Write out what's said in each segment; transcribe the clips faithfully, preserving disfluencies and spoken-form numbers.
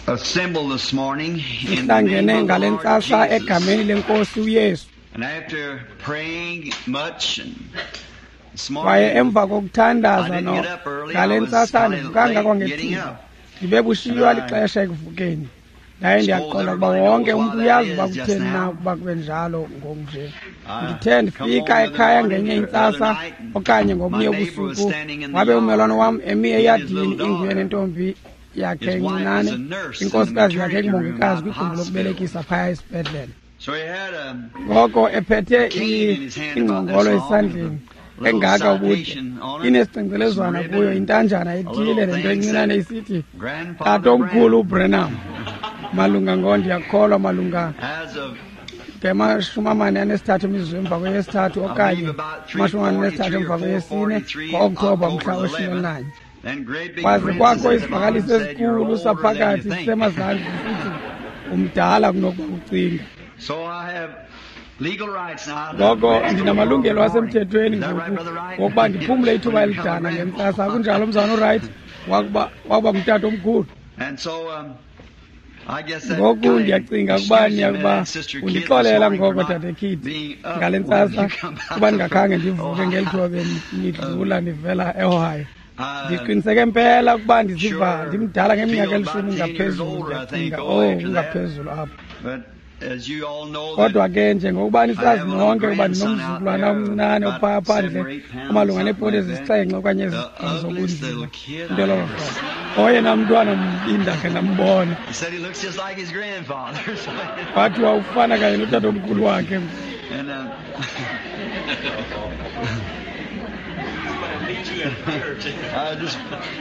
assembled this morning in the Sihlangene name of the ngale Lord ntsasa Jesus. egameni lenkosi uYesu. And after praying much and this Kwaye morning, emva I kokuthandaza didn't no get up early. ngale I was ntsasa kind of andivukanga late getting kwangethuba, up. ndibe bushiywa And I lixesha ekuvukeni. Ndaye suppose ndiyaqonda ukuba everybody wonke knows umntu why that uyazi uba is just kutheni na now. ukuba kube njalo ngoku nje. I Ndithe come ndifika home the other ekhaya morning ngenye or the other intsasa night, and okanye my ngobunye neighbor was ubusuku, standing in the wabe ummelwane yard, wam emi he and his eyadini little inguye daughter. nentombi yakhe His wife is encinane, a nurse in the inkosikazi yakhe maternity room engumongikazi out at the kwigumbi hospital. lokubelekisa phaya esibhedlele. So he had a Ngoko ephethe a cane in his hand about ingcongolo this long with a esandleni little engaka ubude, citation on it, some inesicengcelezwana kuyo, ribbon, intanjana a ethile little nento thing encinane said, isithi Grandfather Tatomkhulu Branham. uBranham. Malunga ngo ndiyakholwa malunga As of, ngamashumi amane anesithathu imizuzu emva kweyesithathu I believe, okanye about three amashumi amane nesithathu forty-three emva or four kweyesine forty-three, ngo-Okthobha mhla October the weshumi eleventh, elinanye. then great big Kwaze princes kwakho at the bottom isivakalisi said, "You're esikhulu older than you saphakathi think." sisemazantsi sithi umdala kunokuba ucinga. So I have legal rights now to Ngoko rest a little ndinamalungelo in the morning. asemthethweni Is that right, ngoku Brother Wright? wokuba ndiphumle ithuba When you become a elidana grandpa. ngentsasa. Akunjalo, mzalwana uWright? Wakuba wakuba ngutata omkhulu. And so um, I guess that Ngoku kind of ndiyacinga ukuba excuses me niyakuba and Sister Kidd this undixolela morning for ngoko not Dade Kidd being up ngale when ntsasa you come kuba out of ndingakhange ndivuke ngeli Ohio. thuba benidlula ndivela eOhio. I Ndiqiniseke mpela ukuba ndiziva sure ndimdala ngeminyaka feel about elishumi ten years ngaphezulu. older, I think, Ndiyacinga oh, oh after that. kungaphezulu apho. But as you all know, that Kodwa ke njengokuba I nisazi have a little nonke ukuba grandson out ndinomzukulwana there, omncinane about ophaya seven phandle or eight pounds, omalunga something neeponti like that. ezisixhenxe okanye The ezisibhozo ugliest ubunzima, little kid into I lolo ever hlobo. seen. Oyena mntwana mbi ndakhe ndambona. He said he looks just like his grandfather. So, Kwathiwa ufana kanye notatomkhulu wakhe. and uh, I just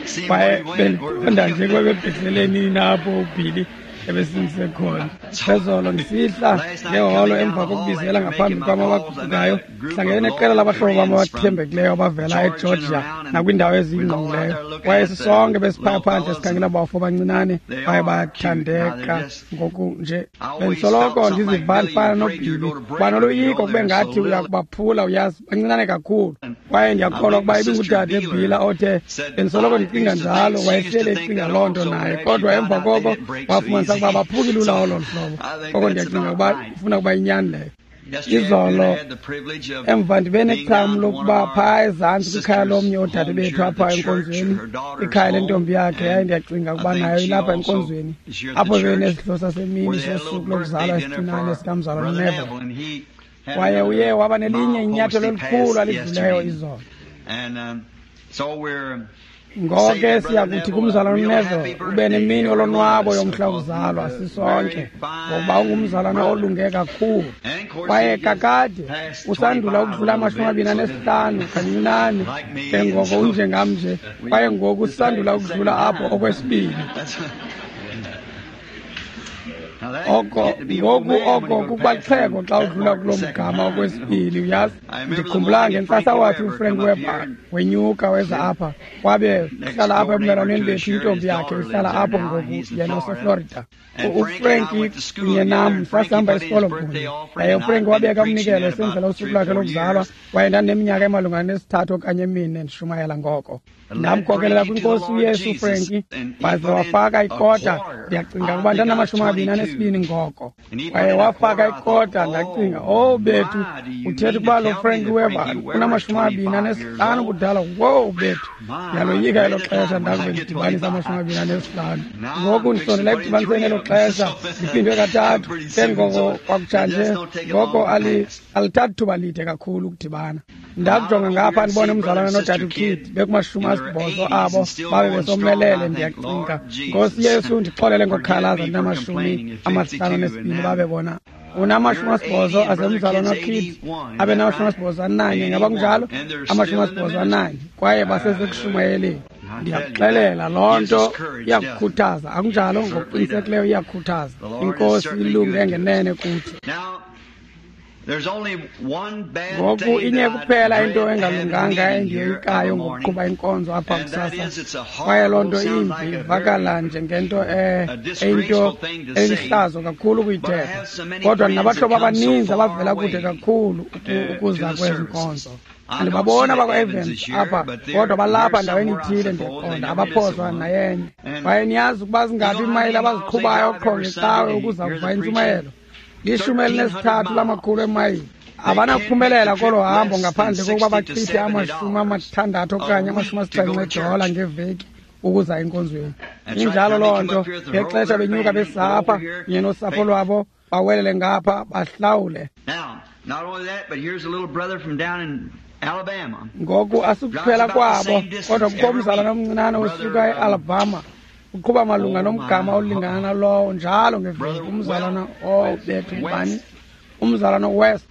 seen where Kwaye he went. Where, bendiqonda nje kwebebhekeleni apho uBilly ebesindise khona. Phezolo ndisihla Last night ngeholo coming down emva the hall kokubizela after ngaphambi making my kwam calls, I met abaguqukayo, a group hlangene of neqela loyal labahlobo bam friends from abathembekileyo abavela Georgia and eGeorgia around, and nakwiindawo we was all out eziyingqongileyo. there looking Kwaye at the sisonke besiphaya little phandle fellas, sikhangela and abafo abancinane they baye are cute. Now they're bathandeka just. ngoku nje. I always felt Bendisoloko something like ndiziva Billy ndifana afraid you're noBilly, going to kuba break them. You noloyiko know, kube they're so ngathi little. uyakubaphula uyazi, bancinane kakhulu. Kwaye I ndiyakholwa believe ukuba my sister ibingudade Beeler Bhila othe said, bendisoloko I ndicinga used to njalo, think, she used to wayehleli think ecinga that loo nto also, but naye. after she Kodwa found emva out they koko didn't break so wafumanisa easy. ukuba baphuki lula So olo hlobo. I think Ngoko that's ndiyacinga about ukuba right. ifuna ukuba inyani leyo. Yesterday afternoon, I Izolo had the privilege of emva ndibe being necham down to one of lokuba our phaa ezantsi kwikhaya sisters' lomnye oodade homes bethu here at apha the church, enkonzweni, her daughter's ikhaya home, lentombi yakhe. Yaye and ndiyacinga I ukuba think nayo she ilapha also enkonzweni is here at the apho church, bebenesidlo sasemini where they had a little sosuku birthday lokuzalwa dinner esincinane for sikamzalwana Brother uNeville. Neville, and he had Kwaye uye another waba nelinye milepost inyathelo he elikhulu passed alidluleyo yesterday. izolo. And um, so we're Ngoko say ke to Brother siyakuthi Neville, a kumzalwana real uNeville happy ube birthday, nemini every one of yolonwabo us, yomhla because he's wokuzalwa a sisonke, very ngokuba fine ungumzalwana brother. olunge kakhulu. And of course, Kwaye he just kakade passed usandula twenty-five a ukudlula little amashumi bit, amabini so anesihlanu kancinane like me, ke and ngoko so unjengam nje, we kwaye ngoku just passed sisandula the second ukudlula apho time. okwesibini. That's now that Oko get to be old ngoku man when you oko go to kuba pass through lixhego xa that udlula mark the kuloo second mgama time. You know. okwesibini uyazi. I remember the Ndikhumbula morning ngentsasa Frankie wathi Weber uFrank come up Weber here and wenyuka weza lived apha, kwabe next uhlala apha door neighbor ebumelwaneni to us bethu, here. His intombi yakhe daughter ihlala lives there apho now. ngoku, He's in yena Florida. useFlorida. And U- Frank and I uFrankie went to school kunye together, nam and Frankie sasihamba put in his isikolo birthday kunye. offering, Yaye and uFrank I'd been wabeka preaching umnikelo that esenzela about usuku three or lwakhe four lokuzalwa, years. kwaye ndandineminyaka emalunga nesithathu okanye emine ndishumayela ngoko. I led Ndamkhokelela Frankie to the kwinkosi Lord uYesu Jesus, uFrankie, and he waze put in wafaka a ikota. quarter. Ndiyacinga I ukuba think I was ndandinamashumi amabini twenty-two. anesibini ngoko. And he put Kwaye in a wafaka quarter. I thought, ikota, ndacinga, oh oh bethu, my, do you uthetha mean to ukuba lo tell me Frank that Weber Frankie Weber is unamashumi amabini twenty-five years anesihlanu old? ubudala? Wowu bethu, My, I ndiyaloyika dread elo the xesha time when I ndakube get ndidibanisa amashumi twenty-five. amabini anesihlanu. Now Ngoku I'm fixing ndisondela to put in ekudibaniseni three elo of them, xesha so ndiphindwe kathathu pretty ke soon. ngoko So it kwakutshanje just don't take it ngoko long to ali pass. alithathi thuba lide kakhulu ukudibana. Now I Ndakujonga go ngapha here and ndibone see brother umzalwana and nodade sister uKidd Kidd bekumashumi in their asibhozo eighties abo and still babe going strong. besomelele. I think, Ndiyacinga, Lord Nkosi Jesus, Yesu, ndixolele forgive ngokukhalaza me for ndinamashumi complaining at amahlanu fifty-two and nesibini now babe bona unamashumi you're asibhozo eighty and Brother asemzalwana Kidd's uKidd eighty-one. Is abe that namashumi right? asibhozo ananye, ngaba kunjalo? eighty-one. And they're Amashumi still in the asibhozo ministry. ananye kwaye basesekushumayeleni. I tell you, that Ndiyakuxelela loo gives nto us courage, doesn't it? iyakukhuthaza, akunjalo? Certainly does. Ngokuqinisekileyo iyakhuthaza. The Lord is Inkosi certainly ilunge good to us. ngenene kuthi. Now, there's only one bad Ngoku thing inye that I kuphela into dread having engalunganga meeting here endiyoyikayo every morning, ngokuqhuba inkonzo apha and that kusasa, is it's a kwaye loo horrible, nto sounds imbi like a very ivakala njengento e- a eyinto disgraceful thing to say, elihlazo kakhulu but I ukuyithetha, have so many kodwa friends that ndinabahlobo come so abaninzi far abavela kude away kakhulu uku- to, to ukuza the kwezi services. nkonzo. Andibabona bakwa-Evans apha, kodwa balapha ndaweni ithile ndiqonda abaphoswa nayenye. Kwaye niyazi ukuba zingaphi iimayile abaziqhubayo qho ngecawe ukuza kuva intshumayelo? Lishumi elinesithathu lamakhulu emayile. Abanakuphumelela kolo hambo ngaphandle kokuba bachithe amashumi amathandathu okanye amashumi asixhenxe edola ngeveki ukuza enkonzweni. Injalo loo nto. Ngexesha benyuka besapha kunye nosapho lwabo bawelele ngapha bahlawule. Ngoku asikuphela kwabo, kodwa kukho umzalwana omncinane osuka eAlabama uqhuba malunga nomgama olingana nalowo njalo ngeveki. Umzalwana obethu ngubani? Umzalwana West.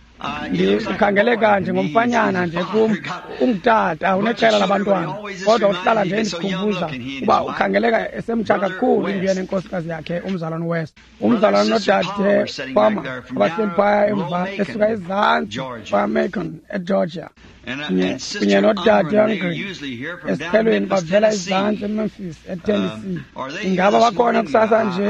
Ukhangeleka njengomfanyana nje kum, ungutata uneqela labantwana, kodwa uhlala nje endikhumbuza uba ukhangeleka esemtsha kakhulu inguye nenkosikazi yakhe umzalwana West. Umzalwana nodade Palmer abahleli phaya emva esuka ezantsi kwaMacon eGeorgia, kunye nodade Angren esiphelweni bavela ezantsi eMemphis eTennessee. Ingaba bakhona kusasa nje?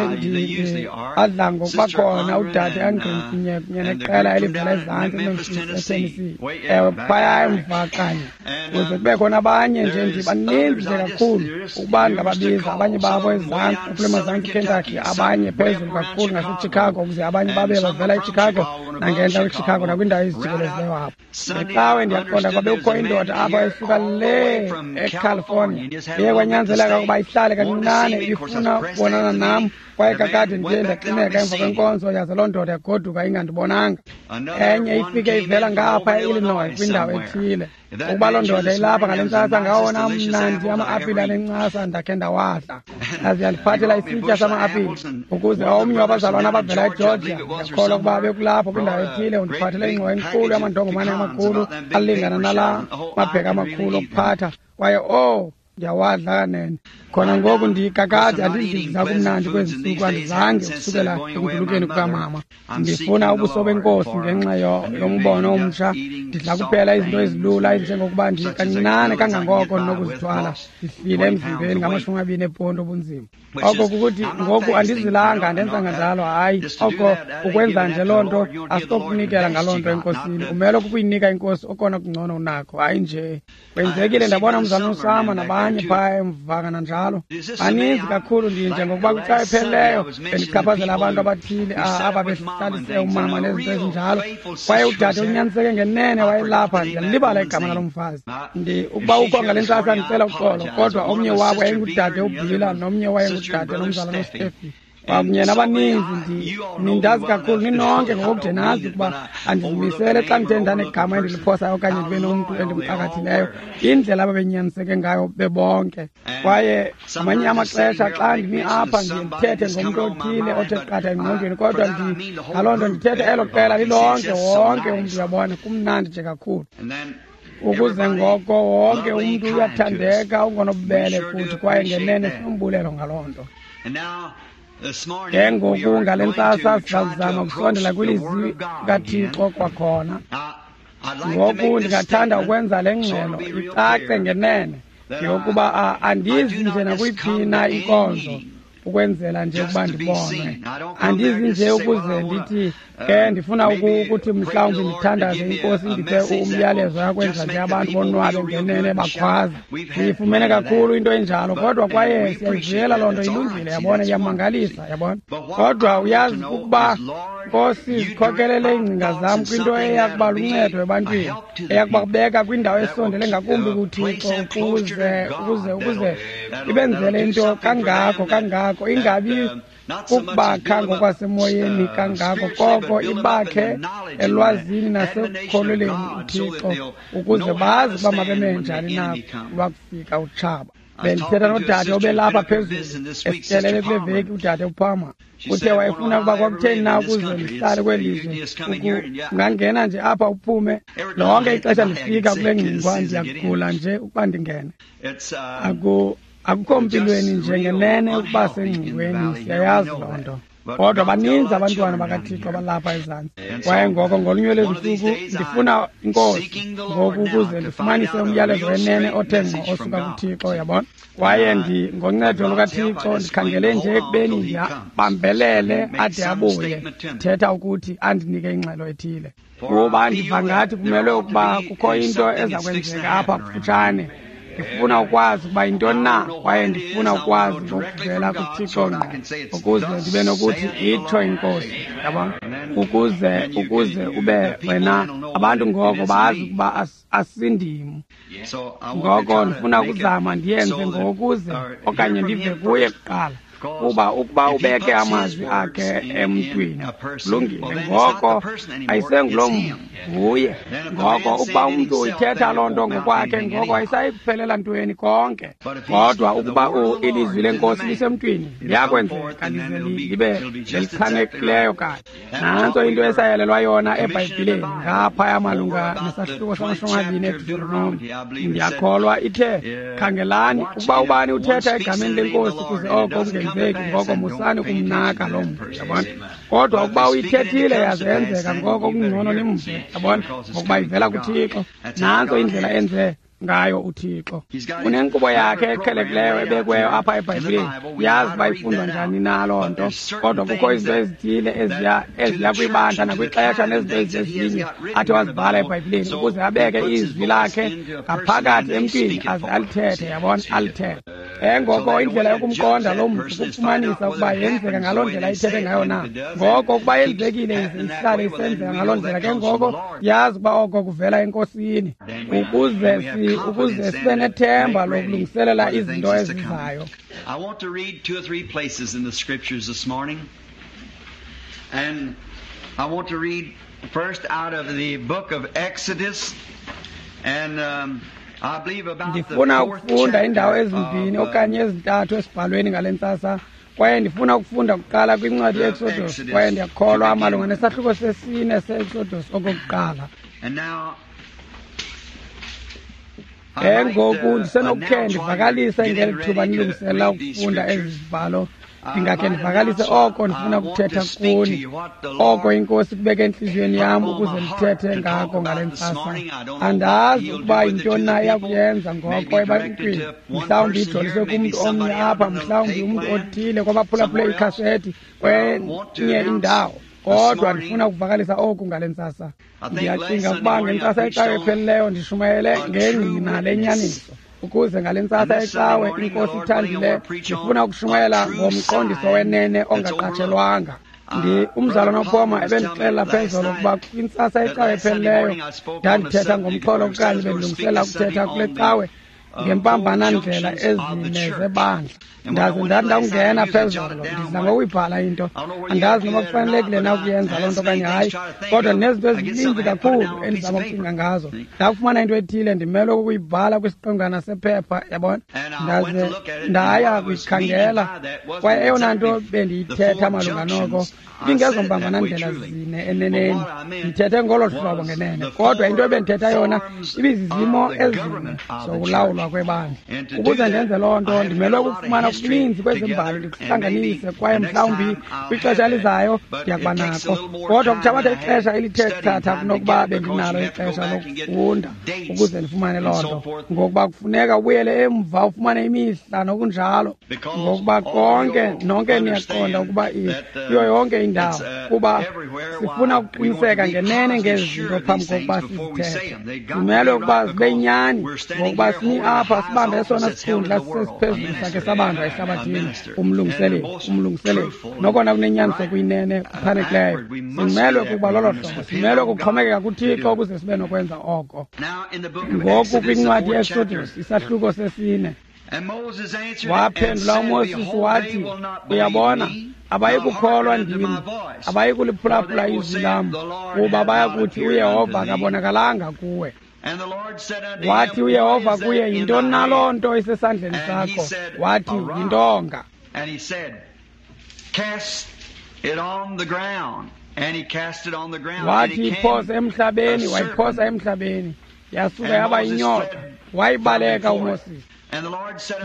Badla ngokuba khona udade Angren kunye kunye neqela elivela ezantsi eMemphis eTennessee. Ewe, phaya emva kanye. Kuze kube khona abanye nje, ndibaninzi nje kakhulu ukuba ndingababiza. Abanye babo ezantsi kule mazantsi Kentucky, abanye phezulu kakhulu ngaseChicago, ukuze abanye babe bavela eChicago nangentla kweChicago nakwindawo ezijikelezileyo apho. Ngecawe ndiyaqonda kwabe kukho indoda apho esuka le eCalifornia. Iye kwanyanzeleka ukuba ihlale kancinane ifuna ukubonana nam, kwaye kakade ndiye ndaxineka emva kwenkonzo, yaze loo ndoda yagoduka ingandibonanga. Enye ifike ivela ngapha e-Illinois kwindawo ethile. Ukuba loo ndoda ilapha ngale ntsasa, ngawona mnandi ama-apile anencasa ndakhe ndawadla. Yaze yandiphathela isitya sama-apile ukuze omnye wabazalwana abavela eGeorgia, ndiyakholwa ukuba bekulapho kwindawo ethile, undiphathele ingxowa enkulu yamandongomane amakhulu alingana nala mabheka amakhulu okuphatha. Kwaye oh, ndiyawadla kanene. Khona ngoku ndikakade andizidla kumnandi kwezi ntsuku, andizange ukusukela ekundulukeni kukamama. Ndifuna ubuso benkosi ngenxa yombono omtsha. Ndidla kuphela izinto ezilula ezinjengokuba ndikancinane kangangoko ndinokuzithwala. Ndihlile emzimbeni ngamashumi amabini eponto obunzima. Oko kukuthi ngoku andizilanga, andenzanga njalo, hayi. Oko ukwenza nje loo nto asikokunikela ngaloo nto enkosini. Umele kukuyinika inkosi okona kungcono unakho, hayi nje. Kwenzekile ndabona umzalwana uSama nabanye phaya emva kananjalo. Baninzi kakhulu ndinje ngokuba kwicawa ephelileyo bendichaphazela abantu abathile aba behlalise umama nezinto ezinjalo. Kwaye udade unyaniseke ngenene wayelapha, ndiyalibala igama lalo mfazi. Ndi ukuba ukho ngale ntsasa ndicela uxolo, kodwa omnye wabo yayingudade uBhila nomnye wayengudade nomzalwana uStefi. Kwakunye nabaninzi nindazi kakhulu ninonke ngokude nazi ukuba andizimisele xa ndithe ndanegama endiliphosayo okanye ndibe nomntu endimxakathileyo, indlela ababenyaniseke ngayo bebonke. Kwaye ngamanye amaxesha xa ndimi apha ndiye ndithethe ngomntu othile othe qatha engqondweni, kodwa ngaloo nto ndithethe elo qela lilonke, wonke umntu uyabona, kumnandi nje kakhulu. Ukuze ngoko wonke umntu uyathandeka, ungonobubele kuthi, kwaye ngenene sinombulelo ngaloo nto. Ke ngoku ngale ntsasa sizakuzama ukusondela kwilizwi likaThixo kwakhona. Ngoku ndingathanda ukwenza le ngxelo icace ngenene yokuba andizi nje nakuyiphi na inkonzo ukwenzela nje ukuba ndibonwe. Andizi nje ukuze ndithi ke ndifuna ukuthi mhlawumbi ndithandaze inkosi ndiphe umyalezo yakwenza nje abantu bonwabe ngenene bakhwaze. Ndiyifumene kakhulu into enjalo, kodwa kwaye siyayivuyela loo nto, ilungile, yabona, iyamangalisa, yabona. Kodwa uyazi ukuba Nkosi zikhokelele iingcinga zam kwinto eyakuba luncedo ebantwini, eyakubabeka kwindawo esondele ngakumbi kuThixo, ukuze ukuze ukuze ibenzele into kangako kangako, ingabi ukubakha ngokwasemoyeni kangako, koko ibakhe elwazini nasekukholeleni uThixo, ukuze bazi uba mabeme njani na lwakufika utshaba. Bendithetha nodade obelapha phezulu esithelele kule veki, udade uPalmer. Uthe wayefuna ukuba kwakutheni na ukuze ndihlale kweli lizwe, ungangena nje apha uphume. Lonke ixesha ndifika kule ngxingwa ndiyagula nje ukuba ndingene. Aku akukho mpilweni nje ngenene ukuba sengxingweni, siyayazi loo nto. Kodwa baninzi abantwana bakaThixo abalapha ezantsi. Kwaye ngoko ngolunye lwezinsuku ndifuna inkosi ngoku ukuze ndifumanise umyalezo wenene othe ngqo osuka kuThixo, yabona. Kwaye ndi ngoncedo lukaThixo ndikhangele nje ekubeni ndiyabambelele ade abuye, thetha ukuthi andinike ingxelo ethile. Kuba ndiva ngathi kumelwe ukuba kukho into eza kwenzeka apha kufutshane. Ndifuna ukwazi ukuba yintoni na, kwaye ndifuna ukwazi ngokuvela kuThixo ngqo, ukuze ndibe nokuthi itsho inkosi, yabona, ukuze ukuze ube wena abantu ngoko bazi ukuba asindim. Ngoko ndifuna ukuzama ndiyenze ngokuze okanye ndive kuye kuqala. Kuba ukuba ubeke amazwi akhe emntwini, kulungile, ngoko ayisenguloo mntu, nguye. Ngoko ukuba umntu uyithetha loo nto ngokwakhe, ngoko ayisayi kuphelela ntweni konke. Kodwa ukuba ilizwi lenkosi lisemntwini, liyakwenzeka lize libe lelichanekileyo kanye. Nantso into esayalelwa yona eBhayibhileni ngaphaya malunga nesahluko samashumi amabini eDeuteronomi. Ndiyakholwa ithe, khangelani, ukuba ubani uthetha egameni lenkosi kuze oko kungenzeki, ngoko musani ukumnaka loo mntu, yabona. Kodwa ukuba uyithethile yaze yenzeka, ngoko kungcono nimve, yabona, ngokuba ivela kuThixo. Nantso indlela enze ngayo uThixo. Unenkqubo yakhe eqhelekileyo ebekweyo apha eBhayibhileni. Uyazi uba ifundwa njani na loo nto, kodwa kukho izinto ezithile eziya eziya kwibandla nakwixesha nezinto ezizezinye athi wazibhala eBhayibhileni ukuze abeke izwi lakhe ngaphakathi emntwini aze alithethe, yabona, alithethe. Ngoko indlela yokumqonda loo mntu kukufumanisa ukuba yenzeka ngaloo ndlela ithethe ngayo na. Ngoko ukuba yenzekile ize ihlale isenzeka ngaloo ndlela, ke ngoko yazi ukuba oko kuvela eNkosini, ukuze si ukuze sibe nethemba lokulungiselela izinto ezizayo. I want to read two or three places in the scriptures this morning. And I want to read first out of the book of Exodus, and um, I believe about the Ndifuna fourth ukufunda indawo chapter ezimbini of, uh, okanye ezintathu esibhalweni ngale ntsasa. Kwaye ndifuna ukufunda kuqala kwincwadi ye-Exodus, kwaye ndiyakholwa malunga nesahluko sesine se-Exodus okokuqala. And now Ke ngoku ndisenokukhe ndivakalise ngeli thuba nilungiselela ukufunda ezi zibhalo. Ndingakhe ndivakalise oko ndifuna ukuthetha kuni, oko inkosi kubeke entliziyweni yam ukuze ndithethe ngako ngale ntsasa. Andazi ukuba yintoni na iya kuyenza ngoko ebantwini, mhlawumbi ijoliswe kumntu omnye apha, mhlawumbi umntu othile kwabaphulaphule ikhasethi kwenye indawo. Kodwa ndifuna ukuvakalisa oku ngale ntsasa. Ndiyacinga ukuba ngentsasa yecawe ephelileyo ndishumayele ngengqina lenyaniso, ukuze ngale ntsasa yecawe inkosi ithandile ndifuna ukushumayela ngomqondiso wenene ongaqatshelwanga. Ndi umzalwana uPoma ebendixelela phezolo ukuba kwintsasa yecawe ephelileyo ndandithetha ngomxholo okanye bendilungiselela ukuthetha kule cawe ngempambanandlela ezine zebandla. Ndaze ndathi ndawungena phezolo, ndidla ngokuyibhala into. Andazi noba kufanelekile na ukuyenza loo nto okanye hayi, kodwa ndinezinto ezininzi kakhulu endizama ukucinga ngazo. Ndakufumana into ethile ndimelwe kukuyibhala kwisiqengwana sephepha, yabona. Ndaze ndaya kuyikhangela, kwaye eyona nto bendiyithetha malunga noko ibingezompambanandlela zine eneneni. Ndithethe ngolo hlobo ngenene, kodwa into ebendithetha yona ibizizimo ezine zokulawulwa kwebandla. Ukuze ndenze loo nto ndimelwe ukufumana okuninzi kwezembali ndikuhlanganise, kwaye mhlawumbi kwixesha elizayo ndiyakuba nako. Kodwa kuthabatha ixesha elithe chatha kunokuba bendinalo ixesha lokufunda ukuze ndifumane loo nto, ngokuba kufuneka ubuyele emva ufumane imihla nokunjalo, ngokuba konke nonke niyaqonda ukuba kuyo yonke indawo, kuba sifuna ukuqiniseka ngenene ngezi zinto phambi kokuba sizithethe. Simelwe ukuba zibe yinyani, ngokuba simi apha sibambe esona sikhundla sesiphezulu sakhe sabanjwa ehlabathini, umlungiseleli, umlungiseleli nokona kunenyaniso kuyinene kuchanekileyo. Simelwe kukuba lolo hlobo, simelwe kuxhomekeka kuThixo ukuze sibe nokwenza oko. Ngoku kwincwadi ye-Exodus isahluko sesine, waphendula uMoses wathi, uyabona, abayikukholwa ndim, abayikuliphulaphula izwi lam, kuba bayakuthi uYehova akabonakalanga kuwe. Wathi uYehova kuye, yintoni na loo nto isesandleni sakho? Wathi, yintonga. And he said, cast it on the ground. And he cast it on the ground. Wathi iphose emhlabeni, wayiphosa emhlabeni, yasuka yaba yinyoka, wayibaleka uMoses.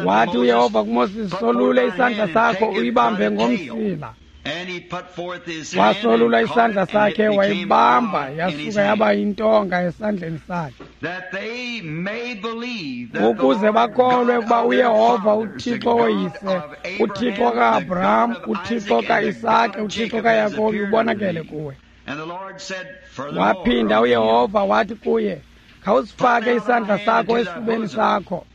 Wathi uYehova kuMoses, solule isandla sakho uyibambe ngomsila. Wasolula isandla sakhe wayibamba, yasuka yaba yintonga esandleni sakhe, ukuze bakholwe ukuba uYehova uThixo woyise, uThixo ka-Abraham, uThixo ka-Isake, uThixo kaYakobi ubonakele kuwe. Waphinda uYehova wathi kuye, khawusifake isandla sakho esifubeni sakho.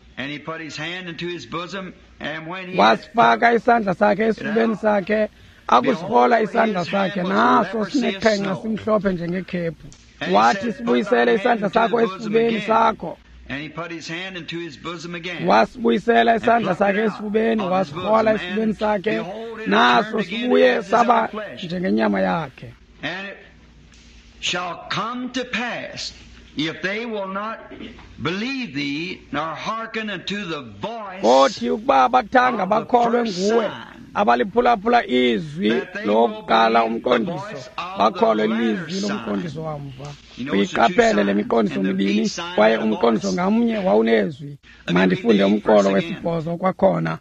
Wasifaka isandla sakhe esifubeni sakhe, akusihola isandla sakhe, naso sineqhenqa simhlophe njengekhephu. Wathi, sibuyisele isandla sakho esifubeni sakho. Wasibuyisela isandla sakhe esifubeni, wasihola esifubeni sakhe, naso sibuye saba njengenyama yakhe. And it shall come to pass, if they will not believe thee, nor hearken unto the voice Kothi ukuba abathanga bakholwe nguwe, abaliphulaphula izwi lokuqala umqondiso, bakholwe lizwi lomqondiso wamva. Uyiqaphele le miqondiso mibini, kwaye umqondiso ngamnye wawunezwi. Mandifunde umqolo wesibhozo kwakhona.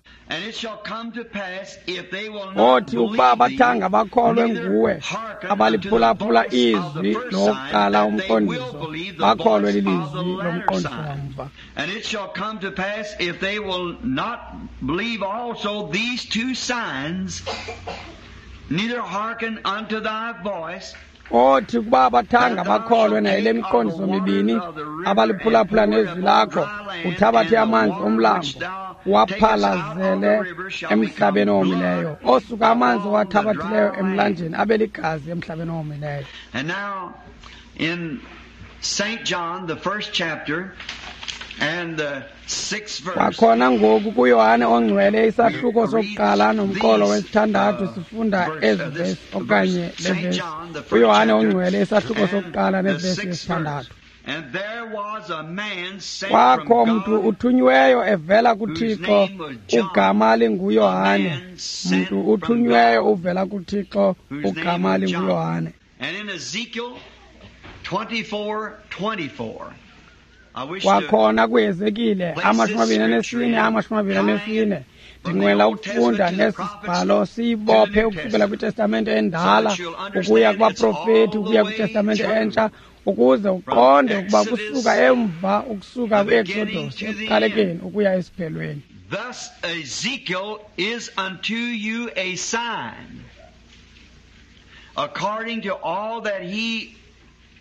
Othi ukuba abathanga bakholwe nguwe, abaliphulaphula izwi lokuqala umqondiso, bakholwe lilizwi lomqondiso wamva. And it shall come to pass, if they will not believe also these two signs, neither hearken unto thy voice, Othi ukuba abathanga bakholwe nayile miqondiso mibini, abaliphulaphula nezwi lakho, uthabathe amanzi omlambo, waphalazele emhlabeni owomileyo. Osuka amanzi owathabathileyo emlanjeni abe ligazi emhlabeni owomileyo. And now in Saint John, the first chapter and the sixth verse. Kwakhona ngoku kuYohane ongcwele isahluko sokuqala nomqolo wesithandathu sifunda ezi vesi okanye le vesi. UYohane ongcwele isahluko sokuqala nevesi yesithandathu. And there was a man sent Kwakho from mntu God, uthunyiweyo evela kuThixo, ugama linguYohane. Mntu uthunyiweyo uvela kuThixo, ugama linguYohane. And in Ezekiel twenty-four twenty-four, I wish to Kwakhona kuHezekile amashumi amabini anesine amashumi amabini anesine ndinqwela ukufunda nesi sibhalo siyibophe ukusukela kwitestamente endala ukuya kubaprofeti ukuya kwitestamente entsha, ukuze uqonde ukuba kusuka emva ukusuka kwi-Exodus ekuqalekeni ukuya esiphelweni. Thus Ezekiel is unto you a sign, according to all that he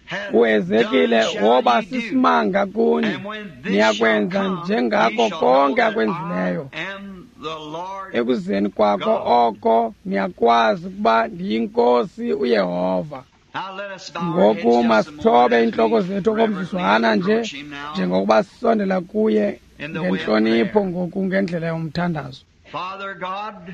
hath uHezekile done shall woba ye do. sisimanga kuni, And when this shall niyakwenza come, ye njengako shall know konke that akwenzileyo. I am the Lord. Ekuzeni kwakho oko niyakwazi ukuba ndiyinkosi uYehova. Now let us bow our Ngoku heads just a masithobe moment as iintloko we zethu okomzuzwana reverently nje, approach him now. njengokuba sisondela kuye In the way of ngentlonipho prayer. ngoku ngendlela yomthandazo. Father God,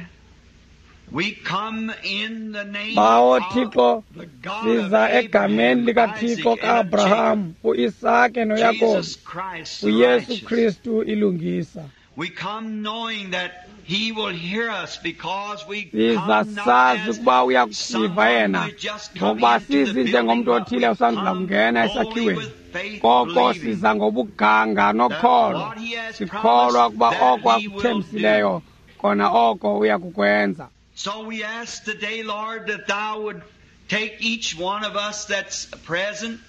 we come in the name Bawo of Thixo, the God of siza egameni Abraham, likaThixo Isaac, and of ka-Abraham, uIsake Jacob, noYakobi, Jesus Christ, the uYesu righteous. Kristu ilungisa. We come knowing that He will hear us because we Siza come not sazi as ukuba uyakusiva someone yena, who has just come ngokuba into the sizi building, njengomntu but othile we osandula come kungena boldly esakhiweni. with faith, Koko believing siza ngobuganga nokholo, that what He has sikholwa promised, ukuba that oko He will akuthembisileyo kona oko uyakukwenza. So we ask today, Lord, that Thou would take each one of us that's present,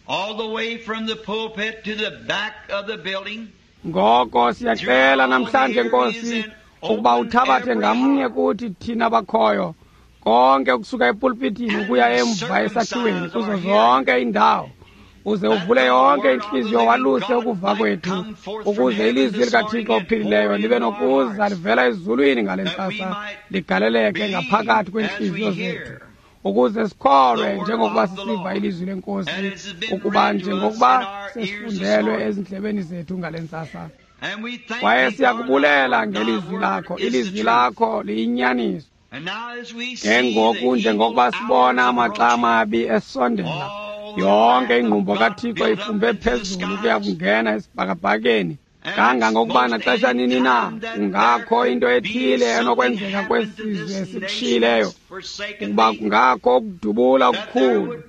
all the way from the pulpit to the back of the building, Ngoko siyacela namhlanje Nkosi ukuba uthabathe ngamnye kuthi thina bakhoyo, konke ukusuka epulpitini ukuya emva esakhiweni kuzo zonke iindawo, uze uvule yonke intliziyo waluse ukuva kwethu, ukuze ilizwi likaThixo ophilileyo libe nokuza livela ezulwini ngale ntsasa ligaleleke ngaphakathi kweentliziyo zethu, ukuze sikholwe njengokuba sisiva ilizwi lenkosi, ukuba njengokuba sesifundelwe ezindlebeni zethu ngale ntsasa. and we thank Kwaye Thee, siyakubulela Father, ngelizwi Thy lakho, word is ilizwi the truth. lakho liyinyaniso. And now as we Ke see ngoku the evil njengokuba sibona hours amaxa approaching, amabi esondela, yonke ingqumbo kaThixo ifumbe phezulu ukuya kungena esibhakabhakeni, kangangokuba naxesha nini na kungakho into ethile enokwenzeka kwesi sizwe sikushiyileyo, ukuba kungakho ukudubula okukhulu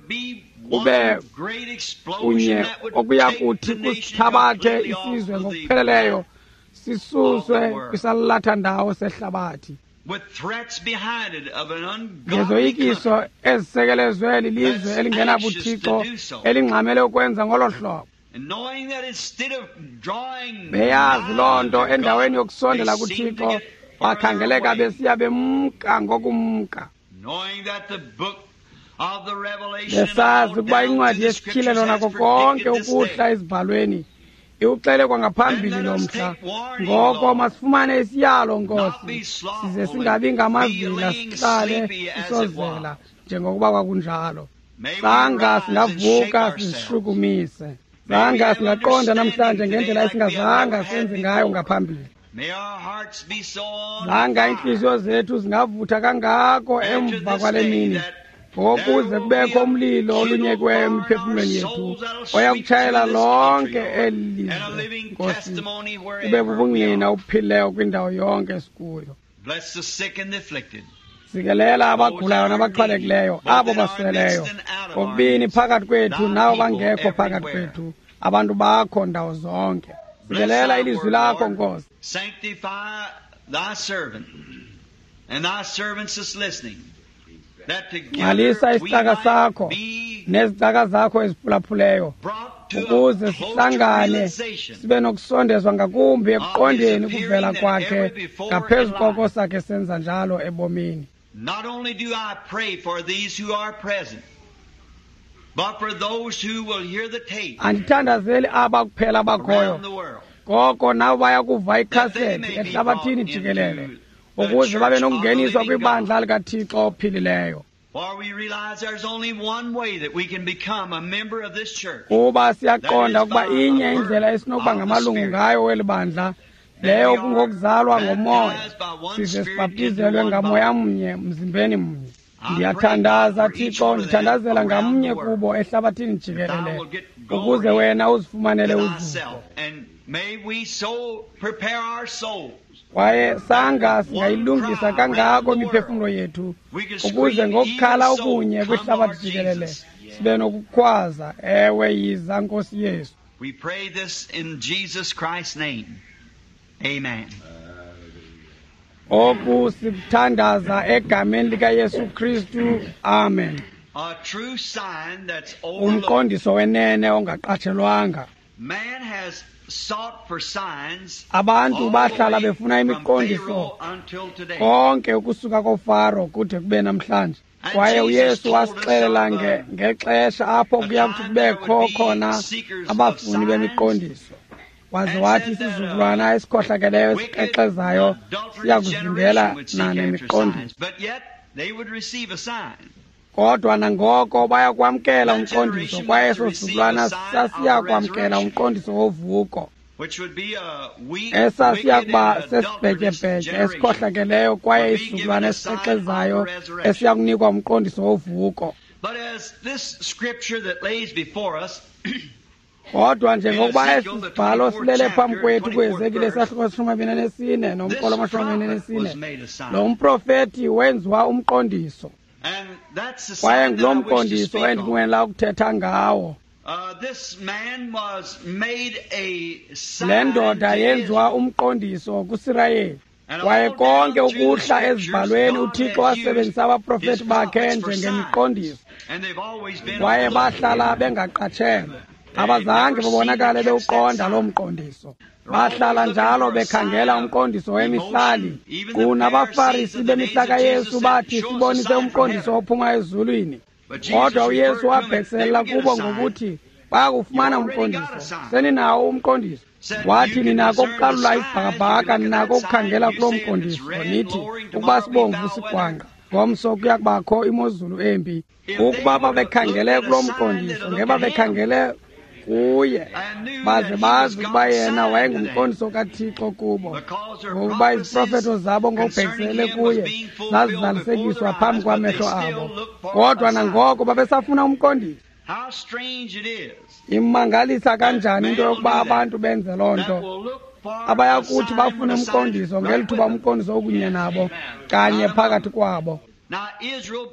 kube kunye okuya kuthi kusithabathe isizwe ngokupheleleyo, sisuswe kwisalathandawo sehlabathi. Ngezoyikiso ezisekelezwe lilizwe elingenabuthixo elingxamele ukwenza ngolo hlobo. Beyazi loo nto, endaweni yokusondela kuThixo bakhangeleka besiya bemka ngokumka. Besazi ukuba incwadi yesityhilelo nako konke ukuhla ezibhalweni iwuxele kwangaphambili lo mhla. Ngoko masifumane isiyalo, Nkosi, size singabi ngamavila, sihlale sisozela njengokuba kwakunjalo. Sanga singavuka sizishukumise. Sanga singaqonda namhlanje ngendlela esingazanga senze ngayo ngaphambili. Sanga iintliziyo zethu zingavutha kangako emva kwale mini, ngokuze kubekho umlilo olunyekiweyo emiphefumlweni yethu oya kutshayela lonke eli lizwe, Nkosi, ube bubungqina obuphilileyo kwindawo yonke esikuyo. Sikelela abagulayo nabaxhwalekileyo, abo basweleyo, kokubini phakathi kwethu nabo bangekho phakathi kwethu, abantu bakho ndawo zonke. Sikelela ilizwi lakho, Nkosi. Sanctify thy servant and thy servants is listening. Ngcwalisa isicaka sakho nezicaka zakho eziphulaphuleyo, ukuze sihlangane sibe nokusondezwa ngakumbi ekuqondeni ukuvela kwakhe ngaphezu koko sakhe senza njalo ebomini. Not only do I pray for these who are present, but for those who will hear the tape. Andithandazeli aba kuphela abakhoyo, koko nabo baya kuva ikhasethi ehlabathini jikelele, ukuze babe nokungeniswa kwibandla likaThixo ophilileyo. Kuba siyaqonda ukuba inye indlela esinokuba ngamalungu ngayo weli bandla, leyo kungokuzalwa ngomoya, size sibhaptizelwe ngamoya mnye mzimbeni mnye. Ndiyathandaza, Thixo, ndithandazela ngamnye kubo ehlabathini jikelele, ukuze wena uzifumanele uzuko. Kwaye sanga singayilungisa kangako imiphefumlo yethu, ukuze ngokukhala okunye kwihlabathi jikelele sibe nokukhwaza, ewe, yiza Nkosi Yesu. We pray this in Jesus Christ's name. Amen. Oku sikuthandaza egameni likaYesu Kristu. Amen. A true sign that's overlooked. Umqondiso wenene ongaqatshelwanga. Man has sought for signs Abantu bahlala all the way befuna from imiqondiso Pharaoh until today. konke ukusuka koFaro kude kube namhlanje. Kwaye uYesu wasixelela nge, ngexesha apho kuya kuthi kubekho khona abafuni bemiqondiso. Waze wathi isizukulwana esikhohlakeleyo esikrexezayo siya kuzingela na nemiqondiso. But yet they would receive a sign. Kodwa nangoko baya kwamkela umqondiso, kwaye eso sizukulwana sasiya kwamkela umqondiso wovuko, Which would be a weak, esasiya wicked, kuba and adulterous sesibhetyebhetye generation. esikhohlakeleyo, kwaye isizukulwana esikrexezayo esiya kunikwa umqondiso wovuko. But as this scripture that lays before us, Kodwa njengokuba esi sibhalo silele phambi kwethu kuHezekile isahluko seshumi amabini anesine nomqolo this wamashumi amabini prophet was anesine, made a sign. lo mprofethi wenziwa umqondiso, And that's the kwaye sign that ngulo I wish to mqondiso speak on. endinqwenela ukuthetha ngawo. Uh, this man was made a sign Le ndoda to yenziwa Israel. umqondiso kuSirayeli. And Kwaye all konke down through the ukuhla scriptures, ezibhalweni God uThixo has wasebenzisa used abaprofeti his bakhe prophets for njengemiqondiso, signs. And they've always been kwaye overlooked. bahlala bengaqatshelwa. Abazange babonakale bewuqonda loo mqondiso. Bahlala njalo bekhangela umqondiso wemihlali. Kunabafarisi bemihla kaYesu bathi, sibonise umqondiso ophuma ezulwini. But Jesus Kodwa uYesu referred to them and wabhekisela they would get kubo a sign. ngokuthi bayakufumana umqondiso. Seninawo umqondiso. Wathi, ninako ukuqalula isibhakabhaka, ninako ukukhangela kuloo mqondiso, nithi ukuba sibomvu sigwangqa, ngomso kuya kubakho imozulu embi. Ukuba babekhangele kuloo mqondiso, ngebabekhangele kuye, baze bazi ukuba yena wayengumqondiso kaThixo kubo, ngokuba iziprofeto zabo ngokubhekisele kuye zazizalisekiswa phambi kwamehlo abo. Kodwa nangoko babesafuna umqondiso. How strange it is Imangalisa kanjani into yokuba abantu benze loo that nto, will look for abaya a kuthi sign bafune when a sign umqondiso right ngeli thuba with them. umqondiso okunye nabo kanye phakathi kwabo. Now Israel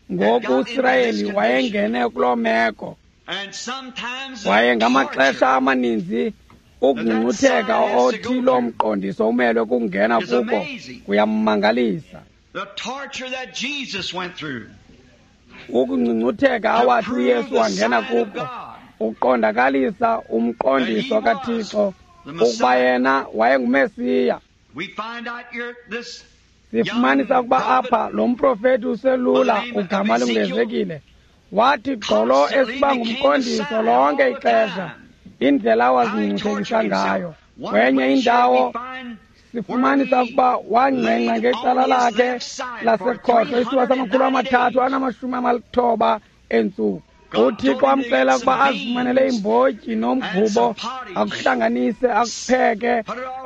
had Ngoku got into this uSirayeli condition. wayengene kuloo meko, And sometimes the kwaye ngamaxesha torture amaninzi Ukungcungcutheka othi lo mqondiso umelwe kungena kuko kuyamangalisa. Ukungcungcutheka awathi uYesu wangena kuko uqondakalisa umqondiso kaThixo ukuba yena wayenguMesiya. Sifumanisa ukuba apha lo mprofeti uselula ugama linguEzekile wathi gqolo esiba ngumqondiso lonke ixesha, indlela awazingcuthekisa ngayo. Kwenye indawo sifumanisa ukuba wangqengqa ngecala lakhe lasekhohlo isithuba samakhulu amathathu anamashumi amalithoba entsuku. UThixo wamxela ukuba azifumanele imbotyi nomgubo, akuhlanganise, akupheke,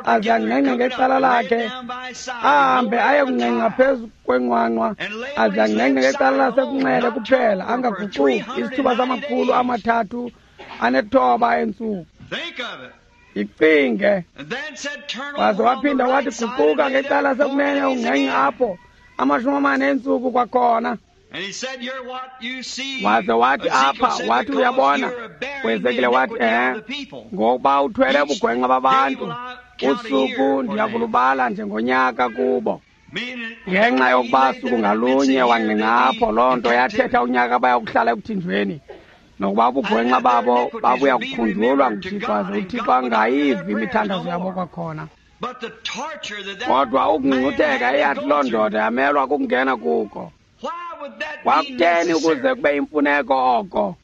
aze angqengqe ngecala lakhe, ahambe aye kungqengqa phezu kwenqwanqwa, aze angqengqe ngecala lasekunxele kuphela, angaguquki, isithuba samakhulu amathathu anethoba entsuku. Icinge. Waze waphinda wathi guquka ngecala lasekunene ungqengqe apho amashumi amane entsuku kwakhona. Waze wathi apha, wathi uyabona, uEzekile wathi ehe, ngokuba uthwele ubugwenxa babantu, usuku ndiyakulubala njengonyaka kubo. Ngenxa yokuba suku ngalunye wangqengqa apho, loo nto yathetha unyaka bayakuhlala ekuthinjweni, nokuba ubugwenxa babo babuya kukhunjulwa nguThixo, aze uThixo angayivi imithandazo yabo kwakhona. Kodwa ukungcungcutheka eyathi loo ndoda yamelwa kukungena kuko. Kwakutheni ukuze kube yimfuneko oko?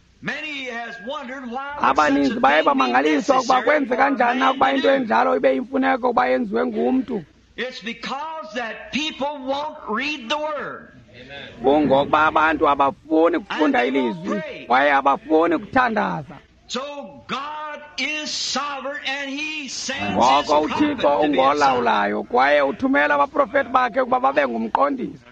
Abaninzi baye bamangaliswa ukuba kwenzeka kanjani na ukuba into enjalo ibe yimfuneko ukuba yenziwe ngumntu. Kungokuba abantu abafuni kufunda ilizwi kwaye abafuni kuthandaza. Ngoko uThixo ungolawulayo kwaye uthumela abaprofeti bakhe ukuba babe ngumqondiso.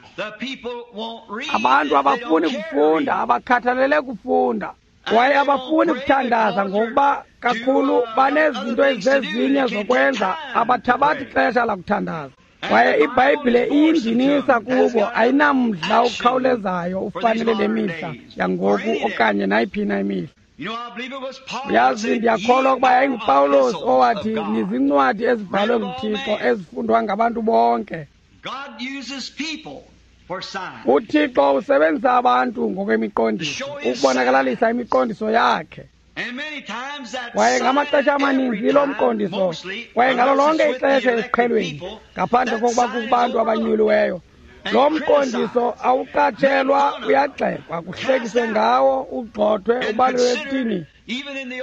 Abantu abafuni kufunda, abakhathalele kufunda, kwaye abafuni kuthandaza ngokuba kakhulu banezinto ezizezinye zokwenza, abathabathi ixesha lakuthandaza. Kwaye iBhayibhile iyindinisa kubo, ayinamdla ukhawulezayo ufanele le mihla yangoku okanye nayiphi na imihla. Uyazi, ndiyakholwa ukuba yayinguPawulos owathi nizincwadi ezibhalwe nguThixo ezifundwa ngabantu bonke. UThixo usebenzisa abantu ngokwemiqondiso ukubonakalalisa imiqondiso yakhe. Kwaye ngamaxesha amaninzi lo mqondiso, kwaye ngalo lonke ixesha esiqhelweni, ngaphandle kokuba kukubantu abanyuliweyo, lo mqondiso awuqatshelwa, uyagxekwa, kuhlekiswe ngawo, ugxothwe, ubalwe ekuthini.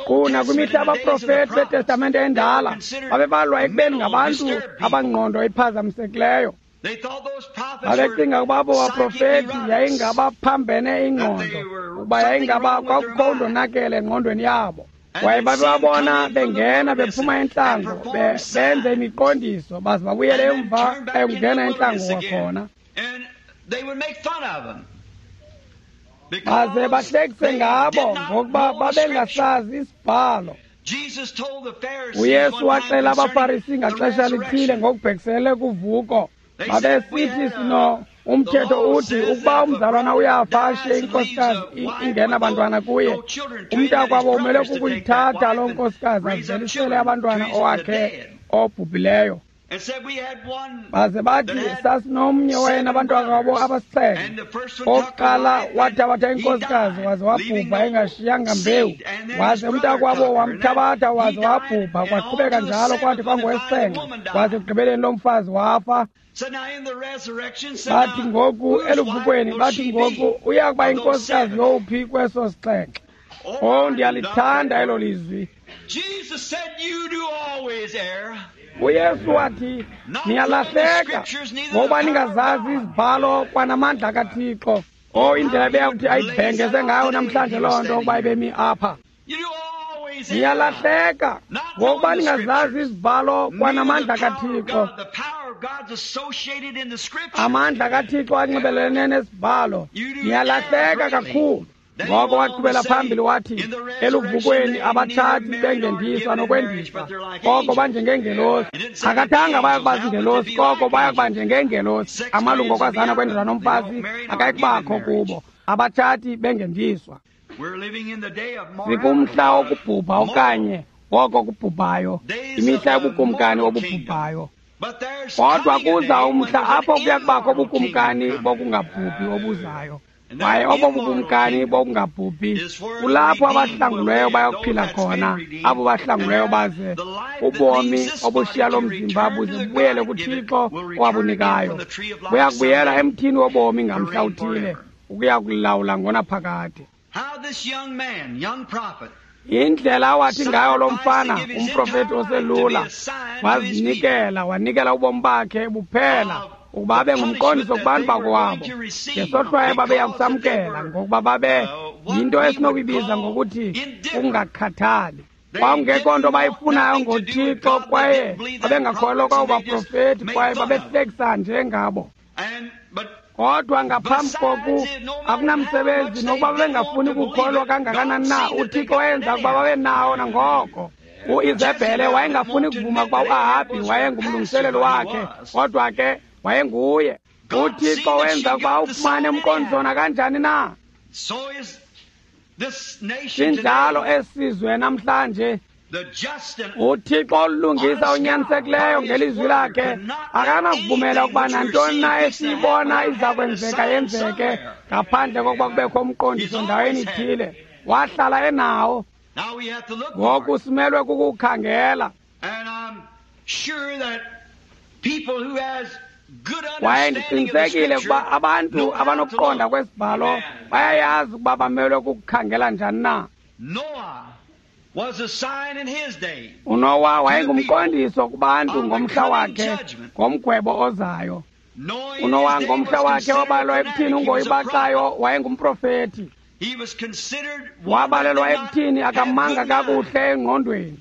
Kuna kwimihla abaprofeti beTestamente endala babebalwa ekubeni ngabantu abangqondo iphazamisekileyo. Babecinga ukuba abo baprofeti yayingabaphambene ingqondo, ukuba yayingaba kwakukho undonakele engqondweni yabo. Kwaye babebabona bengena bephuma entlango, benze imiqondiso, baze babuyele emva ekungena entlango kwakhona. Baze bahlekise ngabo ngokuba babengasazi isibhalo. uYesu waxela abaFarisi ngaxesha lithile ngokubhekisele kuvuko. Babesithi sino umthetho uthi ukuba umzalwana uyafa ashiye inkosikazi ingena abantwana kuye, umntakwabo umele kukuyithatha loo nkosikazi azivelisele abantwana owakhe obhubhileyo. Baze bathi sasinomnye wena abantwana babo abasixhenxe, okokuqala wathabatha inkosikazi waze wabhubha engashiyanga mbewu, waze umntakwabo wamthabatha waze wabhubha, kwaqhubeka njalo kwathi kwangowesixhenxe, waze ekugqibeleni lo mfazi wafa. Bathi ngoku eluvukweni, bathi ngoku uya kuba inkosikazi yowuphi kweso sixhenxe? Oh, ndiyalithanda elo lizwi. uYesu wathi niyalahleka ngokuba ningazazi izibhalo kwanamandla kaThixo. Oh, indlela ebeyakuthi ayibhengeze ngayo namhlanje loo nto ukuba ibemi apha. Niyalahleka ngokuba ningazazi izibhalo kwanamandla kaThixo. Amandla kaThixo anxibelelene nesibhalo. Niyalahleka kakhulu. Ngoko waqhubela phambili wathi eluvukweni abatshati bengendiswa nokwendiswa, koko banjengeengelosi. Akathanga baya kuba zingelosi, koko baya kuba njengeengelosi. Amalungu okwazana kwendoda nomfazi akayikubakho kubo, abatshati bengendiswa. Sikumhla wokubhubha okanye woko kubhubhayo, imihla yobukumkani obubhubhayo. Kodwa kuza umhla apho kuya kubakho ubukumkani bokungabhubhi obuzayo. Kwaye obo bukumkani bokungabhubhi kulapho abahlangulweyo bayokuphila khona, abo bahlangulweyo baze ubomi obushiya lo mzimba buze bubuyele kuThixo owabunikayo. Buya kubuyela emthini wobomi ngamhla uthile, ukuya kulawula ngonaphakade. Indlela awathi ngayo lo mfana, umprofeti oselula, wazinikela, wanikela ubomi bakhe buphela ukuba abe ngumqondiso kubantu bakowabo ngesohlwayo babeya kusamkela, ngokuba babe yinto esinokuyibiza ngokuthi ukungakhathali. Kwakungekho nto bayifunayo ngoThixo, kwaye babengakholelwa kwabo baprofeti, kwaye babehlekisa nje ngabo. Kodwa ngaphambi koku akunamsebenzi nokuba babengafuni kukholwa kangakanani na, uThixo wenza ukuba babe nawo nangoko. UIzebhele wayengafuni kuvuma ukuba uAhabhi wayengumlungiseleli wakhe, kodwa ke wayenguye. UThixo wenza ukuba ufumane umqondiso nakanjani na. Sinjalo esizwe namhlanje. UThixo olungisa onyanisekileyo ngelizwi lakhe akanakuvumela ukuba nantoni na esiyibona iza kwenzeka yenzeke ngaphandle kokuba kubekho umqondiso ndaweni ithile. Wahlala enawo. Ngoku simelwe kukukhangela. Kwaye ndiqinisekile ukuba abantu abanokuqonda kwesibhalo bayayazi ukuba bamelwe kukukhangela njani na. UNowa wayengumqondiso kubantu ngomhla wakhe, ngomgwebo ozayo. UNowa ngomhla wakhe wabalelwa ekuthini ungoyibaxayo, wayengumprofeti. Wabalelwa ekuthini akamanga kakuhle engqondweni.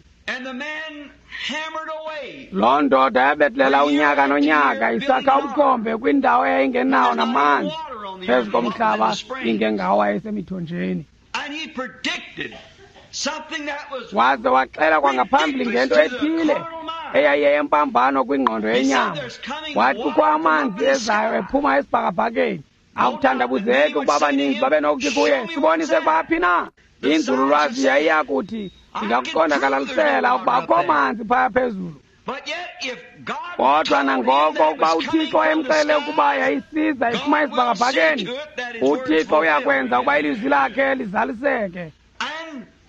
Loo ndoda yabetlela unyaka nonyaka isakha umkhombe kwindawo eyayingenawo namanzi phezu komhlaba ingengawo wayesemithonjeni. Waze waxela kwangaphambili ngento ethile eyayiyempambano kwingqondo yenyama. Wathi kukho amanzi ezayo ephuma esibhakabhakeni. Akuthandabuzeki ukuba abaninzi babenokuthi kuye, sibonise kwaphi na? Inzululwazi yayiya kuthi ndingakuqondakalalisela ukuba akho manzi phaya phezulu. Kodwa nangoko ukuba uThixo emxele ukuba yayisiza iphuma esibhakabhakeni, uThixo uyakwenza ukuba ilizwi lakhe lizaliseke.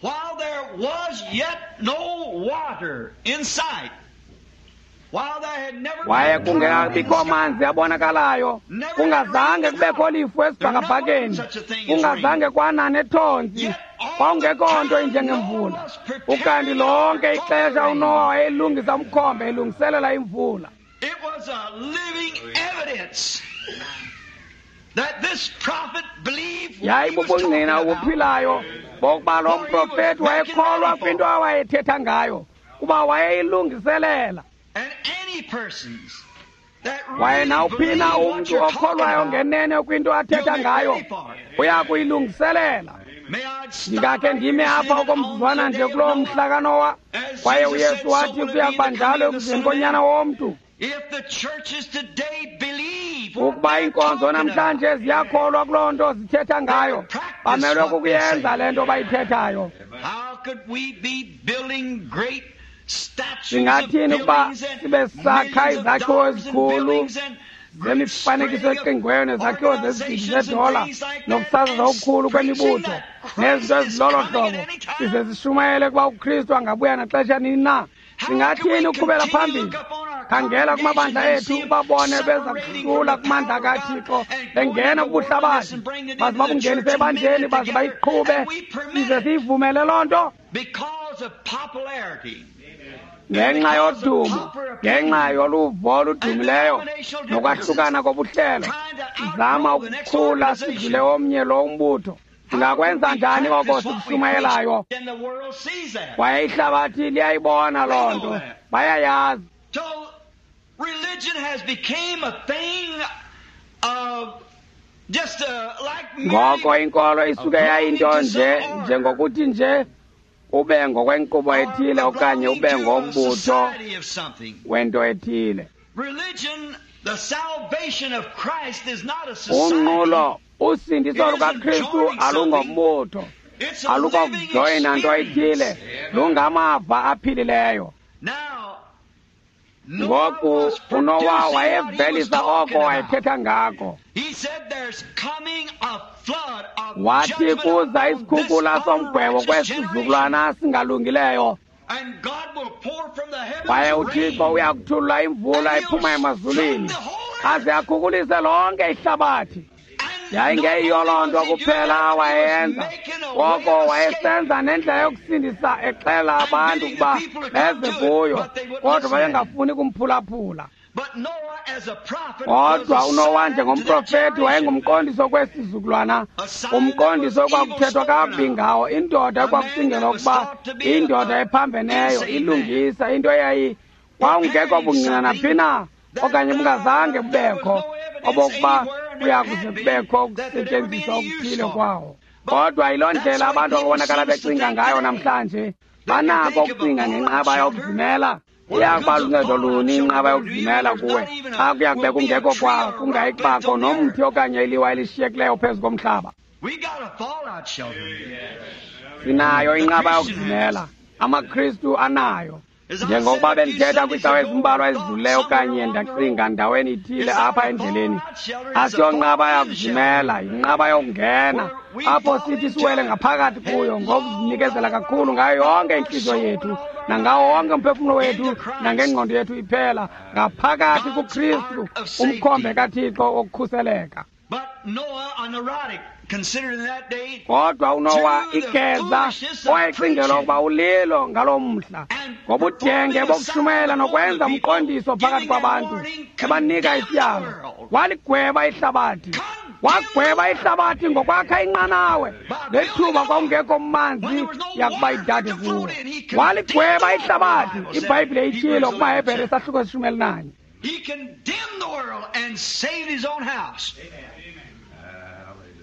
While there was yet no water in sight, while there had never waye kungekabikho manzi abonakalayo, kungazange kubekho lifu esibhakabhakeni, kungazange kwana nethonzi, kwakungekho nto injengemvula. Ukanti lonke ixesha uNowa wayelungisa umkhombe, elungiselela imvula. It was a living evidence that this prophet believed what he was talking Yayibubungqina about. obuphilayo bokuba lo mprofeti wayekholwa kwinto awayethetha ngayo, kuba wayeyilungiselela. And any persons that Kwaye really nawuphi na believe what umntu you're talking okholwayo about, ngenene kwinto athetha ngayo uya kuyilungiselela. may I stop Ndingakhe right ndime here apha saying that on okomzuzwana the nje day of kuloo Noah, mhla kaNowa, as kwaye Jesus uYesu said, so wathi will it kuya be kuba the njalo coming of the ekuzeni Son of koNyana Man. womntu. If the churches today believe what Ukuba they're iinkonzo talking namhlanje about, ziyakholwa kuloo nto zithetha ngayo, bamelwe kukuyenza le nto bayithethayo. how could we be building great statues of Singathini ukuba buildings and sibe sakha millions of izakhiwo dollars and ezikhulu buildings and great zemifanekiso spreading of eqingweyo nezakhiwo zezigidi organizations and zedola things like that, nokusasaza and okukhulu preaching kwemibutho that nezinto Christ is ezilolo coming at hlobo, any time? size sishumayele ukuba uKristu angabuya naxesha nini na? How Singathini can we ukuqhubela continue to phambili? look up on our Khangela kumabandla congregations and ethu see 'em ubabone beza separating kuhlula from the kumandla power of God kaThixo and going bengena into the world kubuhlabathi, and bringing it baze into the babungenise church and ebandleni, mix it baze together, bayiqhube, and we permit size it siyivumele loo nto because of popularity. ngenxa yodumo, ngenxa yoluvo oludumileyo nokwahlukana kobuhlelo, sizama ukukhula sidlule omnye lo umbutho. Singakwenza njani oko sikushumayelayo? And the world sees that. Kwaye ihlabathi liyayibona loo nto, bayayazi. So religion has become a thing of just uh, like Ngoko merely inkolo isuke yayinto nje njengokuthi nje ube ngokwenkqubo ethile or okanye ube belonging to a ngombutho society of something. wento ethile. Religion, the salvation of Christ is not a society. Unqulo, usindiso lukaKristu alungombutho, Alukokujoyina nto ithile, lungamava aphilileyo. Ngoku uNowa wayevelisa oko wayethetha ngako. Wathi kuza isikhukula somgwebo kwesizukulwana singalungileyo, kwaye uThixo uyakuthulula imvula iphuma emazulwini aze akhukulise lonke ihlabathi. Yayingeyiyo loo nto kuphela awayenza, koko wayesenza nendlela yokusindisa, exela abantu ukuba beze kuyo, kodwa babengafuni kumphulaphula. Kodwa uNowa njengomprofeti wayengumqondiso kwesizukulwana, umqondiso ekwakuthethwa kakubi ngawo, indoda ekwakucingelwa ukuba indoda ephambeneyo, ilungisa, into eyayi kwawungekho bungqina naphi na okanye bungazange bubekho obokuba kuyakuze kubekho ukusetyenziswa okuthile kwawo. Kodwa yiloo ndlela abantu ababonakala becinga ngayo namhlanje. Banako ukucinga ngenqaba yokuzimela. Iyakuba luncedo luni inqaba yokuzimela kuwe xa kuya kube kungekho kwawo, kungayikubakho nomthi okanye iliwa elishiyekileyo phezu komhlaba? Sinayo inqaba yokuzimela, amaKristu anayo. Njengokuba bendithetha kwiicawa ezimbalwa ezidlulileyo okanye ndacinga ndaweni ithile apha endleleni, asiyonqaba yakuzimela, yinqaba yokungena, apho sithi siwele ngaphakathi kuyo ngokuzinikezela kakhulu ngayo yonke intliziyo yethu nangawo wonke umphefumlo wethu nangengqondo yethu iphela, ngaphakathi kuKristu, umkhombe kaThixo wokukhuseleka. Kodwa uNowa igeza owayecingelwa ukuba ulilo ngaloo mhla, ngobudenge bokushumayela nokwenza umqondiso phakathi kwabantu, ebanika isiyalo, waligweba ihlabathi. Wagweba ihlabathi ngokwakha inqanawe ngethuba kwakungekho manzi yakuba idade kuwo. Waligweba ihlabathi. IBhayibhile itshilo kumaHebhere isahluko seshumi elinanye. He condemned the world and saved his own house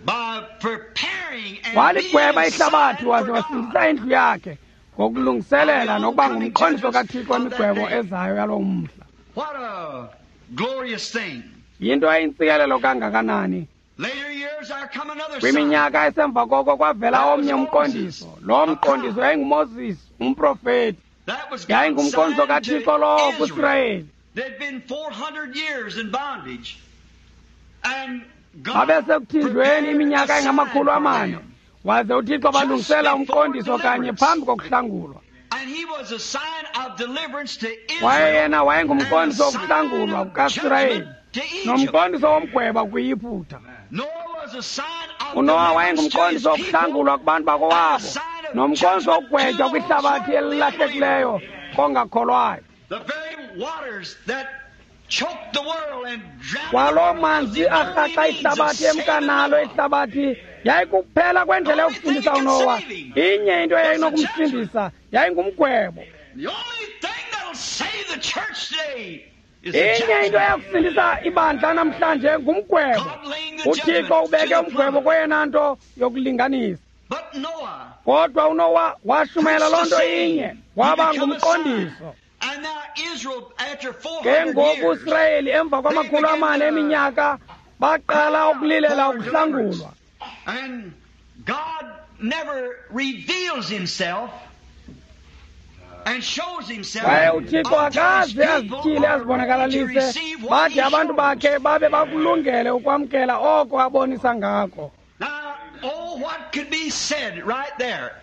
by preparing and waligweba ihlabathi waze wasindisa indlu yakhe ngokulungiselela nokuba ngumqondiso kaThixo wemigwebo ezayo yaloo mhla. What a glorious thing. Yinto eyintsikelelo kangakanani. Later years there come another sign. Kwiminyaka esemva koko kwavela omnye umqondiso. Lo mqondiso yayinguMoses, umprofeti. That was God's Yayingumqondiso sign kaThixo to lowo Israel. kuSirayeli. They'd been four hundred years in bondage. And God Babesekuthinjweni prepared iminyaka a engamakhulu sign for amane, them. waze uThixo balungisela umqondiso kanye phambi kokuhlangulwa. And he was a sign of deliverance to Waye Israel yena wayengumqondiso and a sign wokuhlangulwa of kukaSirayeli judgment to Egypt. nomqondiso womgweba kwiYiputa. Noah was a sign of uNowa deliverance to his wayengumqondiso wokuhlangulwa people kubantu bakowabo nomqondiso wokugwetywa kwihlabathi elilahlekileyo kongakholwayo. The very waters that choked the world and drowned the Kwaloo world was manzi the only arhaxa means of ihlabathi saving emkanalo Noah. ihlabathi yayikuphela kwendlela yokusindisa uNowa. Inye into eyayinokumsindisa yayingumgwebo. The only thing that'll save the church today is the Inye into judgment. eyakusindisa ibandla namhlanje ngumgwebo. God laying the UThixo judgment ubeke to the umgwebo plummet. kweyona nto yokulinganisa. But Noah Kodwa uNowa washumayela loo preached nto the same. inye, He waba become a sign. ngumqondiso. And now Israel, after Ke four hundred ngoku years, uSirayeli emva kwamakhulu amane eminyaka baqala ukulilela ukuhlangulwa. And God never reveals himself and shows himself Kwaye uThixo until his akaze people azityhile are ready to azibonakalise receive what bade he abantu shows. bakhe babe bakulungele ukwamkela oko abonisa ngako. Now, oh, what could be said right there?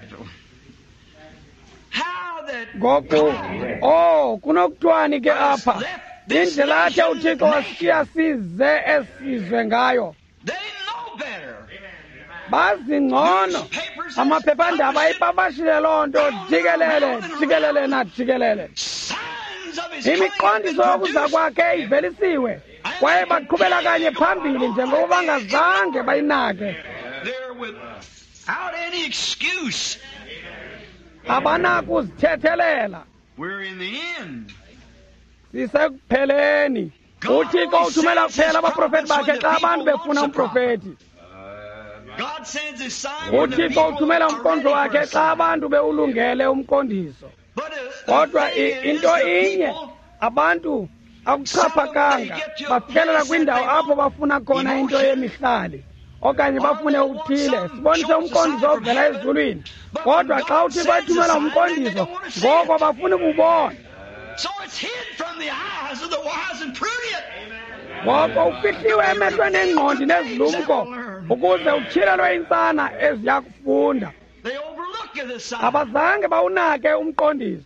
How that Ngoku, God oh, kunokuthiwani ke has apha? left this Indlela athe nation uThixo wasishiya naked. size esizwe ngayo. They know better. Bazi ngcono. Newspapers has Amaphephandaba published it. ayipapashile loo nto jikelele, jikelele najikelele. Signs of his coming have been Imiqondiso yokuza produced. kwakhe ivelisiwe kwaye baqhubela kanye phambili njengoba bangazange bayinake. They're without any excuse. Abanakuzithethelela. We're in the end. Sisekupheleni. God UThixo only uthumela sends his kuphela abaprofeti prophets when bakhe the xa abantu people befuna wants a prophet. umprofeti. God sends his sign when the UThixo people uthumela are umqondiso ready for wakhe a xa sign. abantu bewulungele umqondiso. But uh, the Kodwa thing i- is, into the inye, people, abantu some of them, they akuxhaphakanga get to a bafikelela place that kwindawo they apho want bafuna khona into emotion. yemihlali, okanye bafune okuthile, sibonise umqondiso ovela ezulwini. Kodwa xa uThixo ethumela umqondiso, ngoko bafuna ukubona. Ngoko ufihliwe emehlweni engqondi nezilumko ukuze utyhilelwe iintsana eziya kufunda. Abazange bawunake umqondiso.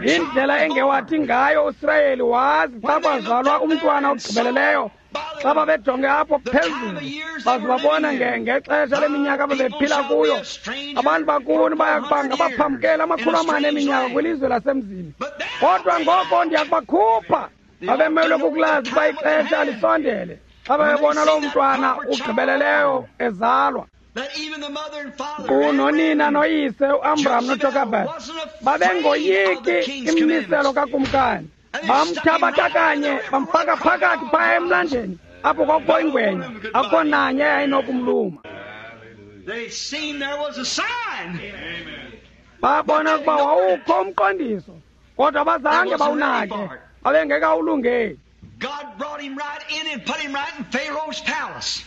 Indlela engewathi ngayo uSirayeli wazi xa kwazalwa umntwana ogqibeleleyo, xa babejonge apho phezulu baze babona ngexesha leminyaka ababephila kuyo, abantu bakuni baya kuba ngabaphambukeli amakhulu amane eminyaka kwilizwe lasemzini, kodwa ngoko ndiya kubakhupha. Babemelwe kukulazi uba ixesha lisondele xa babebona loo mntwana ugqibeleleyo ezalwa. Kunonina noyise uAmram noJokebed babengoyiki imimiselo kakumkani. Bamthabatha kanye bamfaka phakathi phaya emlanjeni apho kwakukho ingwenya, akukho nanye eyayinokumluma. Babona ukuba wawukho umqondiso, kodwa bazange bawunake, babengekawulungeli. God brought him right in and put him right in Pharaoh's palace.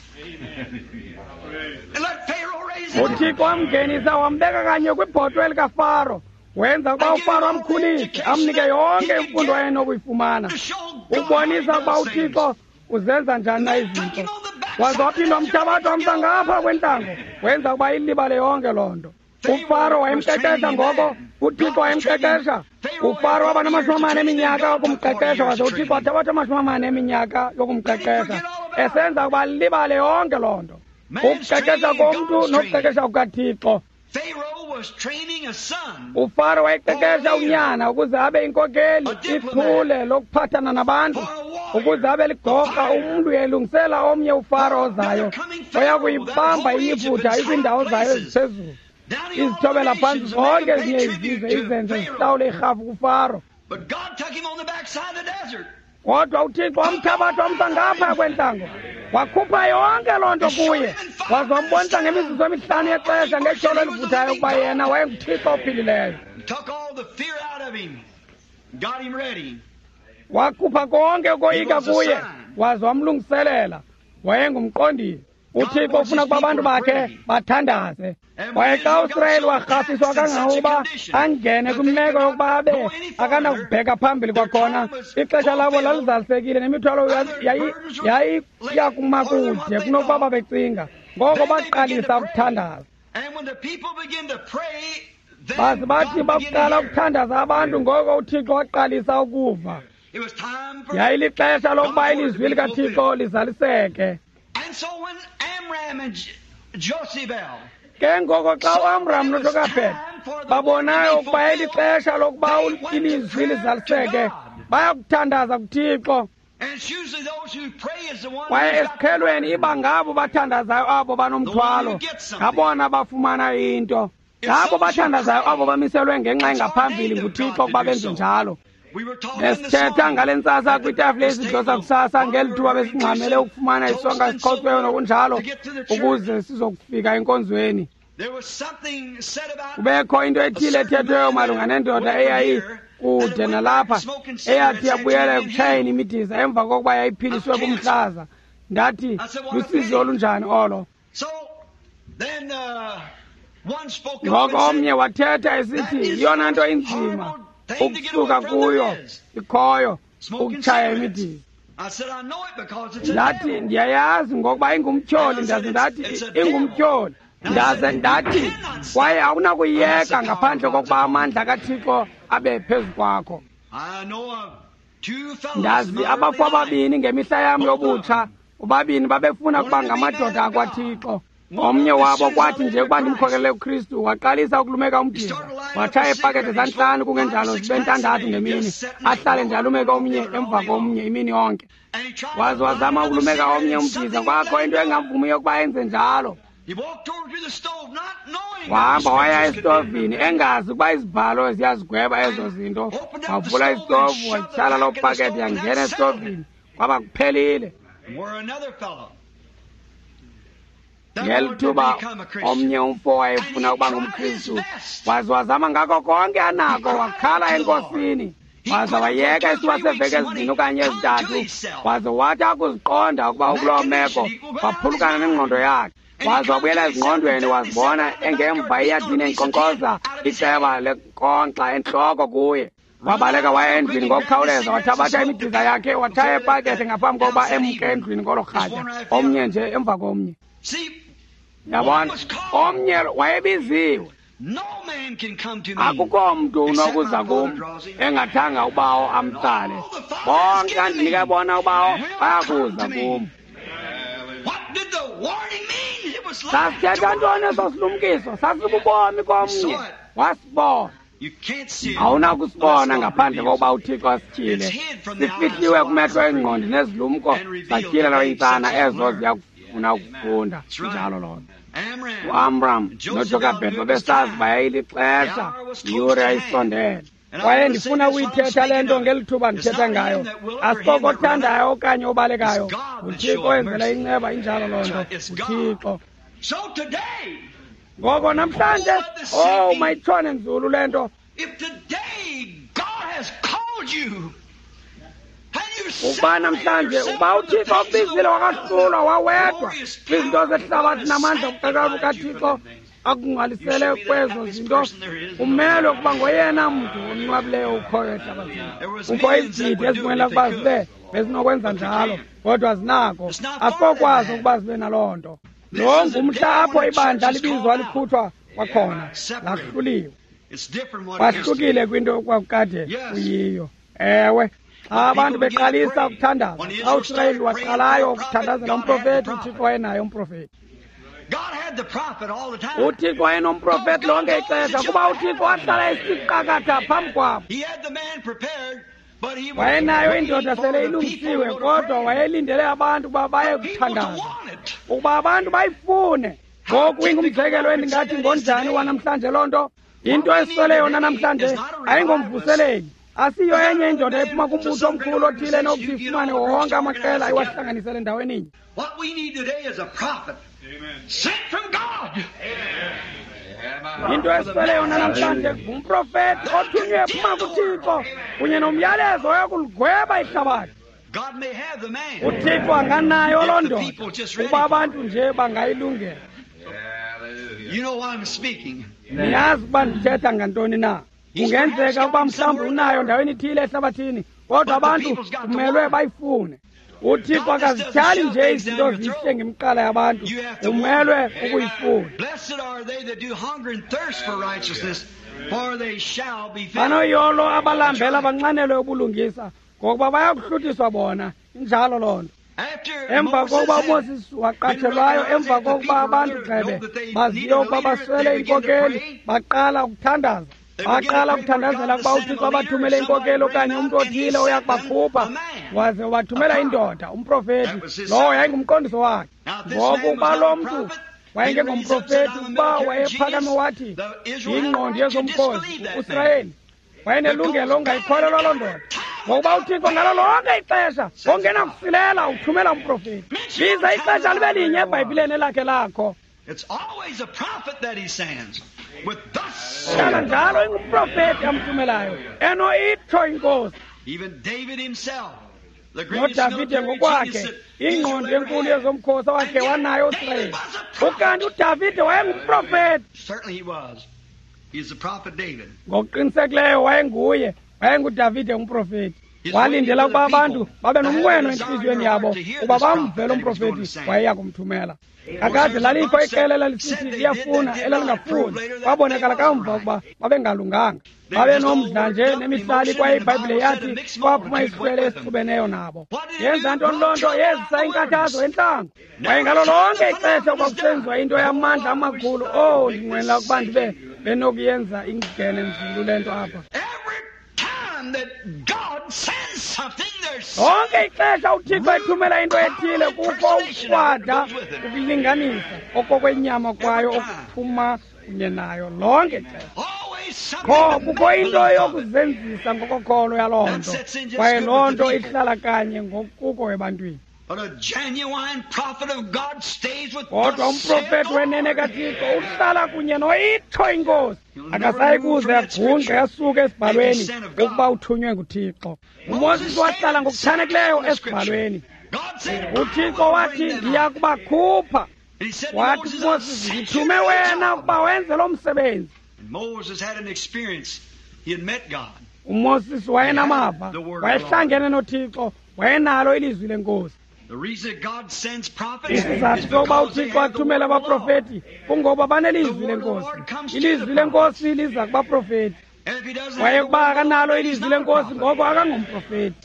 And let Pharaoh raise him up. uThixo wamngenisa wambeka kanye kwibhotwe likaFaro, wenza ukuba uFaro amkhulise, amnike yonke imfundo ayenokuyifumana, ubonisa ukuba uThixo uzenza njani na izinto. Waze waphinda wamthabatha wamsa ngapha kwentlango, wenza ukuba ilibale yonke loo nto. uFaro wayemqeqesha ngoko, uThixo wayemqeqesha. uFaro waba namashumi amane eminyaka yokumqeqesha, waze uThixo wathabatha amashumi amane eminyaka yokumqeqesha, esenza ukuba libale yonke loo nto. Ukuqeqesha komntu nokuqeqesha kukaThixo. uFaro wayeqeqesha unyana ukuze abe inkokeli, ichule lokuphathana nabantu, ukuze abe ligorha, umntu elungisela omnye uFaro ozayo oya kuyibamba iYiputa ikwiindawo zayo eziphezulu, izithobela phantsi zonke ezinye izizwe, izenze zihlawule irhafu kuFaro. Kodwa uThixo wamthabatha wamsa ngapha kwentlango, wakhupha yonke loo nto kuye, waze wambonisa ngemizuzu emihlanu yexesha ngetyholo elivuthayo ukuba yena wayenguThixo ophilileyo. Wakhupha konke ukoyika kuye, waze wamlungiselela. Wayengumqondisi. uThixo ufuna ukuba abantu bakhe bathandaze. Kwaye xa uSirayeli warhafiswa kangangokuba angene kwimeko yokuba abe akanakubheka phambili kwakhona, ixesha labo lalizalisekile nemithwalo yayiya kuma kude kunokuba babecinga. Ngoko baqalisa ukuthandaza. Baze bathi bakuqala ukuthandaza abantu, ngoko uThixo waqalisa ukuva. Yayilixesha lokuba ilizwi likaThixo lizaliseke. Ke ngoko xa uAmram noJokebed babonayo ukuba yayilixesha lokuba ilizwi lizaliseke, bayakuthandaza kuThixo. Kwaye esiqhelweni iba ngabo bathandazayo abo banomthwalo, ngabona bafumana into. Ngabo bathandazayo abo bamiselwe ngenxa engaphambili nguThixo ukuba benze njalo. Besithetha ngale ntsasa kwitafile yesidlo sakusasa ngeli thuba besingxamele ukufumana isonka esiqhotsweyo nokunjalo ukuze sizokufika enkonzweni. Kubekho into ethile ethethweyo malunga nendoda eyayikude nalapha eyathi yabuyela ekutshayeni imidiza emva kokuba yayiphiliswe kumhlaza. Ndathi, lusizi olunjani olo? Ngoko omnye wathetha esithi yiyona nto inzima ukusuka kuyo ikhoyo ukutshaya imidiza. Ndathi, ndiyayazi ngokuba ingumtyholi. Ndaze ndathi ingumtyholi. Ndaze ndathi kwaye awunakuyiyeka ngaphandle kokuba amandla kaThixo abe phezu kwakho. Ndazi abafo ababini ngemihla yam yobutsha, ubabini babefuna ukuba ngamadoda akwaThixo. Omnye wabo kwathi nje ukuba ndimkhokelele kuKristu, waqalisa ukulumeka umdiza, watshaya iipakethe zantlanu kungenjalo zibe ntandathu ngemini, ahlale nje alumeke omnye emva komnye imini yonke. Waze wazama ukulumeka omnye umdiza, kwakho into engamvumiyo ukuba enze njalo. Wahamba waya esitovini engazi ukuba izibhalo ziyazigweba ezo zinto. Wavula isitovu, watyhala loo pakethe yangena esitovini, kwaba kuphelile. Ngeli thuba omnye umfo wayefuna ukuba ngumKristu, waze wazama ngako konke anako, wakhala eNkosini. Waza wayeka isithuba seeveki ezibini okanye ezintathu, waze wathi akuziqonda ukuba ukuloo meko, waphulukana nengqondo yakhe. Waze wabuyela ezingqondweni, wazibona engemva eyadini enkonkkoza iceba lenkonkxa entloko kuye. Wabaleka waya endlwini ngokukhawuleza, wathabatha imidiza yakhe, wathaya epakethe ngaphambi kokuba emke endlwini ngolo rhatya, omnye nje emva komnye. Yabona, omnye wayebiziwe. Akukho mntu unokuza kum engathanga ubawo amtsale. Bonke andinike bona ubawo bayakuza kum. Sasithetha ntoni eso silumkiso? Sasibubomi komnye. Wasibona. Awunakusibona ngaphandle kokuba uThixo asityhile. Sifihliwe kumehlo engqondi nezilumko, satyhilelwa iintsana ezo ziyakufuna ukufunda. Njalo loo nto. UAmram noJokebhedi babesazi uba yayilixesha, iyure yayisondele. Kwaye ndifuna ukuyithetha le nto ngeli thuba ndithetha ngayo. Asikoko othandayo okanye obalekayo, nguThixo owenzela inceba. Injalo loo nto, nguThixo. Ngoko namhlanje, oh, mayitshone nzulu le nto. Ukuba namhlanje, ukuba uThixo ukubizile wakahlulwa wawedwa kwizinto zehlabathi namandla okuqeqesha bukaThixo akungcwalisele kwezo zinto, umelwe ukuba ngoyena mntu onwabileyo ukhoyo ehlabathini. Kukho izigidi ezinqwenela ukuba zibe bezinokwenza njalo, kodwa zinako. Asikokwazi ukuba zibe naloo nto. Lo ngumhla apho ibandla libizwa likhutshwa kwakhona, lahluliwe. Kwahlukile kwinto kwakukade kuyiyo. Ewe, xa abantu beqalisa ukuthandaza, xa uSirayeli waqalayo ukuthandazela umprofethi, uThixo wayenaye umprofethi. UThixo wayenomprofethi lonke ixesha, kuba uThixo wahlala esiqakatha phambi kwabo. Wayenayo indoda sele ilungisiwe, kodwa wayelindele abantu ukuba baye kuthandaza, ukuba abantu bayifune. Ngoku ingumzekelo endingathi ngonjani wanamhlanje loo nto. Into eswele yona namhlanje ayingomvuseleli. Asiyo enye indoda ephuma kumbutho omkhulu othile enokuthi ifumane wonke amaqela iwahlanganisele endaweninye. Into eswele yona namhlanje ngumprofethi othunywe ephuma kuThixo kunye nomyalezo oyakuligweba ihlabathi. UThixo anganayo loo ndoda ukuba abantu nje bangayilungela. Niyazi ukuba ndithetha ngantoni na. Kungenzeka ukuba mhlawumbi unayo ndaweni ithile ehlabathini, kodwa abantu kumelwe bayifune. UThixo akazityhali nje izinto zihle ngemiqala yabantu, umelwe ukuyifuna. Banoyolo abalambela banxanelwe ubulungisa, ngokuba bayakuhluthiswa bona. Injalo loo nto. Emva kokuba uMoses waqatshelwayo, emva kokuba abantu gxebe baziyo ukuba baswele inkokeli, baqala ukuthandaza. Baqala ukuthandazela ukuba uThixo abathumele inkokeli okanye umntu othile oyakubakhupha, waze wathumela indoda, umprofethi. Lowo yayingumqondiso wakhe. Ngoku ukuba lo mntu wayengengomprofethi, ukuba wayephakame wathi yingqondi yezomkhosi uSirayeli, wayenelungelo ongayikholelwa loo ndoda, ngokuba uThixo ngalo lonke ixesha ongenakusilela uthumela umprofethi. Biza ixesha libe linye eBhayibhileni elakhe lakho. Hlala njalo ingumprofethi amthumelayo, eno itsho inkosi. NoDavide ngokwakhe, ingqondo enkulu yezomkhosi awakhe wanayo uSirayeli. Ukanti uDavide wayengumprofethi. Ngokuqinisekileyo wayenguye, wayenguDavide umprofethi. Walindela ukuba abantu babe nomnqweno entliziyweni yabo ukuba bamvele umprofethi wayeya kumthumela. Kakade lalikho iqela elalisithi liyafuna elalingafuni. Kwabonakala kamva ukuba babengalunganga, babenomdla nje nemihlali, kwaye iBhayibhile yathi kwaphuma isihlwele esixubeneyo nabo. Yenza ntoni loo nto? Yezisa inkathazo entlango. Kwaye ngalo lonke ixesha kwakusenziwa into yamandla amakhulu. Oh, ndinqwenela ukuba ndibe benokuyenza ingene nzulu le nto apha. Lonke ixesha uThixo ethumela into ethile, kukho ukrwada ukulinganisa okokwenyama kwayo okuphuma kunye nayo lonke ixesha. Kho kukho into yokuzenzisa ngokokholo yaloo nto, kwaye loo nto ihlala kanye ngokuko ebantwini. Kodwa umprofeti wenene kaThixo uhlala kunye noyitsho inkosi. Akasayi kuze agungqe asuke esibhalweni ukuba uthunywe nguThixo. UMoses wahlala ngokuchanekileyo esibhalweni. UThixo wathi, ndiya kubakhupha. Wathi kuMoses, ndithume wena ukuba wenze lo msebenzi. UMoses wayenamava, wayehlangene noThixo, wayenalo ilizwi lenkosi. Isizathu sokuba uThixo athumele abaprofeti kungoba banelizwi lenkosi. Ilizwi lenkosi liza kubaprofeti. Kwaye ukuba akanalo ilizwi lenkosi, ngoko akangomprofeti.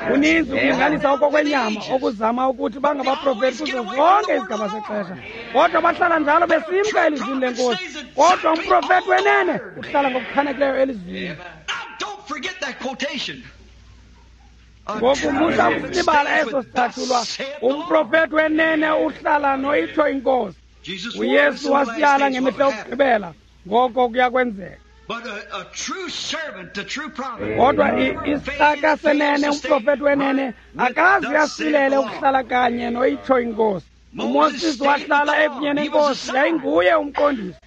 Kuninzi ukulinganisa okokwenyama okuzama ukuthi bangabaprofeti kuzo zonke izigaba zexesha, kodwa bahlala njalo besimka elizwini lenkosi. Kodwa umprofeti wenene uhlala ngokuchanekileyo elizwini. Ngoku musa ukusibala eso sicatshulwa. Umprofeti wenene uhlala noyitsho inkosi. UYesu wasiyala ngemihla yokugqibela, ngoko kuya kwenzeka. Kodwa isicaka senene, umprofeti wenene, akaze asilele ukuhlala kanye noyitsho inkosi. UMoses wahlala ekunye nenkosi, yayinguye umqondisi.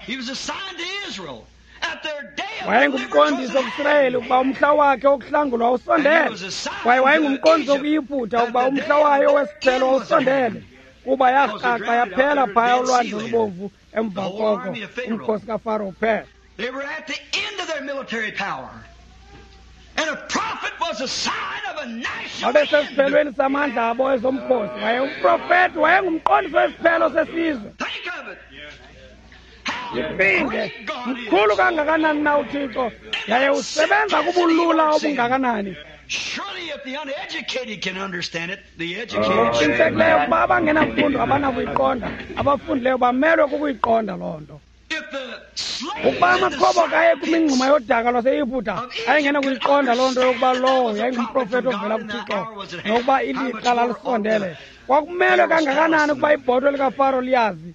Wayengumqondiso kuSirayeli ukuba umhla wakhe wokuhlangulwa usondele, kwaye wayengumqondiso kuYiputa ukuba umhla wayo wesiphelo wawusondele, kuba yarhaxa yaphela phaya ulwandle olubomvu emva koko umkhosi kaFaro uphela. Babesesiphelweni samandla abo ezomkhosi, waye umprofeti wayengumqondiso wesiphelo sesizwe. Iphinde, mkhulu kangakanani na uThixo, yaye usebenza kubulula obungakanani. Ngokuqinisekileyo ukuba abangenamfundo abanakuyiqonda, abafundileyo bamelwe kukuyiqonda loo nto. Ukuba amakhoboka aye kwimingxuma yodaka lwaseYiputa ayengenakuyiqonda loo nto yokuba lowo yayingumprofeti ovela kuThixo nokuba ilixa lalisondele, kwakumelwe kangakanani ukuba ibhotwe likaFaro liyazi.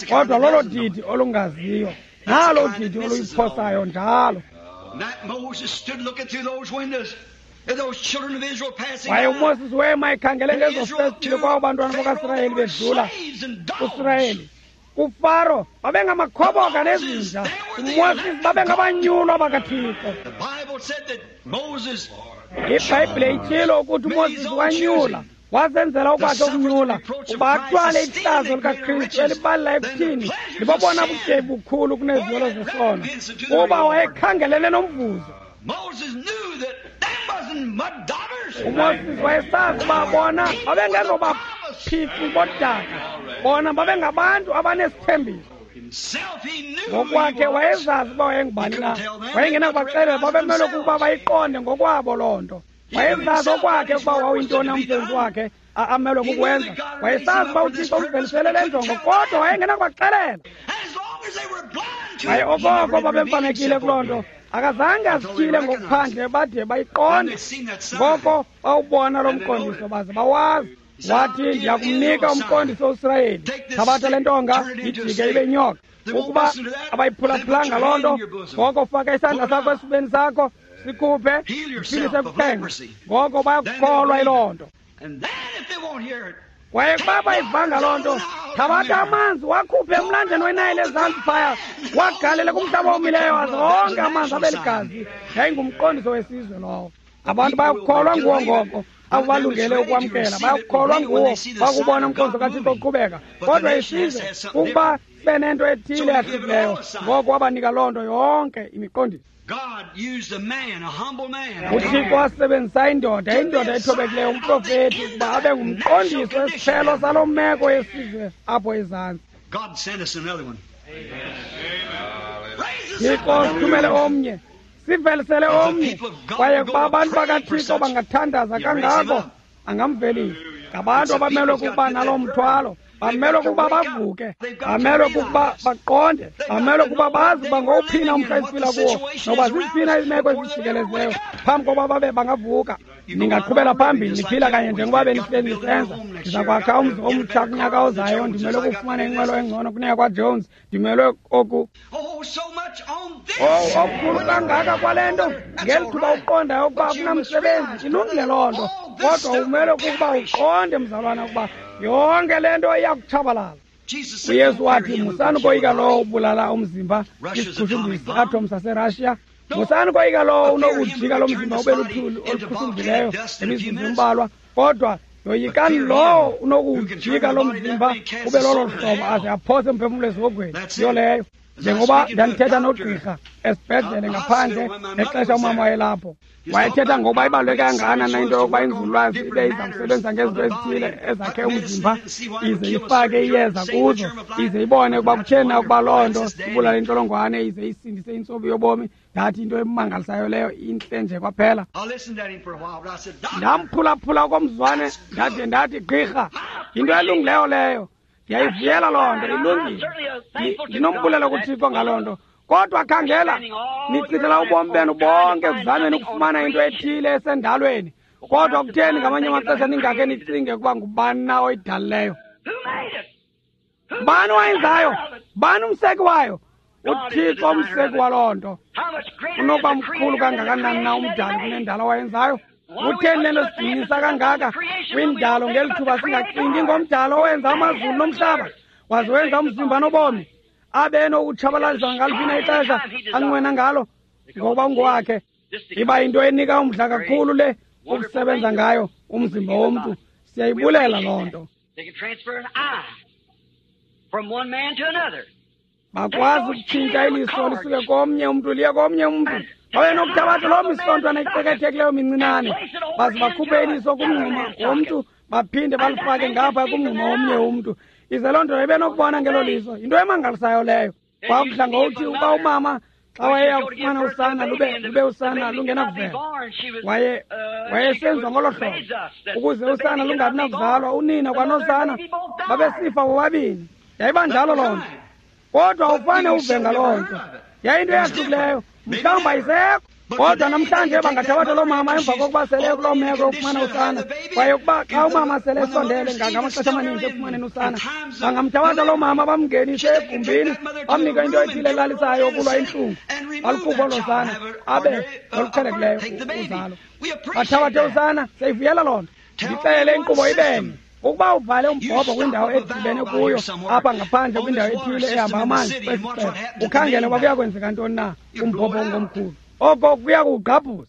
Kodwa lolo didi olungaziyo, nalo didi oluyiphosayo njalo. Waye uMoses wema ekhangele ngezo festile kwabo bantwana bakaSirayeli bedlula. USirayeli kuFaro babengamakhoboka nezinja, uMoses babengabanyulwa bakaThixo. IBhayibhile itshilo ukuthi uMoses wanyula, wazenzela ukwakhe ukunyula ukuba athwale ihlazo likaKristu elibalula ekuthini libobona butyebi bukhulu kuneziyolo zesono, kuba wayekhangelene nomvuzo. UMoses wayesazi uba bona babengezobaphixi bodaka, bona babengabantu abanesithembiso. Ngokwakhe wayezazi uba wayengubani na, wayengenakubaxelela, babemelwe kukuba bayiqonde ngokwabo loo nto. Wayezazi okwakhe ukuba wawuyintoni umsebenzi wakhe amelwe kukwenza. Wayesazi uba uThixo umvelisele le njongo, kodwa wayengenakubaxelela. Kwaye okoko babemfamekile kuloo nto, akazange azityhile ngokuphandle bade bayiqonde. Ngoko bawubona lo mqondiso baze bawazi. Wathi, ndiyakumnika umqondiso uSirayeli, thabatha le ntonga ijike ibe nyoka. Ukuba abayiphulaphulanga loo nto, ngoko faka isandla sakho esifubeni sakho, sikhuphe, uphilise kuqhenqe. Ngoko bayakukholwa yiloo nto. Kwaye ukuba bayivanga loo nto, thabatha amanzi wakhuphe emlanjeni weNayile ezantsi phaya, wagalele kumhlaba omileyo, aze onke amanzi abe ligazi. Yayingumqondiso wesizwe lowo. Abantu bayakukholwa nguwo ngoko, abo balungele ukwamkela bayakukholwa nguwo bakubona umqondiso kaThixo uqhubeka. Kodwa isizwe ukuba sibe nento ethile yahlukileyo, ngoko wabanika loo nto yonke imiqondiso. UThixo wasebenzisa indoda, indoda ethobekileyo, umprofeti, ukuba abe ngumqondiso wesiphelo saloo meko yesizwe apho ezantsi. Thixo sithumele omnye, sivelisele omnye. Kwaye kuba abantu bakaThixo bangathandaza kangako, angamvelisa. Ngabantu abamelwe kukuba naloo mthwalo, bamelwe kukuba bavuke, bamelwe kukuba baqonde, bamelwe kukuba bazi uba ngowuphina umhla esiphila kuwo, noba ziziphina iimeko ezijikelezileyo phambi kokuba babe bangavuka. Ningaqhubela phambili niphila kanye njengoba benihleli nisenza. Ndiza kwakha umzi omtsha kunyaka ozayo, ndimelwe kufumana inqwelo engcono kuneyakwaJones, ndimelwe oku. Oh, so much on this. Oh, okukhulu kangaka kwale nto, ngeli thuba uqondayo ukuba akunamsebenzi, ilungile loo nto. Kodwa umele kukuba uqonde, mzalwana, ukuba yonke le nto iyakutshabalala. Jesus said, UYesu "Don't fear wathi, him who musani can kill koyika the lowo body." ubulala umzimba, Russia's isiqhushumbisi atomic bomb. atom saseRussia. Musani koyika lowo unokujika lo mzimba ube luthuli oluqhushumbileyo ngemizuzu embalwa, kodwa yoyikani lowo unokujika lo mzimba ube lolo hlobo aze aphose umphefumlo esihogweni. Yiyo leyo. Njengoba ndandithetha nogqirha esibhedlele ngaphandle ngexesha umama wayelapho, wayethetha ngokuba ibaluleke kangakanani na into yokuba inzululwazi ibe iza kusebenza ngezinto ezithile ezakhe umzimba, ize ifake iyeza kuzo, ize ibone ukuba kutheni na ukuba loo nto ibulale intsholongwane, ize isindise intsobi yobomi. Ndathi into emangalisayo leyo, intle nje kwaphela. I listened at him for a while, but I said, "Doctor, Ndamphulaphula okomzwane, ndade ndathi, gqirha, yinto elungileyo leyo, ndiyayivuyela loo nto, ilungile. Ndi- Ndinombulelo kuThixo ngaloo nto. Kodwa khangela, nichithela ubomi benu bonke ekuzameni ukufumana into ethile esendalweni, kodwa kutheni ngamanye amaxesha ningakhe nicinge ukuba ngubani na oyidalileyo? Who made it? Who Bani wayenzayo? of it? Bani umseki wayo? UThixo umseki waloo nto. How much greater is Unokuba the mkhulu creator than the kangakanani na creation that umdali he made? kunendalo wayenzayo? Kutheni le nto sidinisa kangaka kwindalo ngeli thuba singacingi ngomdalo owenza amazulu nomhlaba, waze wenza umzimba nobomi, abe enokutshabalalisa ngaliphi na ixesha anqwena ngalo, ngokuba ungowakhe? Iba yinto enika umdla kakhulu le ukusebenza ngayo umzimba womntu. Siyayibulela loo nto. They can transfer an eye from one man to another. Bakwazi ukutshintsha iliso lisuke komnye umntu liye komnye umntu. Babe nokuthabatha loo misontwana icekethekileyo mincinane, baze bakhuphe iliso kumngxuma womntu, baphinde balifake ngapha kumngxuma womnye umntu, ize loo nto ibe nokubona ngelo liso. Yinto emangalisayo leyo. Kwakudla ngokuthi uba umama xa wayeya kufumana usana lube lube usana lungenakuvela, waye wayesenziwa ngolo hlobo ukuze usana lungabi nakuzalwa, unina kwanosana babesifa bobabini. Yayiba njalo loo nto, kodwa ufane uve ngaloo nto. Yayinto eyahlukileyo, mhlawumbi ayisekho. Kodwa namhlanje bangathabatha loo mama emva kokuba sele kuloo meko yokufumana usana, kwaye ukuba xa umama sele esondele ngamaxesha amaninzi ekufumaneni usana, bangamthabatha loo mama bamngenise egumbini, bamnike into ethile elalisayo yokulwa intlungu, balukhuphe olo sana abe noluqhelekileyo uzalo. Bathabathe usana, siyayivuyela loo nto. Ndixelele inkqubo ibenye. Ukuba uvale umbhobho kwindawo edibene kuyo apha ngaphandle kwindawo ethile ehamba amanzi kwesi sixeko, ukhangele uba kuya kwenzeka ntoni na kumbhobho ongomkhulu. Oko kuya kuwugqabhuza.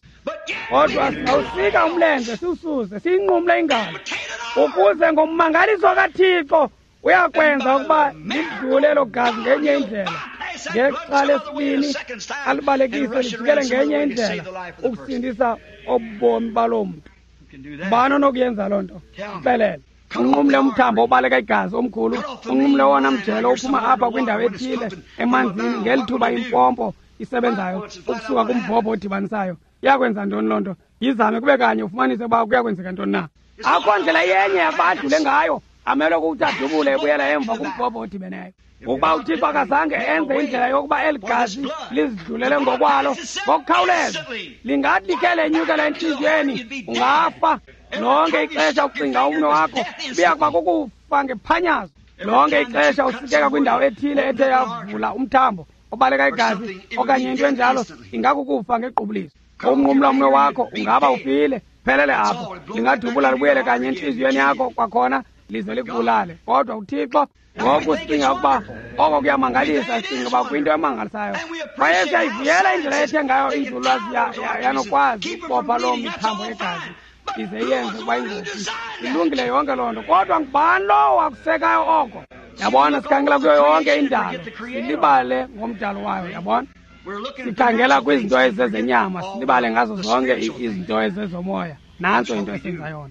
Kodwa singawusika umlenze siwususe, siyinqumle ingalo, ukuze ngommangaliso kaThixo uyakwenza ukuba lidlule elo gazi ngenye indlela. Ngexa lesibini alibalekise lijikele ngenye indlela ukusindisa obomi baloo mntu. Bani onokuyenza loo nto? Xelele. Unqumle umthambo obaleka igazi omkhulu, unqumle wona mjelo ophuma apha kwindawo ethile emanzini ngeli thuba impompo isebenzayo ukusuka kumbhobho odibanisayo. Iyakwenza ntoni loo nto? Yizame kube kanye ufumanise uba kuyakwenzeka ntoni na. Akho ndlela yenye yakuba adlule ngayo, amelwe kukuthi adubule ebuyela emva kumbhobho odibeneyo. Ukuba uThixo akazange enze indlela yokuba eli gazi lizidlulele ngokwalo ngokukhawuleza, lingathi likhe lenyukela entliziyweni, ungafa. Lonke ixesha ucinga umnwe wakho uya kuba kukufa ngephanyazo. Lonke ixesha usikeka kwindawo ethile ethe yavula umthambo obaleka igazi okanye into enjalo, ingakukufa ngequbuliso. Umnqumla umnwe wakho ungaba ufile, phelele apho. Lingadubula libuyele kanye entliziyweni yakho kwakhona lize likubulale. Kodwa uThixo, ngoku sicinga ukuba oko kuyamangalisa, sicinga uba kuyinto emangalisayo. Kwaye siyayivuyela indlela ethe ngayo inzululwazi yanokwazi ukubopha loo mithambo yegazi ize iyenze ukuba ingozi. Ilungile yonke loo nto, kodwa ngubani lowo wakusekayo oko? Yabona, sikhangela kuyo yonke indalo, silibale ngomdalo wayo. Yabona, sikhangela kwizinto ezezenyama, silibale ngazo zonke izinto ezezomoya. Nantso into esenza yona.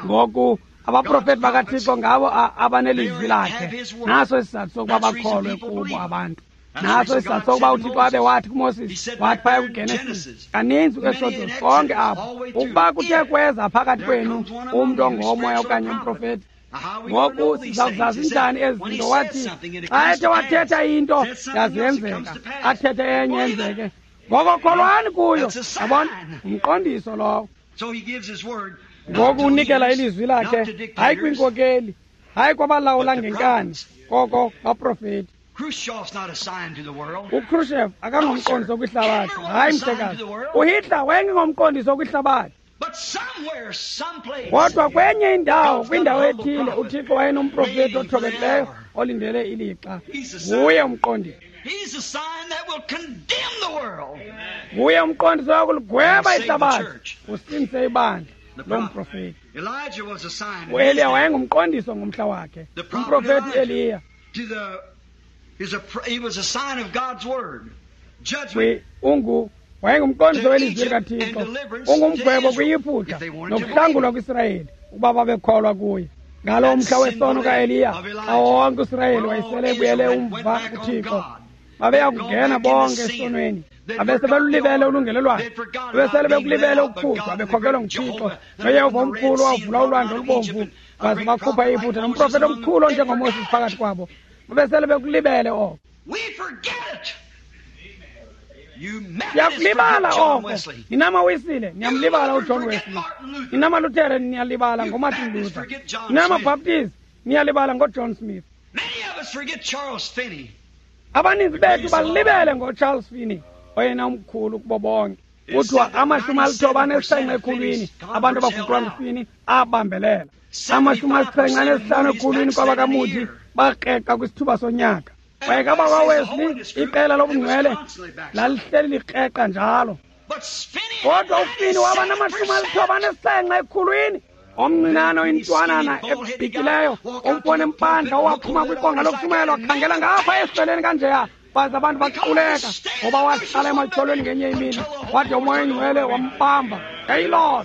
Ngoku abaprofeti bakaThixo ngabo abanelizwi lakhe. Naso isizathu sokuba bakholwe kubo abantu. Naso isizathu sokuba uThixo abe wathi kuMoses, wathi phaya kuGenesis, kaninzi kwiExodus, konke apho, ukuba kuthe kweza phakathi kwenu umntu ongomoya okanye umprofeti. Ngoku siza kuzazi njani ezi zinto? Wathi xa ethe wathetha into yazenzeka, athethe enye yenzeke. Ngoko kholwani kuyo. Yabona, umqondiso lowo. Ngoku unikela ilizwi lakhe, hayi kwiinkokeli, hayi kwabalawula ngenkani, koko baprofeti. UKhrushchev akangomqondiso kwihlabathi, hayi mhlekazi. UHitler wayengengomqondiso kwihlabathi. Kodwa kwenye indawo, kwindawo ethile, uThixo wayenomprofeti othobekileyo olindele ilixa. Nguye umqondiso. Nguye umqondiso wokuligweba ihlabathi, usindise ibandla lomprofeti. UEliya wayengumqondiso ngomhla wakhe. Umprofeti Eliya ungu wayengumqondiso welizwi likaThixo, ungumgwebo kwiYiputa nokuhlangulwa kwiSirayeli ukuba babekholwa kuye. Ngalo mhla wesono kaEliya, xa wonke uSirayeli wayesele ebuyele umva kuThixo, babeya kungena bonke esonweni. Babese belulibele ulungelelwano, babesele bekulibele ukukhutshwa bekhokelwa nguThixo noYehova omkhulu wavula ulwandle olubomvu waze bakhupha iYiputa nomprofeti omkhulu onjengoMoses phakathi kwabo. Babesele bekulibele oko. Siyakulibala oko. Ninamawisile niyamlibala uJohn Wesley, ninamaLuthere niyalibala ngoMartin Luther, ninamaBaptist niyalibala ngoJohn Smith. Abaninzi bethu balibele ngoCharles Finney, oyena umkhulu kubo bonke. Kuthiwa amashumi alithoba anesixhenxe ekhulwini abantu abaguqulwa nguFinney abambelela. Amashumi asixhenxe anesihlanu ekhulwini kwabakaMoody bakreqa kwisithuba sonyaka. Kwaye kabakwaWesley iqela lobungcwele lalihleli likreqa njalo. Kodwa uFinney waba namashumi alithoba anesixhenxe ekhulwini. Omncinane oyintwanana ebhikileyo, umfo nempandla owaphuma kwiqonga lokushumayela wakhangela ngapha esiceleni kanjeya, baze abantu baquleka ngoba wahlala ematyholweni ngenye imini, wade uMoya oyiNgcwele wambamba. Yayiloo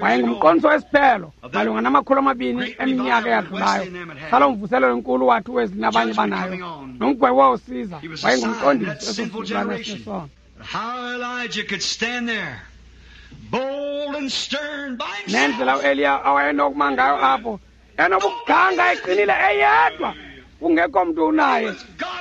wayengumqondiso wesiphelo malunga namakhulu amabini eminyaka eyadlulayo. Saloo mvuselelo enkulu wathi uWesley nabanye banayo, nomgwebo wawusiza. Wayengumqondiso esizukulwana esinesono. Nendlela uEliya awayenokuma ngayo apho, enobuganga eqinile eyedwa, kungekho mntu unaye,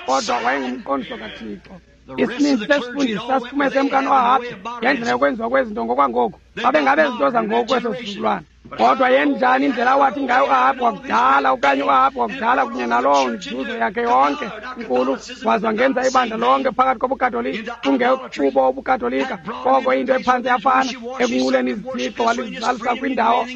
kodwa wayengumqondiso kaThixo. Isininzi sesifundisi sasiphume semkani oAhabhi ngendlela yokwenziwa kwezinto ngokwangoku. Babengabe izinto zangoku kweso sizukulwana. Kodwa yenjani indlela awathi ngayo uAhabhi wakudala okanye uAhabhi wakudala kunye naloo nzuzo yakhe yonke inkulu, waze wangenza ibandla lonke phakathi kobuKatolika, kungekubo ubuKatolika, koko into ephantsi yafana ekunquleni izithixo, walizalisa kwindawo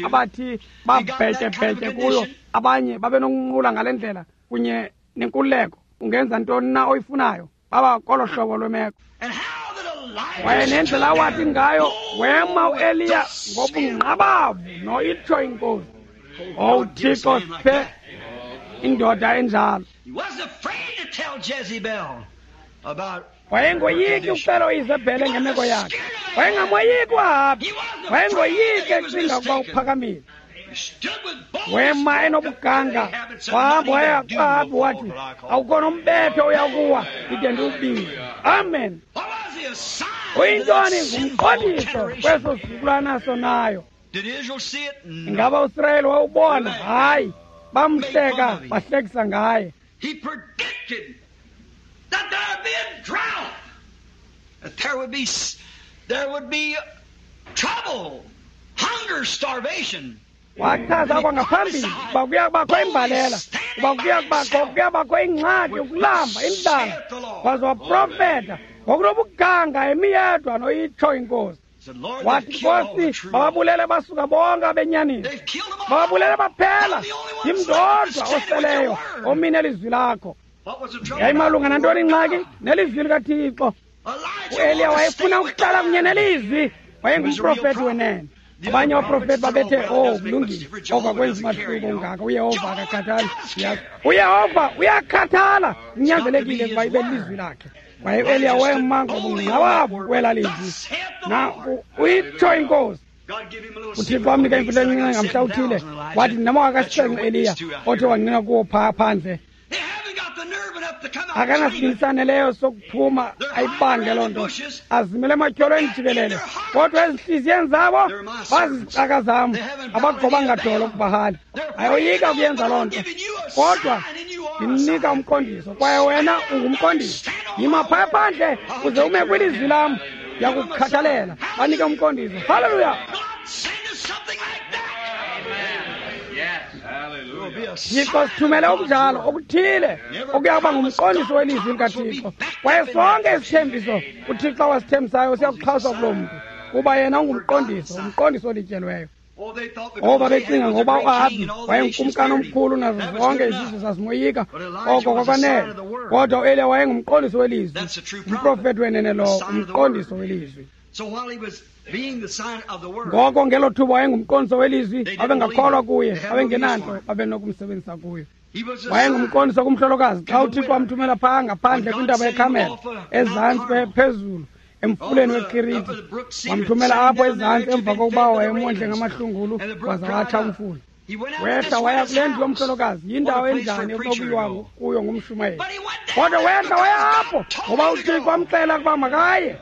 abathi babhetyebhetye kuyo. Abanye babenokunqula ngale ndlela kunye nenkululeko, ungenza ntoni na oyifunayo. Baba kolo hlobo lwemeko. Kwaye nendlela awathi ngayo wema uEliya ngobungqabavu noitsho inkosi. Owu Thixo, siphe indoda enjalo. Wayengoyiki ukuxela uIzebhele ngemeko yakhe. Wayengamoyiki uAhabhi. Wayengoyiki ecinga ukuba uphakamile. Wema enobuganga, wahamba waya kuAhabhi wathi, awukho nombetho uyakuwa ndide ndiwubize. Amen. Uyintoni? Ngumqondiso kweso sizukulwana sonayo. Ingaba uSirayeli wawubona? Hayi, bamhleka, bahlekisa ngaye. Wachaza kwangaphambili uba kuya kubakho imbalela, uba kuya kubakho kuya kubakho ingxaki, ukulamba, indlala. Waze waprofeta ngokunobuganga emi yedwa noyitsho inkosi. Wathi, Nkosi, bababulele basuka bonke abenyaniso, bababulele baphela, ndim ndodwa oseleyo omine elizwi lakho. Yayimalunga nantoni ingxaki? Nelizwi likaThixo. UEliya wayefuna ukuhlala kunye nelizwi, wayengumprofeti wenene. Abanye abaprofeti babethe, oh, kulungile, oko akwenzi mahluko ungaka, uYehova akakhathali. UYehova uyakhathala, kunyanzelekile ukuba ibe lilizwi lakhe. Kwaye uEliya wema ngobungqabavu kwela lizwi. Na uyitsho inkosi. uThixo wamnika imfihlo encinci ngamhla uthile, wathi ndinamawaka asixhenxe Eliya othe wangqina kuwo phaa phandle. Akanasibindi saneleyo sokuphuma ayibange loo nto, azimele ematyholweni jikelele. Kodwa ezintliziyweni zabo bazizicaka zam, abagobanga dolo kubahali. Ayoyika ukuyenza loo nto, kodwa ndimnika umqondiso, kwaye wena ungumqondiso. Yima phaya phandle uze ume kwilizwi lam. Ndiyakukhathalela. Banike umqondiso. Haleluya! Thixo sithumele okunjalo okuthile okuya kuba ngumqondiso welizwi likaThixo. Kwaye sonke isithembiso uThixo awasithembisayo siyakuxhaswa kuloo mntu, kuba yena ungumqondiso, umqondiso olityelweyo. Ngoba becinga ngoba uAhabi wayengukumkani omkhulu nazo zonke izizwe zazimoyika, oko kwakwanele. Kodwa uEliya wayengumqondiso welizwi, umprofeti wenene lowo, umqondiso welizwi. Ngoko ngelo thuba wayengumqondiso welizwi, babengakholwa kuye, babengenanto babenokumsebenzisa kuyo. Wayengumqondiso kumhlolokazi xa uThixo wamthumela phaa ngaphandle kwintaba yeKarmele, ezantsi phezulu emfuleni weKiriti. Wamthumela apho ezantsi emva kokuba wayemondle ngamahlungulu waza watsha umfula. Wehla waya kule ndlu yomhlolokazi, yindawo enjani ekunokuyiwa kuyo ngumshumayeli. Kodwa wehla waya apho ngoba uThixo wamxela ukuba makaye.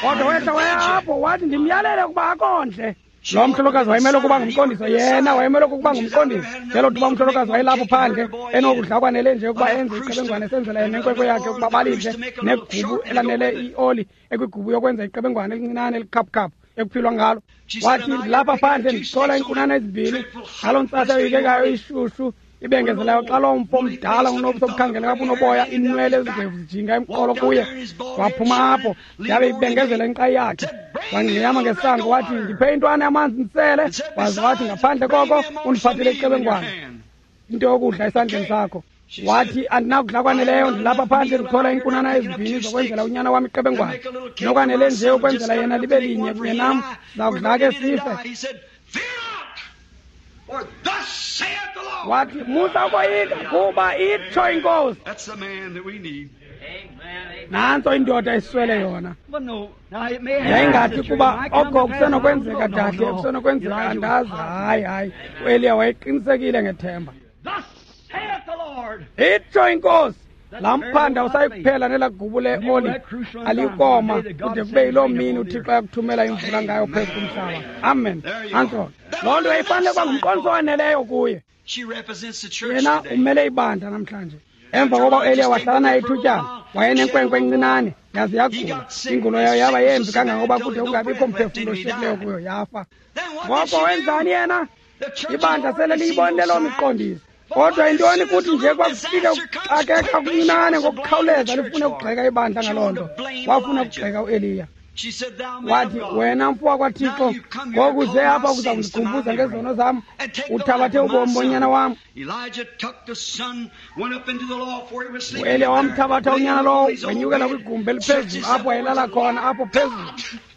Kodwa wehla waya apho wathi, ndimyalele ukuba akondle. Lo mhlolokazi wayemele ukuba ngumqondiso, yena wayemele ukuba ngumqondiso. Ngelo thuba umhlolokazi wayelapho phandle enokudla kwanele nje ukuba enze iqebengwane esenzela yena nenkwenkwe yakhe ukuba balidle, negubu elanele ioli ekwigubu yokwenza iqebengwane elincinane elikhaphukhaphu ekuphilwa ngalo. Wathi, ndilapha phandle ndichola iinkunana ezimbini ngaloo ntsasa yoyikekayo ishushu ibengezelayo xa loo mfo mdala unobuso obukhangeleka bunoboya, iinwele ezigwevu zijinga emqolo kuye. Waphuma apho yabe ibengezela inkqayi yakhe. Wangqiyama ngesango wathi, ndiphe intwana yamanzi ndisele. Waze wathi, ngaphandle koko undiphathele iqebengwane, into yokudla esandleni sakho. Wathi, andinakudla kwaneleyo, ndilapha phandle ndichola iinkunana ezimbini zokwenzela unyana wam iqebengwane, nokwanele nje ukwenzela yena libe linye kunye nam, sizawudla ke sife. Wathi, musa ukoyika, kuba itsho iNkosi. Nantso indoda eswele yona. Yayingathi kuba oko kusenokwenzeka dahle, kusenokwenzeka andazi. Hayi, hayi, uEliya wayeqinisekile ngethemba. Itsho iNkosi. Laa mphanda usayikuphela nelaa gubu leoli alikoma kude kube yiloo mini uThixo ayakuthumela imvula ngayo phezu komhlaba. Amen. Antso loo nto yayifanele kuba ngumqondiso owaneleyo kuye. Yena umele ibandla namhlanje. Emva koba uEliya wahlala naye ithutyana, wayenenkwenkwe encinane yaze yagula. Ingulo yayo yaba yembi kangangoba kude kungabikho mphefumlo oshiyekileyo kuyo, yafa. Ngoko wenzani yena? Ibandla sele liyibonile loo miqondiso. Kodwa intoni kuthi nje kwakufika ukuxakeka okuncinane ngokukhawuleza lifune ukugxeka ibandla ngaloo nto. Wafuna ukugxeka uEliya. Wathi, wena mfo wakwaThixo, ngoku uze apha kuza kundikhumbuza ngezono zam, uthabathe ubomi bonyana wam. UEliya wamthabatha unyana lowo, wenyukela kwigumbi eliphezulu apho wayelala khona, apho phezulu.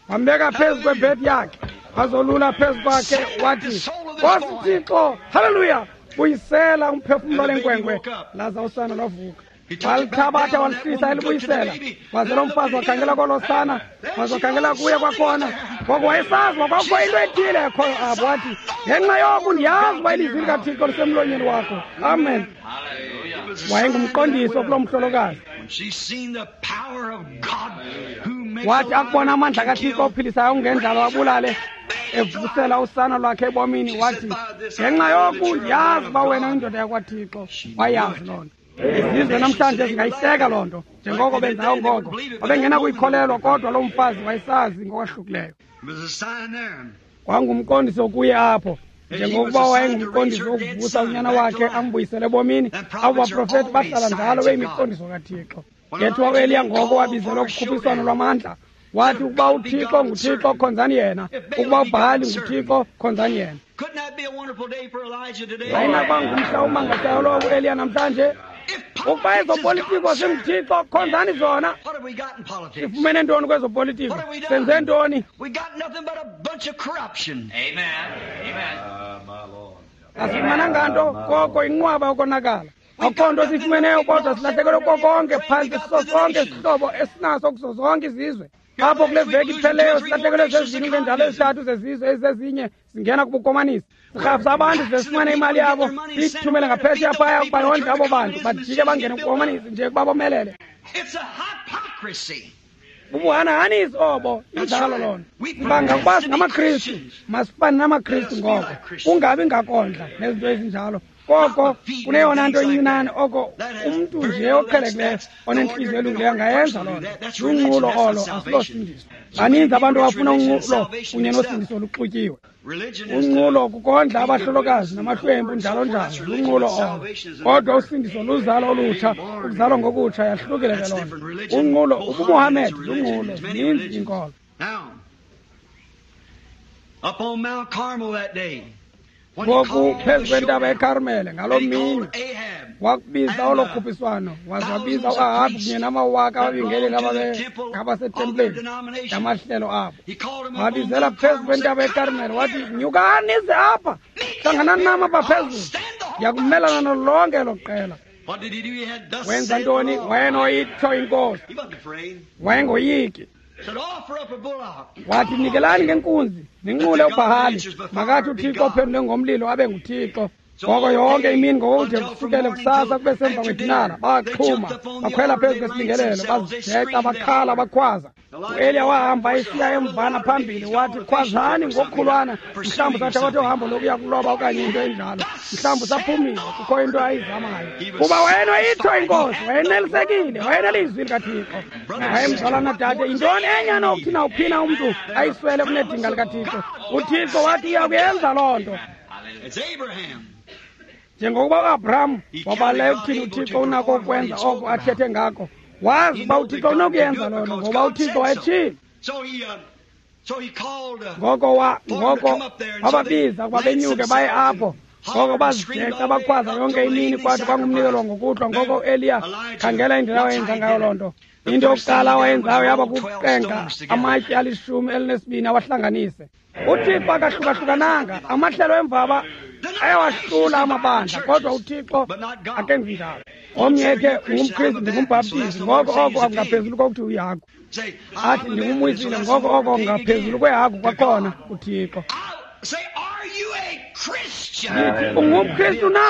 Wambeka phezu kwebhedi yakhe, wazolula phezu kwakhe, wathi, Nkosi Thixo, haleluya, buyisela umphefumlo lenkwenkwe. Laza usana lwavuka. Walithabatha walihlisa elibuyisela. Waze lo mfazi wakhangela kolo sana, waze wakhangela kuye kwakhona. Ngoko wayesazi kwakukho into ethile ekhoyo apho. Wathi, ngenxa yoku ndiyazi uba ilizwi likaThixo lisemlonyeni wakho. Amen. Wayengumqondiso kuloo mhlolokazi. Wathi akubona amandla kaThixo ophilisayo ungendlalo wabulale, evusela usana lwakhe ebomini, wathi, ngenxa yoku ndiyazi uba wena uyindoda yakwaThixo. Wayazi loo nto. Izizwe namhlanje zingayihleka loo nto njengoko benzayo ngoko. Babengenakuyikholelwa, kodwa loo mfazi wayesazi ngokwahlukileyo. Kwangumqondiso kuye apho, njengokuba wayengumqondiso wokuvusa unyana wakhe ambuyisele ebomini. Abo baprofeti bahlala njalo beyimiqondiso kaThixo. Ngethiwa uEliya ngoko wabizelwa kukhuphiswano lwamandla. Wathi, ukuba uThixo nguThixo, khonzani yena. Ukuba uBhali nguThixo, khonzani yena. Wayinakuba ngumhla omangalisayo lowo kuEliya namhlanje. Ukuba ezopolitiko zinguThixo, khonzani zona. Sifumene ntoni kwezopolitiko? Senze ntoni? Asifumananga nto koko inqwaba yokonakala. Akukho nto siyifumeneyo, kodwa silahlekelwe konke phantsi siso sonke isihlobo esinaso kuzo zonke izizwe. Apho kule veki ipheleyo silahlekelwe zezibini ngenjalo ezithathu zezizwe ezizezinye zingena kubukomanisi. Sirhafisa abantu size sifumane imali yabo siyithumele ngaphesheya phaya ukuba yondle abo bantu bajike bangene kubukomanisi nje ukuba bomelele. Bubuhanahanisi obo, injalo loo nto. Sibanga ukuba singamaKristu, masifane namaKristu ngoko, kungabi ngakondla nezinto ezinjalo. Koko kuneyona nto incinane oko umntu nje oqhelekileyo onentliziyo elungileyo angayenza loo nto. Lunqulo olo, asilosindiso. Baninzi abantu abafuna unqulo kunye nosindiso oluxutyiwe. Unqulo kukondla abahlolokazi namahlwempu njalo njalo, lunqulo olo. Kodwa usindiso luzalo olutsha, ukuzalwa ngokutsha, yahlukile ke loo nto. Unqulo ubuMohammed lunqulo, zininzi iinkolo. Up on Mount Carmel that day, Ngoku phezu kwentaba eKarmele ngaloo mini wakubiza olo khuphiswano, waze wabiza uAhabhi kunye namawaka ababingeleli ababegabasetempileni ngamahlelo abo. Wabizela phezu kwentaba eKarmele wathi, nyukani nize apha, hlanganani nam apha phezulu, ndiyakumelana nalo lonke elo qela. Wenza ntoni? Wayenoyitsho inkosi, wayengoyiki. Wathi, nikelani ngenkunzi, ninqule uBhahali, makathi uThixo ophendule ngomlilo abe nguThixo. Ngoko yonke imini ngokude kusukele kusasa kube semva kwedinara, baxhuma, bakhwela phezu kwesibingelelo, bazijeca, bakhala, bakhwaza. U-Eliya wahamba esiya emvana phambili, wathi, khwazani ngokukhulwana, mhlawumbi sathabatha uhambo lokuya kuloba okanye into enjalo, mhlawumbi saphumile, kukho into ayizamayo. Kuba wayenoyitsho inkosi, wayenelisekile, wayenelizwi likaThixo. Wayemzalwana dade, yintoni enye anokuthi nawuphina umntu ayiswele kunedinga likaThixo? UThixo wathi uyakuyenza loo nto. Njengokuba uAbraham wabaleka ukuthini uThixo unako ukwenza oko athethe ngako, wazi uba uThixo unokuyenza loo nto ngoba uThixo wayetshilo. Ngoko wa ngoko wababiza ukuba benyuke baye apho. Ngoko bazijeca bakhwaza yonke imini kwade kwangumnikelo ngokuhlwa. Ngoko uEliya, khangela indlela awayenza ngayo loo nto. Into yokuqala awayenzayo yaba kuqenga amatye alishumi elinesibini awahlanganise. UThixo akahlukahlukananga, amahlelo emvaba ayawahlula amabandla, kodwa uThixo akenzi njalo. Omnye ekhe ungumKristu, ndingumbhaptizi, ngoko oko akungaphezulu kokuthi uyihagu. Athi ndingumwisile, ngoko oko kungaphezulu kwehagu kwakhona kuThixo. Ndithi ungumKristu na?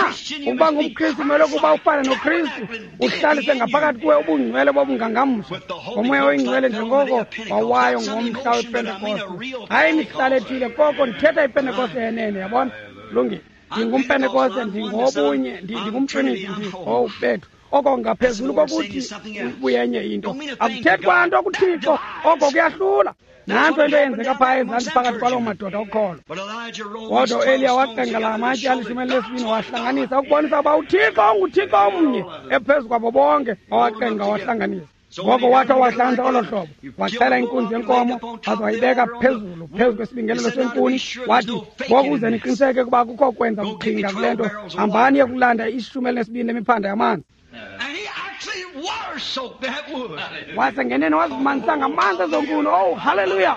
Ukuba ngumKristu kumele ukuba ufane noKristu, uhlalise ngaphakathi kuwe ubungcwele bobungangamsha ngoMoya oyiNgcwele njengoko wawayo ngomhla wePentekoste. Hayi imihlala ethile, koko ndithetha iPentekoste yenene, yabona? Lungile. Ndingumpentekoste, ndingobunye, ndingumtriniti, oh bethu. Oko ngaphezulu kokuthi ubuyenye into. Akuthethi kwanto kuThixo, oko kuyahlula. Nanto into eyenzeka phaa ezantsi phakathi kwaloo madoda okholo. Kodwa uEliya waqenga la matye alishumi elinesibini wahlanganisa ukubonisa uba uThixo unguThixo omnye ephezu kwabo bonke, wawaqenga wahlanganisa. Ngoko wathi wahlanganisa olo hlobo, waxhela inkunzi yenkomo waze wayibeka phezulu phezu kwesibingelelo senkuni. Wathi, ngoku uze niqiniseke ukuba kukho kwenza buqhinga kule nto, hambani yekulanda ishumi elinesibini lemiphanda yamanzi. Wasengenene wazimanisa ngamanzi ezonkuni. Oh, haleluya!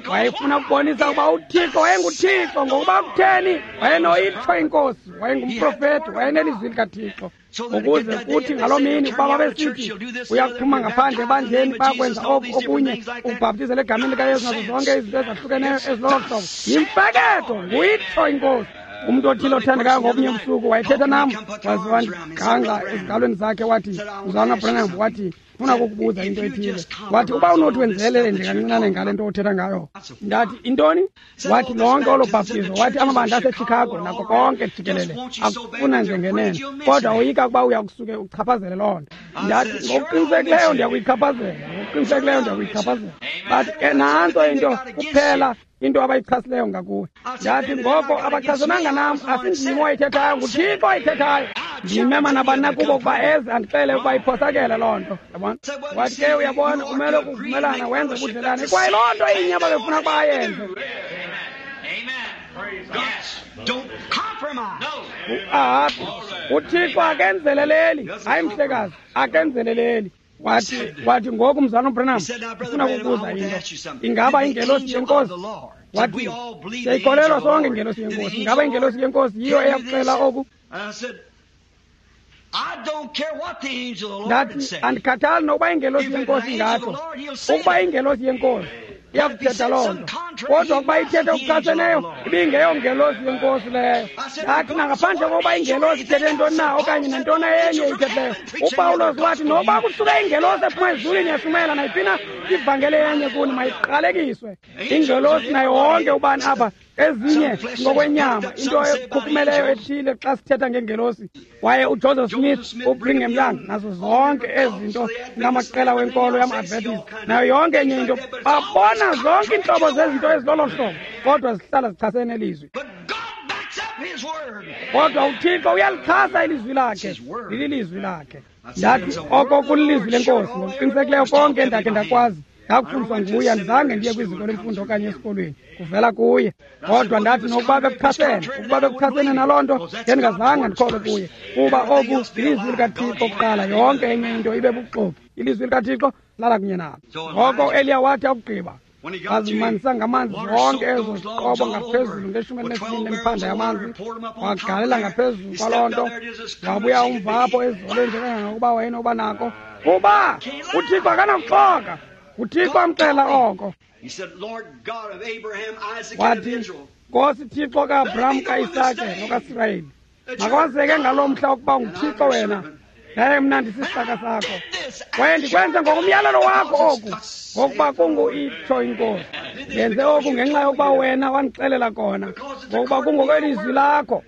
Wayefuna ukubonisa ukuba uThixo wayenguThixo, ngokuba kutheni wayenoyitsho inkosi, wayengumprofeti, wayenelizwi likaThixo. Ukuze kuthi ngaloo mini ukuba babesithi uyakuphuma ngaphandle ebandleni bayakwenza oku okunye, ukubhaptizela egameni likaYesu nazo zonke izinto ezahlukeneyo ezilolo hlobo, yimfeketho, nguyitsho inkosi. Umntu othile othandekayo ngobunye ubusuku wayethetha nam, waze wandigangxa ezigalweni zakhe wathi, Mzalwana Branham, wathi, funa ukukubuza into ethile. Wathi, uba unothi wenzelele nje kancinane ngale nto othetha ngayo. Ndathi, intoni? Wathi, lonke olo bhaptizo, wathi amabandla aseChicago nako konke jikelele akufuna nje ngenene, kodwa woyika ukuba uya kusuke uchaphazele loo nto. Ndathi, ngokuqinisekileyo ndiyakuyichaphazela, ngokuqinisekileyo ndiyakuyichaphazela. Bathi, ke nantso into kuphela into abayichasileyo ngakuwe. Ndathi, ngoko abachasananga nam, asindim oyithethayo, nguThixo oyithethayo. Ndimema nabani na kubo ukuba eze andixele ukuba iphosakele loo nto. Yabona? Wathi ke uyabona, umele ukuvumelana wenze ubudlelane. Kwaye loo nto inye ababefuna ukuba ayenze. UAhabhi, uThixo akenzeleleli, hayi mhlekazi, akenzeleleli. Wathi, wathi ngoku Mzalwana Branham, ndifuna ukukubuza into. Ingaba ingelosi yenkosi? Wathi, siyayikholelwa sonke ingelosi yenkosi. Ingaba ingelosi yenkosi yiyo eyakuxela oku? Ndathi, andikhathali nokuba ingelosi yenkosi ingatsho. Ukuba ingelosi yenkosi iyakuthetha loo nto, kodwa ukuba ithethe okuchaseneyo, ibingeyongelosi yenkosi leyo. Ndathi, nangaphandle kokuba ingelosi ithethe ntoni na okanye nantoni enye ithethileyo, uPawulos wathi noba kusuke ingelosi ephuma ezulwini yashumayela nayiphi na ivangeli enye kuni, mayiqalekiswe. Ingelosi nayo wonke ubani apha Ezinye ngokwenyama, into ekhukhumeleyo ethile xa sithetha ngengelosi. Waye uJoseph Smith, uBrigham Young, nazo zonke ezinto namaqela wenkolo yama-Adventist, nayo yonke enye into, babona zonke iintlobo zezinto ezilolo hlobo, kodwa zihlala zichasene nelizwi. Kodwa uThixo uyalixhasa ilizwi lakhe, lililizwi lakhe. Ndathi oko kulilizwi lenkosi, ngokuqinisekileyo konke endakhe ndakwazi ndakufundiswa nguye, andizange ndiye kwiziko lemfundo okanye esikolweni, kuvela kuye. Kodwa ndathi nokuba bekuchasene, ukuba bekuchasene naloo nto, ngendingazange ndikholwe kuye, kuba oku lilizwi likaThixo kuqala, yonke enye into ibe bubuxoki. Ilizwi likaThixo lala kunye nalo. Ngoko uEliya wathi akugqiba, wazimanzisa ngamanzi zonke ezo ziqobo ngaphezulu ngeshumi elinesibini lemphanda yamanzi, wagalela ngaphezulu kwaloo nto, wabuya umva apho ezolweni nje kangangokuba wayenoba nako, kuba uThixo akanakuxoka. UThixo amxela oko. Wathi, Nkosi Thixo kaAbraham, kaIsake nokaSirayeli, makwazeke ngaloo mhla ukuba unguThixo wena, yaye mna ndisisicaka sakho, kwaye ndikwenze ngokomyalelo wakho oku, ngokuba kungu itsho inkosi. Ndenze oku ngenxa yokuba wena wandixelela kona, ngokuba kungokwelizwi lakho.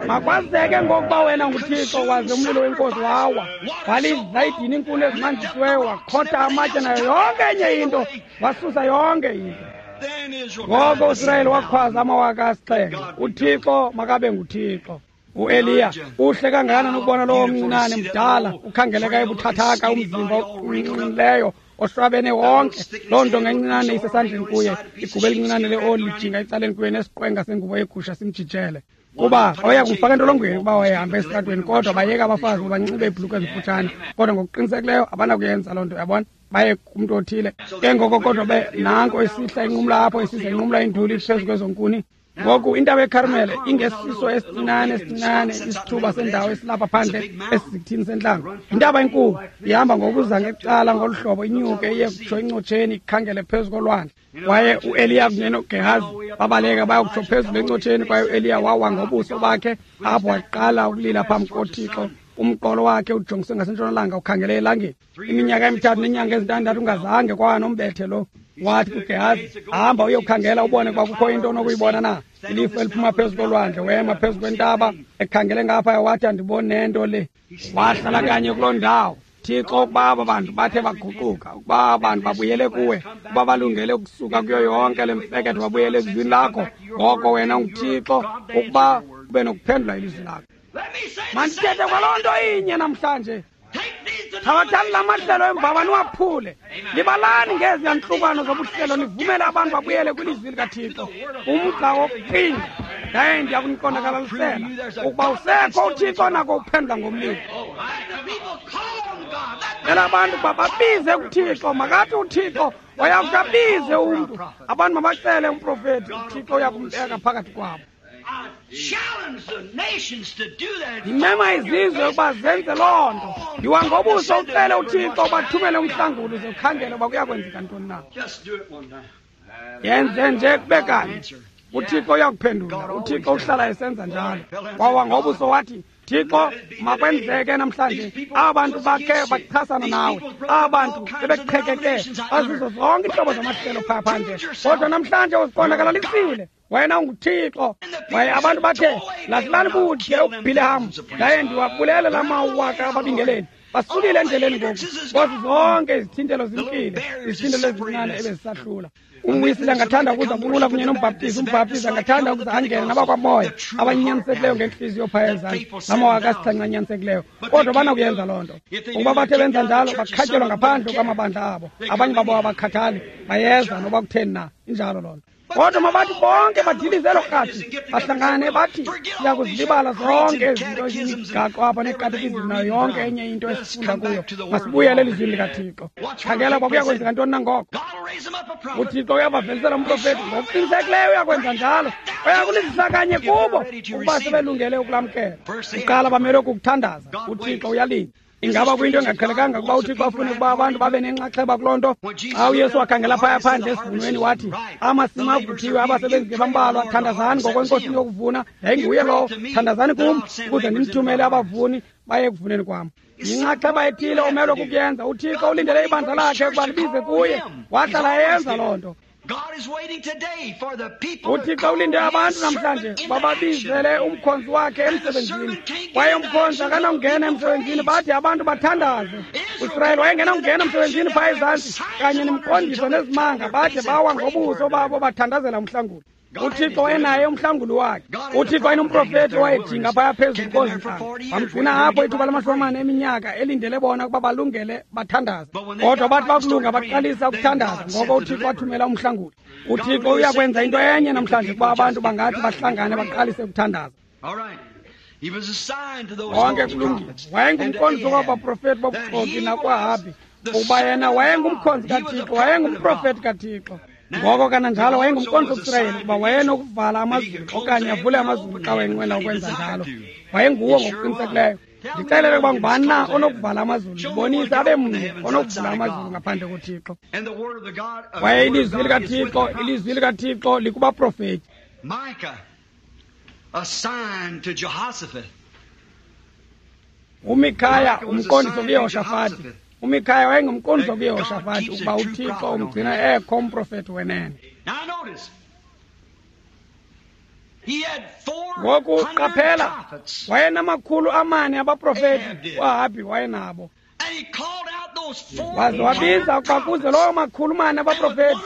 Makwazeke ngokuba wena nguThixo. Waze umlilo wenkosi wawa, walizla idini inkuni ezimanzisiweyo, wakhotha amatye nayo yonke enye into, wasusa yonke into. Ngoko uSirayeli wakhwaza amawaka asixhenxe, uThixo makabe nguThixo. uEliya uhle kangakanani ukubona lowo mncinane mdala ukhangeleka ebuthathaka, umzimba oqinileyo oshwabene wonke, loo nto ngencinane isesandleni kuye, igubu elincinane leoli lijinga ecaleni kuye, nesiqwenga sengubo yegusha simjijele. Kuba waya kumfaka entolongweni ukuba wayehamba esitratweni, kodwa bayeka abafazi ukuba banxibe iibhulukhwe ezimfutshane, kodwa ngokuqinisekileyo abanakuyenza loo nto, yabona, baye kumntu othile. Ke ngoko kodwa be nanko esihla inqumla apho, isiza inqumla induli phezu kwezo nkuni. Ngoku intaba yeKarmele ingesiso esincinane esincinane isithuba sendawo esilapha phandle esizithini sentlango. Intaba enkulu ihamba ngokuza ngecala ngolu hlobo, inyuke iye kutsho encotsheni, ikhangele phezu kolwandle. Kwaye uEliya kunye noGehazi babaleka bayokutsho phezulu encotsheni, kwaye uEliya wawa ngobuso bakhe apho, waqala ukulila phambi koThixo. Umqolo wakhe ujongise ngasentshonalanga, ukhangele elangeni. Iminyaka emithathu neenyanga ezintandathu ungazange kwaba nombethe lo. Wathi kuGehazi, hamba uyokhangela ubone ukuba kukho into onokuyibona na. Ilifu eliphuma phezu kolwandle, wema phezu kwentaba ekhangele ngapha, wathi andiboni nento le. Wahlala kanye kuloo ndawo. Thixo, ukuba aba bantu bathe baguquka, ukuba aba bantu babuyele kuwe, ukuba balungele ukusuka kuyo yonke le mfeketho babuyele ezwini lakho, ngoko wena unguThixo ukuba ube nokuphendula ilizwi lakho. Mandithethe kwaloo nto inye namhlanje. Thabathani la mahlelo emvaba niwaphule. Libalani ngezi yantlukano zobuhlelo, nivumele abantu babuyele kwilizwi likaThixo. Umgca wokuphinda, yaye ndiya kuniqondakalalisela ukuba usekho uThixo onako ukuphendula ngomlilo. Cela abantu ukuba babize kuThixo, makathi uThixo oyakuthi abize umntu. Abantu mabacele umprofethi, uThixo uyakumbeka phakathi kwabo. Ndimema izizwe ukuba zenze loo nto. Yiwa ngobuso ucele uThixo ubathumele umhlanguli, uze ukhangele uba kuyakwenzeka ntoni na. Yenze nje kube kanye, uThixo uyakuphendula. uThixo uhlala esenza njalo. Wawa ngobuso wathi, Thixo, makwenzeke namhlanje aba bantu bakhe bachasana nawe, aba bantu bebeqhekeke bazizo zonke iintlobo zamahlelo phaa phandle, kodwa namhlanje uziqondakalalisile wena unguThixo. Kwaye abantu bathe, lahlani kude uBhileham, ndaye ndiwabulele la mawaka ababingeleli. Basukile endleleni ngoku, kodwa zonke izithintelo zimkile, izithintelo ezincinane ebezisahlula. UmWisile angathanda ukuza kulula kunye nombhaptizi, umbhaptizi angathanda ukuza angene nabakwamoya abanyanisekileyo ngentliziyo phaya ezantsi, namawaka asixhenxe anyanisekileyo, kodwa banakuyenza loo nto. Ukuba bathe benza njalo, bakhatyelwa ngaphandle kwamabandla abo. Abanye babo abakhathali, bayeza noba kutheni na, injalo loo nto. Kodwa mabathi bonke badilize elo rhatsi, bahlangane bathi siya kuzilibala zonke ezinto ezimigaqo apha neekatekizim nayo yonke enye into esifunda kuyo, masibuyele elizwini likaThixo. Khangela uba kuya kwenzeka ntoni na ngoko. UThixo uyabavelisela umprofethi, ngokuqinisekileyo uyakwenza njalo. Uyakulizisa kanye kubo ukuba sebelungele ukulamkela. Kuqala bamele ukukuthandaza, uThixo uyalinda. Ingaba kuyinto engaqhelekanga ukuba uThixo afune ukuba abantu babe nenxaxheba kuloo nto? Xa uYesu wakhangela phaya phandle esivunweni wathi, amasimi avuthiwe, abasebenzi ke bambalwa, thandazani ngokwenkosini yokuvuna. Yayinguye lowo, thandazani kum ukuze ndimthumele abavuni baye ekuvuneni kwam. Yinxaxheba ethile omelwe kukuyenza. UThixo ulindele ibandla lakhe ukuba libize kuye, wahlala eyenza loo nto. UThixo ulinde abantu namhlanje bababizele umkhonzi wakhe emsebenzini, kwaye umkhonzi akanawungena emsebenzini bathi abantu bathandaze. UIsrayeli wayengenawungena emsebenzini phaa ezantsi kanye nemiqondiso nezimanga, bade bawa ngobuso babo bathandazela umhlanguli. UThixo wayenaye umhlanguli wakhe. UThixo wayenomprofethi owayejinga phaya phezulu kozintaba, wamgcina apho ithuba lamashumi amane eminyaka elindele bona ukuba balungele bathandaze. Kodwa bathi bakulunga baqalisa ukuthandaza, ngoko uThixo wathumela umhlanguli. UThixo uyakwenza into enye namhlanje ukuba abantu bangathi bahlangane baqalise ukuthandaza. Konke kulungile. Wayengumqondiso kwabaprofethi bobuxoki nakwaAhabhi, kuba yena wayengumkhonzi kaThixo, wayengumprofethi kaThixo. Ngoko kananjalo wayengumqondiso kuSirayeli ukuba wayenokuvala amazulu okanye avule amazulu xa wayenqwena ukwenza njalo. Wayenguwo ngokuqinisekileyo. Ndixelele ukuba ngubani na onokuvala amazulu, ndibonise abe mnye onokuvula amazulu ngaphandle koThixo. Kwaye ilizwi likaThixo, ilizwi likaThixo likubaprofethi. UMikhaya umqondiso kuYehoshafati. UMikhaya wayengumqondiso kuYehoshafati ukuba uThixo umgcina ekho umprofethi wenene. Ngoku qaphela, wayenamakhulu amane abaprofethi, uAhabhi wayenabo. Waze wabiza ukuba kuze lowo makhulu mane abaprofethi,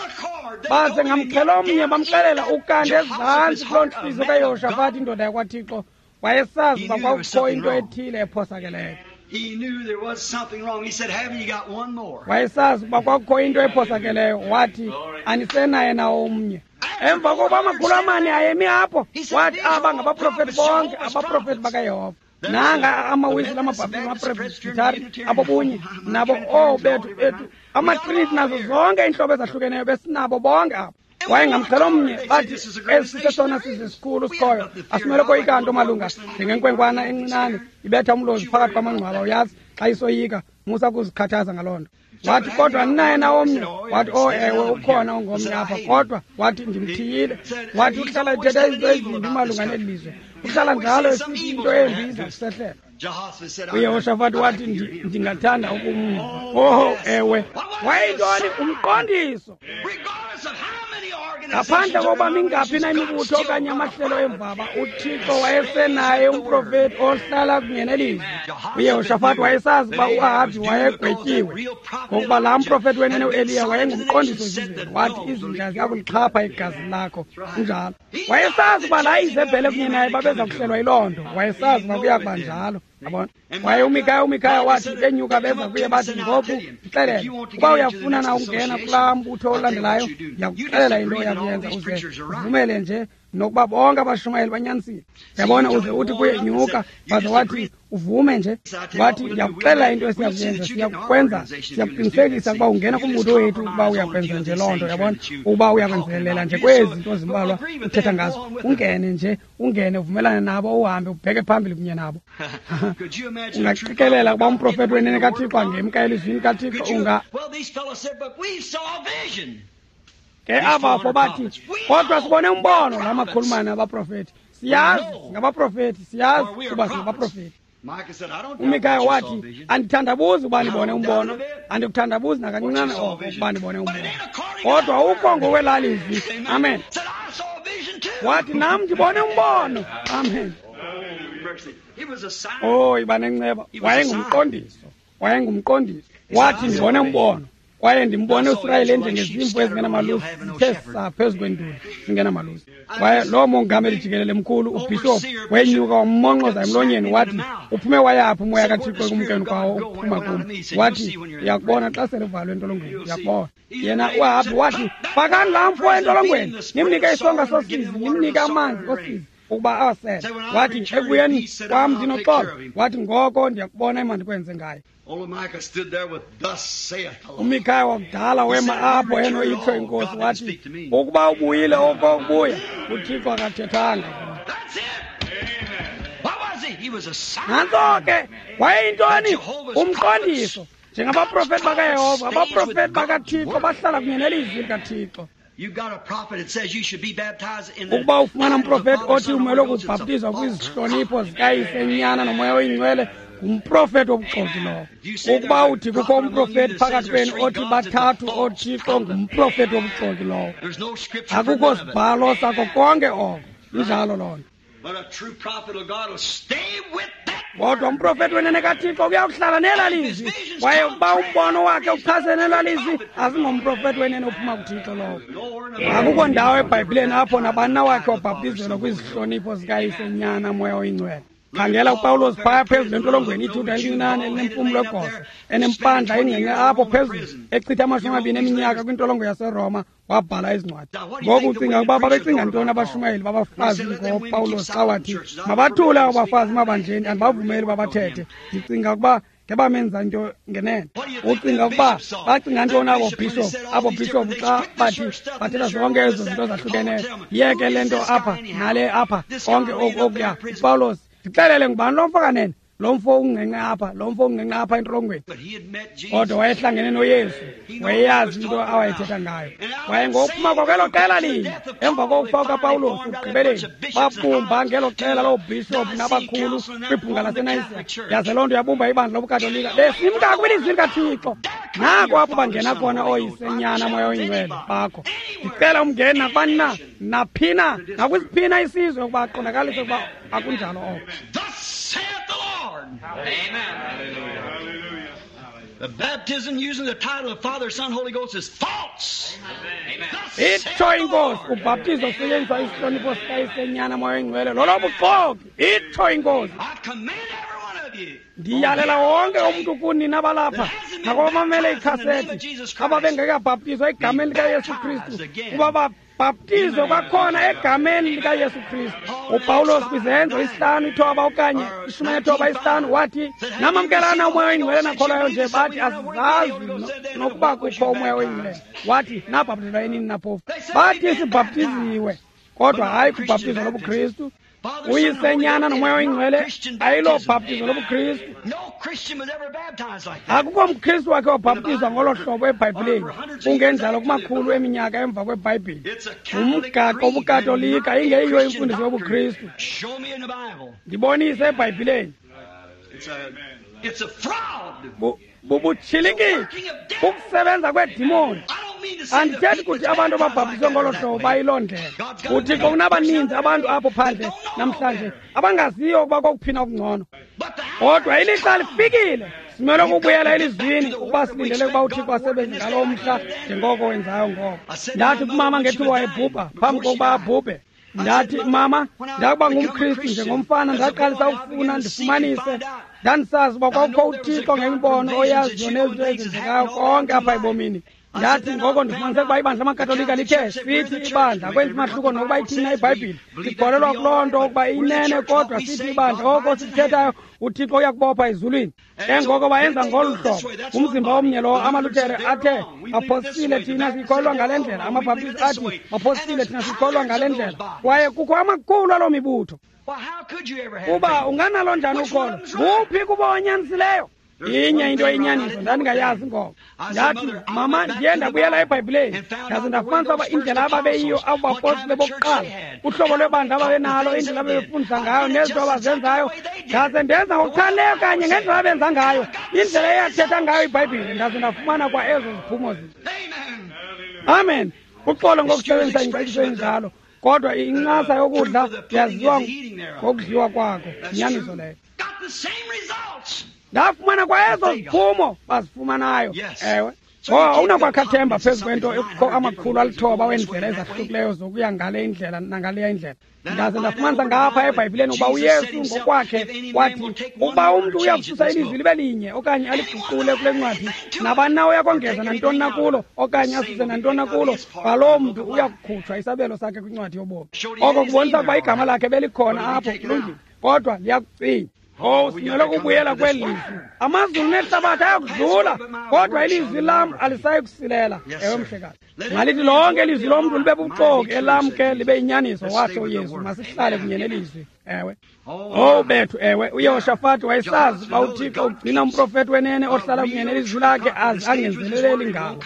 baze ngamxhelo omnye bamxelela ukanti ezantsi kuloo ntliziyo kaYehoshafati indoda yakwaThixo wayesazi uba kwakukho into ethile ephosakeleyo. Wayesazi ukuba kwakukho into ephosakeleyo, wathi anisenaye na omnye. Emva kokuba amakhulu amane ayemi apho, wathi aba ngabaprofethi bonke, abaprofethi bakaYehova. Nanga amawisile, amaBhaptizi, amaPresbhithari, abobunye nabo oobethu bethu, amaTriniti nazo zonke iintlobo ezahlukeneyo besinabo bonke apho. Wayengamxhelo omnye, bathi esi sesona sizwe sikhulu sikhoyo, asimele koyika nto malunga njengenkwenkwana encinane ibetha umlozi phakathi kwamangcwaba, uyazi xa isoyika, musa kuzikhathaza ngaloo nto. Wathi kodwa ninaye na omnye? Wathi oh ewe ukhona ongomnye apha, kodwa wathi ndimthiyile. Wathi uhlala ethetha izinto ezimbi malunga neli lizwe, uhlala njalo esithi into embi iza kusehlela. UYehoshafati wathi ndingathanda ukumva. Oh ewe, wayeyintoni? Umqondiso. Ngaphandle kokuba mingaphi na imibutho okanye amahlelo emvaba, uThixo wayesenaye umprofethi ohlala kunye nelizwi. UYehoshafati wayesazi ukuba uAhabhi wayegwetyiwe, ngokuba laa mprofethi wenene uEliya wayengumqondiso ezizweni. Wathi izinja ziya kulixhapha igazi lakho. Kunjalo. Wayesazi ukuba laa Izebhele kunye naye babeza kuhlelwa yiloo nto. Wayesazi uba kuya kuba njalo. Yabona? Kwaye uMikhaya uMikhaya wathi benyuka beza kuye bathi ngoku ndixelele ukuba uyafuna na ukungena kulaa mbutho olandelayo, ndiyakuxelela into oyakuyenza, uze uvumele nje nokuba bonke abashumayeli banyanisile. Yabona, uze uthi kuye nyuka, waze wathi uvume nje. Wathi ndiyakuxelela into esiyakuyenza, siyakukwenza, siyakuqinisekisa ukuba ungena kumbutho wethu ukuba uyakwenza nje loo nto. Yabona, ukuba uyakwenzelela nje kwezi zinto zimbalwa uthetha ngazo, ungene nje, ungene uvumelane nabo, uhambe ubheke phambili kunye nabo. Ungaqikelela ukuba umprofethi wenene kaThixo angemka elizwini kaThixo? Unga ke abafo bathi kodwa sibone umbono. La makhulu mane abaprofethi, siyazi singabaprofethi, siyazi kuba singabaprofethi. UMikhaya wathi andithandabuzi ukuba ndibone umbono, andikuthandabuzi nakancinane oko ukuba ndibone umbono, kodwa ukho ngokwelaa lizwi. Amen. Wathi nam ndibone umbono. Amen. Oh, iba nenceba. Wayengumqondiso, wayengumqondiso. Wathi ndibone umbono, kwaye ndimbone uSirayeli enjengezimvu ezingenamalusi zithe saa phezu kwenduli zingenamalusi. Kwaye loo mongameli jikelele mkhulu ubhishophu wenyuka wammonxoza emlonyeni, wathi uphume wayaphi umoya kaThixo ekumkeni kwawo ukuphuma kum? Wathi uyakubona xa sele uvalwe entolongweni, uyakubona. Yena uAhabhi wathi fakani laa mfo entolongweni, nimnike isonka sosizi, nimnike amanzi osizi ukuba awasele. Wathi ekubuyeni kwam ndinoxolo. Wathi ngoko ndiyakubona emandikwenze ngayo. UMikhaya wakudala wema apho enoyitsho inkosi, wathi ukuba ubuyile oko kubuya, uThixo akathethanga. Nantso ke wayeyintoni? Umqondiso. Njengabaprofethi bakaYehova, abaprofethi bakaThixo bahlala kunye nelizwi likaThixo. Ukuba ufumana umprofethi othi umelwe kubhaptizwa kwizihlonipho zikayise, Nyana noMoya oyiNgcwele, Ngumprofeti wobuxoki lowo. Ukuba uthi kukho umprofeti phakathi kwenu othi bathathu oothixo, ngumprofeti wobuxoki lowo. Akukho sibhalo sako konke oko. Injalo loo nto. Kodwa umprofeti wenene kaThixo uyakuhlala nelaa lizwi, kwaye ukuba umbono wakhe uchasene nelaa lizwi, asingomprofeti wenene ophuma kuThixo lowo. Akukho ndawo eBhayibhileni apho nabani na wakhe wabhaptizelwa kwizihlonipho zikaYise, Nyana, Moya oyiNgcwele. Khangela uPawulos phaya phezulu entolongweni, ijuda elincinane elinempumlo egoso, enempandla engqinqe apho phezulu, echitha amashumi amabini eminyaka kwintolongo yaseRoma, wabhala izincwadi. Ngoku ucinga ukuba babecinga ntoni abashumayeli babafazi ngoPawulos xa wathi mabathule abo bafazi emabandleni, andibavumeli uba bathethe? Ndicinga ukuba ngebamenza into ngenene. Ucinga ukuba bacinga ntoni abo bishop, abo bishop xa bathi bathetha zonke ezo zinto zahlukeneyo? Yeke le nto apha nale apha, konke oku okuya. Upawulos, ndixelele, ngubani lo mfo kanene? Lo mfo ungqenqe apha, lo mfo ungqenqe apha entolongweni. Kodwa wayehlangene noYesu, wayeyazi into awayethetha ngayo. Kwaye ngokuphuma kwakwelo qela linye, emva kokufa kukaPawulos, ekugqibeleni babumba ngelo qela loobhishophu nabakhulu kwibhunga laseNayisiya. Yaze loo nto yabumba ibandla lobuKatolika, besimka kwilizwi likaThixo. Nako apho bangena khona ooYise, Nyana, Moya oyiNgcwele bakho. Ndicela umngeni nakubani na, naphina, nakwisiphina isizwe ukuba aqondakalise ukuba akunjalo oko. Amen. Hallelujah. The baptism using the title of Father, Son, Holy Ghost is false. Amen. Itsho inkosi, ubhaptizo kusetyenziswa isihlonipho sikaYise, Nyana, Moya oyiNgcwele lolobuxoki. Itsho inkosi. I command every one of you. Ndiyalela wonke umntu kuni nabalapha nakwabamamele ikhasethi ababengekabhaptizwa egameni likaYesu Kristu ukuba babhaptizwe kwakhona egameni likaYesu Kristu. UPawulos kwiZenzo isihlanu ithoba okanye ishumi nethoba isihlanu wathi, namamkelana uMoya oyiNgcwele nakholwayo nje, bathi asizazi nokuba kukho uMoya oyiNgcwele. Wathi nabhaptizwa enini na phofu? Bathi sibhaptiziwe, kodwa hayi kubhaptizo lobuKristu. UYise, Nyana noMoya oyiNgcwele ayilobhaptizo lobuKristu. Akukho mKristu wakhe wabhaptizwa ngolo hlobo eBhayibhileni, kungenjalo kumakhulu eminyaka emva kweBhayibhile. Ngumgaqo wobuKatolika, ingeyiyo imfundiso yobuKristu. Ndibonise eBhayibhileni. Bubutshilikitshi, ukusebenza kweedimoni. Andithethi kuthi abantu ababhaptizwe ngolo hlobo bayiloo ndlela. UThixo unabaninzi abantu apho phandle namhlanje abangaziyo ukuba kokuphina okungcono. Kodwa ilixa lifikile, simele ukubuyela elizwini ukuba silindele ukuba uThixo asebenze ngaloo mhla njengoko wenzayo ngoko. Ndathi kumama ngethuba wayebhubha, phambi kokuba abhubhe, ndathi, mama, ndakuba ngumKristu njengomfana, ndaqalisa ukufuna ndifumanise. Ndandisazi uba kwakukho uThixo ngemibono oyaziyo nezinto ezenzekayo konke apha ebomini. Ndathi ngoko ndifumanise ukuba ibandla lamaKatolika lithe sithi ibandla akwenzi mahluko nokuba ithini na iBhayibhile. Sikholelwa kuloo nto ukuba inene, kodwa sithi ibandla oko sikuthethayo uThixo uyakubopha ezulwini. Ke ngoko bayenza ngolu hlobo, umzimba omnye lowo. AmaLuthere athe baphosile, thina sikholelwa ngale ndlela. AmaBhaptisti athi baphosile, thina sikholelwa ngale ndlela. Kwaye kukho amakhulu aloo mibutho. Kuba unganalo njani ukholo? Nguphi kuba onyanisileyo? Inye into eyinyaniso, ndandingayazi ngoko. Ndathi, mama, ndiye ndabuyela eBhayibhileni, ndaze ndafumanisa uba indlela ababeyiyo abo bapostile bokuqala, uhlobo lwebandla ababenalo, indlela ababefundisa ngayo nezinto abazenzayo, ndaze ndenza ngokuchanileyo kanye ngendlela abenza ngayo, indlela eyathetha ngayo iBhayibhile, ndaze ndafumana kwa ezo ziphumo zinto. Amen. Uxolo ngokusebenzisa ingcaciso enjalo, kodwa incasa yokudla yaziwa ngokudliwa kwakho. Inyaniso leyo. Ndafumana kwa ezo ziphumo bazifumanayo. Ewe. Oh, awunakwakha themba phezu kwento ekukho amakhulu alithoba weendlela ezahlukileyo zokuya ngale indlela nangaleya indlela. Ndaze ndafumanisa ngapha eBhayibhileni ukuba uYesu ngokwakhe wathi ukuba umntu uyakususa ilizwi libe linye okanye aliguqule kule ncwadi, nabani na uyakongeza nantoni na kulo okanye asuse nantoni na kulo, kwaloo mntu uyakukhutshwa isabelo sakhe kwincwadi yobomi. Oko kubonisa ukuba igama lakhe belikhona apho, kulungile, kodwa liyakucinywa. Oh, simele ukubuyela kweli lizwi. Amazulu nehlabathi ayakudlula, kodwa ilizwi lam alisayi kusilela. Ewe, mhlekazi. Malithi lonke ilizwi lomntu libe bubuxoki, elam ke libe yinyaniso, watsho uYesu. Masihlale kunye nelizwi. Ewe. Oh bethu, ewe, uYehoshafati wayesazi uba uThixo ugcina umprofeti wenene ohlala kunye nelizwi lakhe aze angenzeleleli ngalo.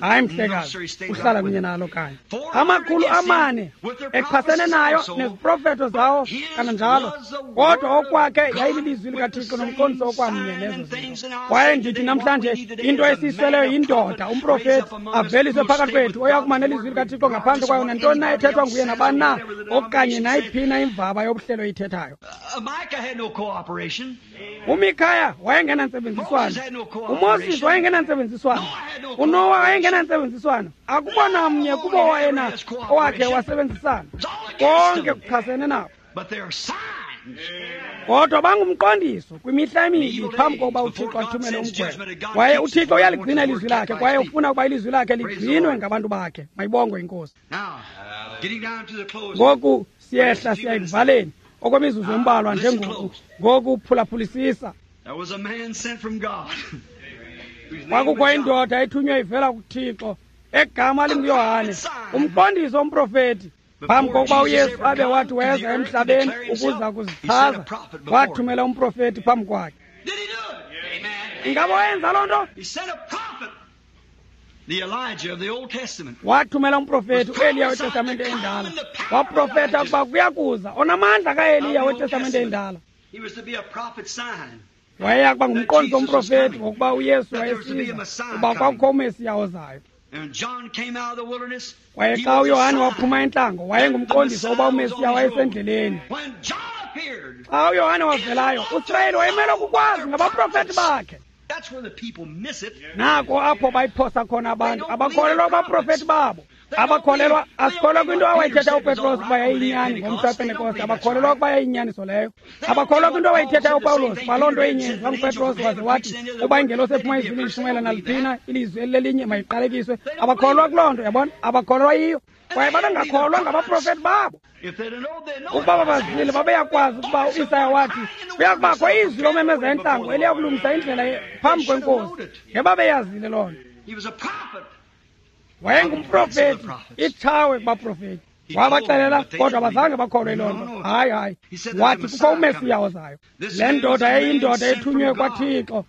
Hayi mhlekazi, uhlala kunye nalo kanye. Amakhulu amane echasene nayo neziprofeto zawo kananjalo, kodwa okwakhe yayililizwi likaThixo nomqondiso okwamnye nezo zinto. Kwaye ndithi namhlanje into esiyisweleyo yindoda, umprofeti aveliswe phakathi kwethu oyakuma nelizwi likaThixo ngaphandle kwayo nantoni na ethethwa nguye nabani na okanye nayiphi na imvaba yobuhlelo ithethayo. UMikhaya wayengenantsebenziswano, uMoses wayengenantsebenziswano, uNowa wayengenantsebenziswano. Akukho namnye kubo wayena owakhe wasebenzisana. Konke kuchasene nabo. Kodwa bangumqondiso kwimihla emibi phambi kokuba uThixo athumele umgwebo. Kwaye uThixo uyaligcina ilizwi lakhe, kwaye ufuna ukuba ilizwi lakhe ligcinwe ngabantu bakhe. Mayibongwe iNkosi. Ngoku siyehla siya ekuvaleni okwemizuzu embalwa njengoku. Ngoku phulaphulisisa. Kwakukho indoda ethunywe ivela kuThixo egama linguYohane, umqondiso womprofeti. Phambi kokuba uYesu abe wathi weza emhlabeni ukuza kuzichaza, wathumela umprofeti phambi kwakhe. Ingaba wayenza loo nto? Wathumela umprofeti uEliya weTestamente endala. Waprofeta ukuba kuyakuza onamandla kaEliya weTestamente endala. Wayeya kuba ngumqondiso womprofeti ngokuba uYesu wayesiza, kuba kwakukho uMesiya ozayo. Kwaye xa uYohane waphuma entlango, wayengumqondiso uba uMesiya wayesendleleni. Xa uYohane wavelayo, uSirayeli wayemele ukukwazi ngabaprofeti bakhe. Nako apho bayiphosa khona abantu, abakholelwa kubaprofeti babo. Abakholelwa, asikholwa kwinto awayithetha uPetros ukuba yayiyinyani ngomhla wePentekoste, abakholelwa ukuba yayiyinyaniso leyo. Abakholelwa kwinto awayithetha uPawulos, uba loo nto inyenziwa nguPetros waze wathi uba ingelosi ephuma ezulwini ishumayela naliphina ilizwi elilelinye mayiqalekiswe. Abakholelwa kuloo nto, yabona, abakholelwa yiyo. Kwaye babengakholwa ngabaprofeti babo. Ukuba babazile babeyakwazi ukuba uIsaya wathi kuyakubakho izwi lomemeza entlango eliyakulungisa indlela phambi kweNkosi. Ngebabeyazile loo nto. Wayengumprofeti, itshawe kubaprofeti. Wabaxelela, kodwa abazange bakholwe loo nto. Hayi, hayi. Wathi kukho uMesiya ozayo. Le ndoda yayiyindoda ethunywe kwaThixo.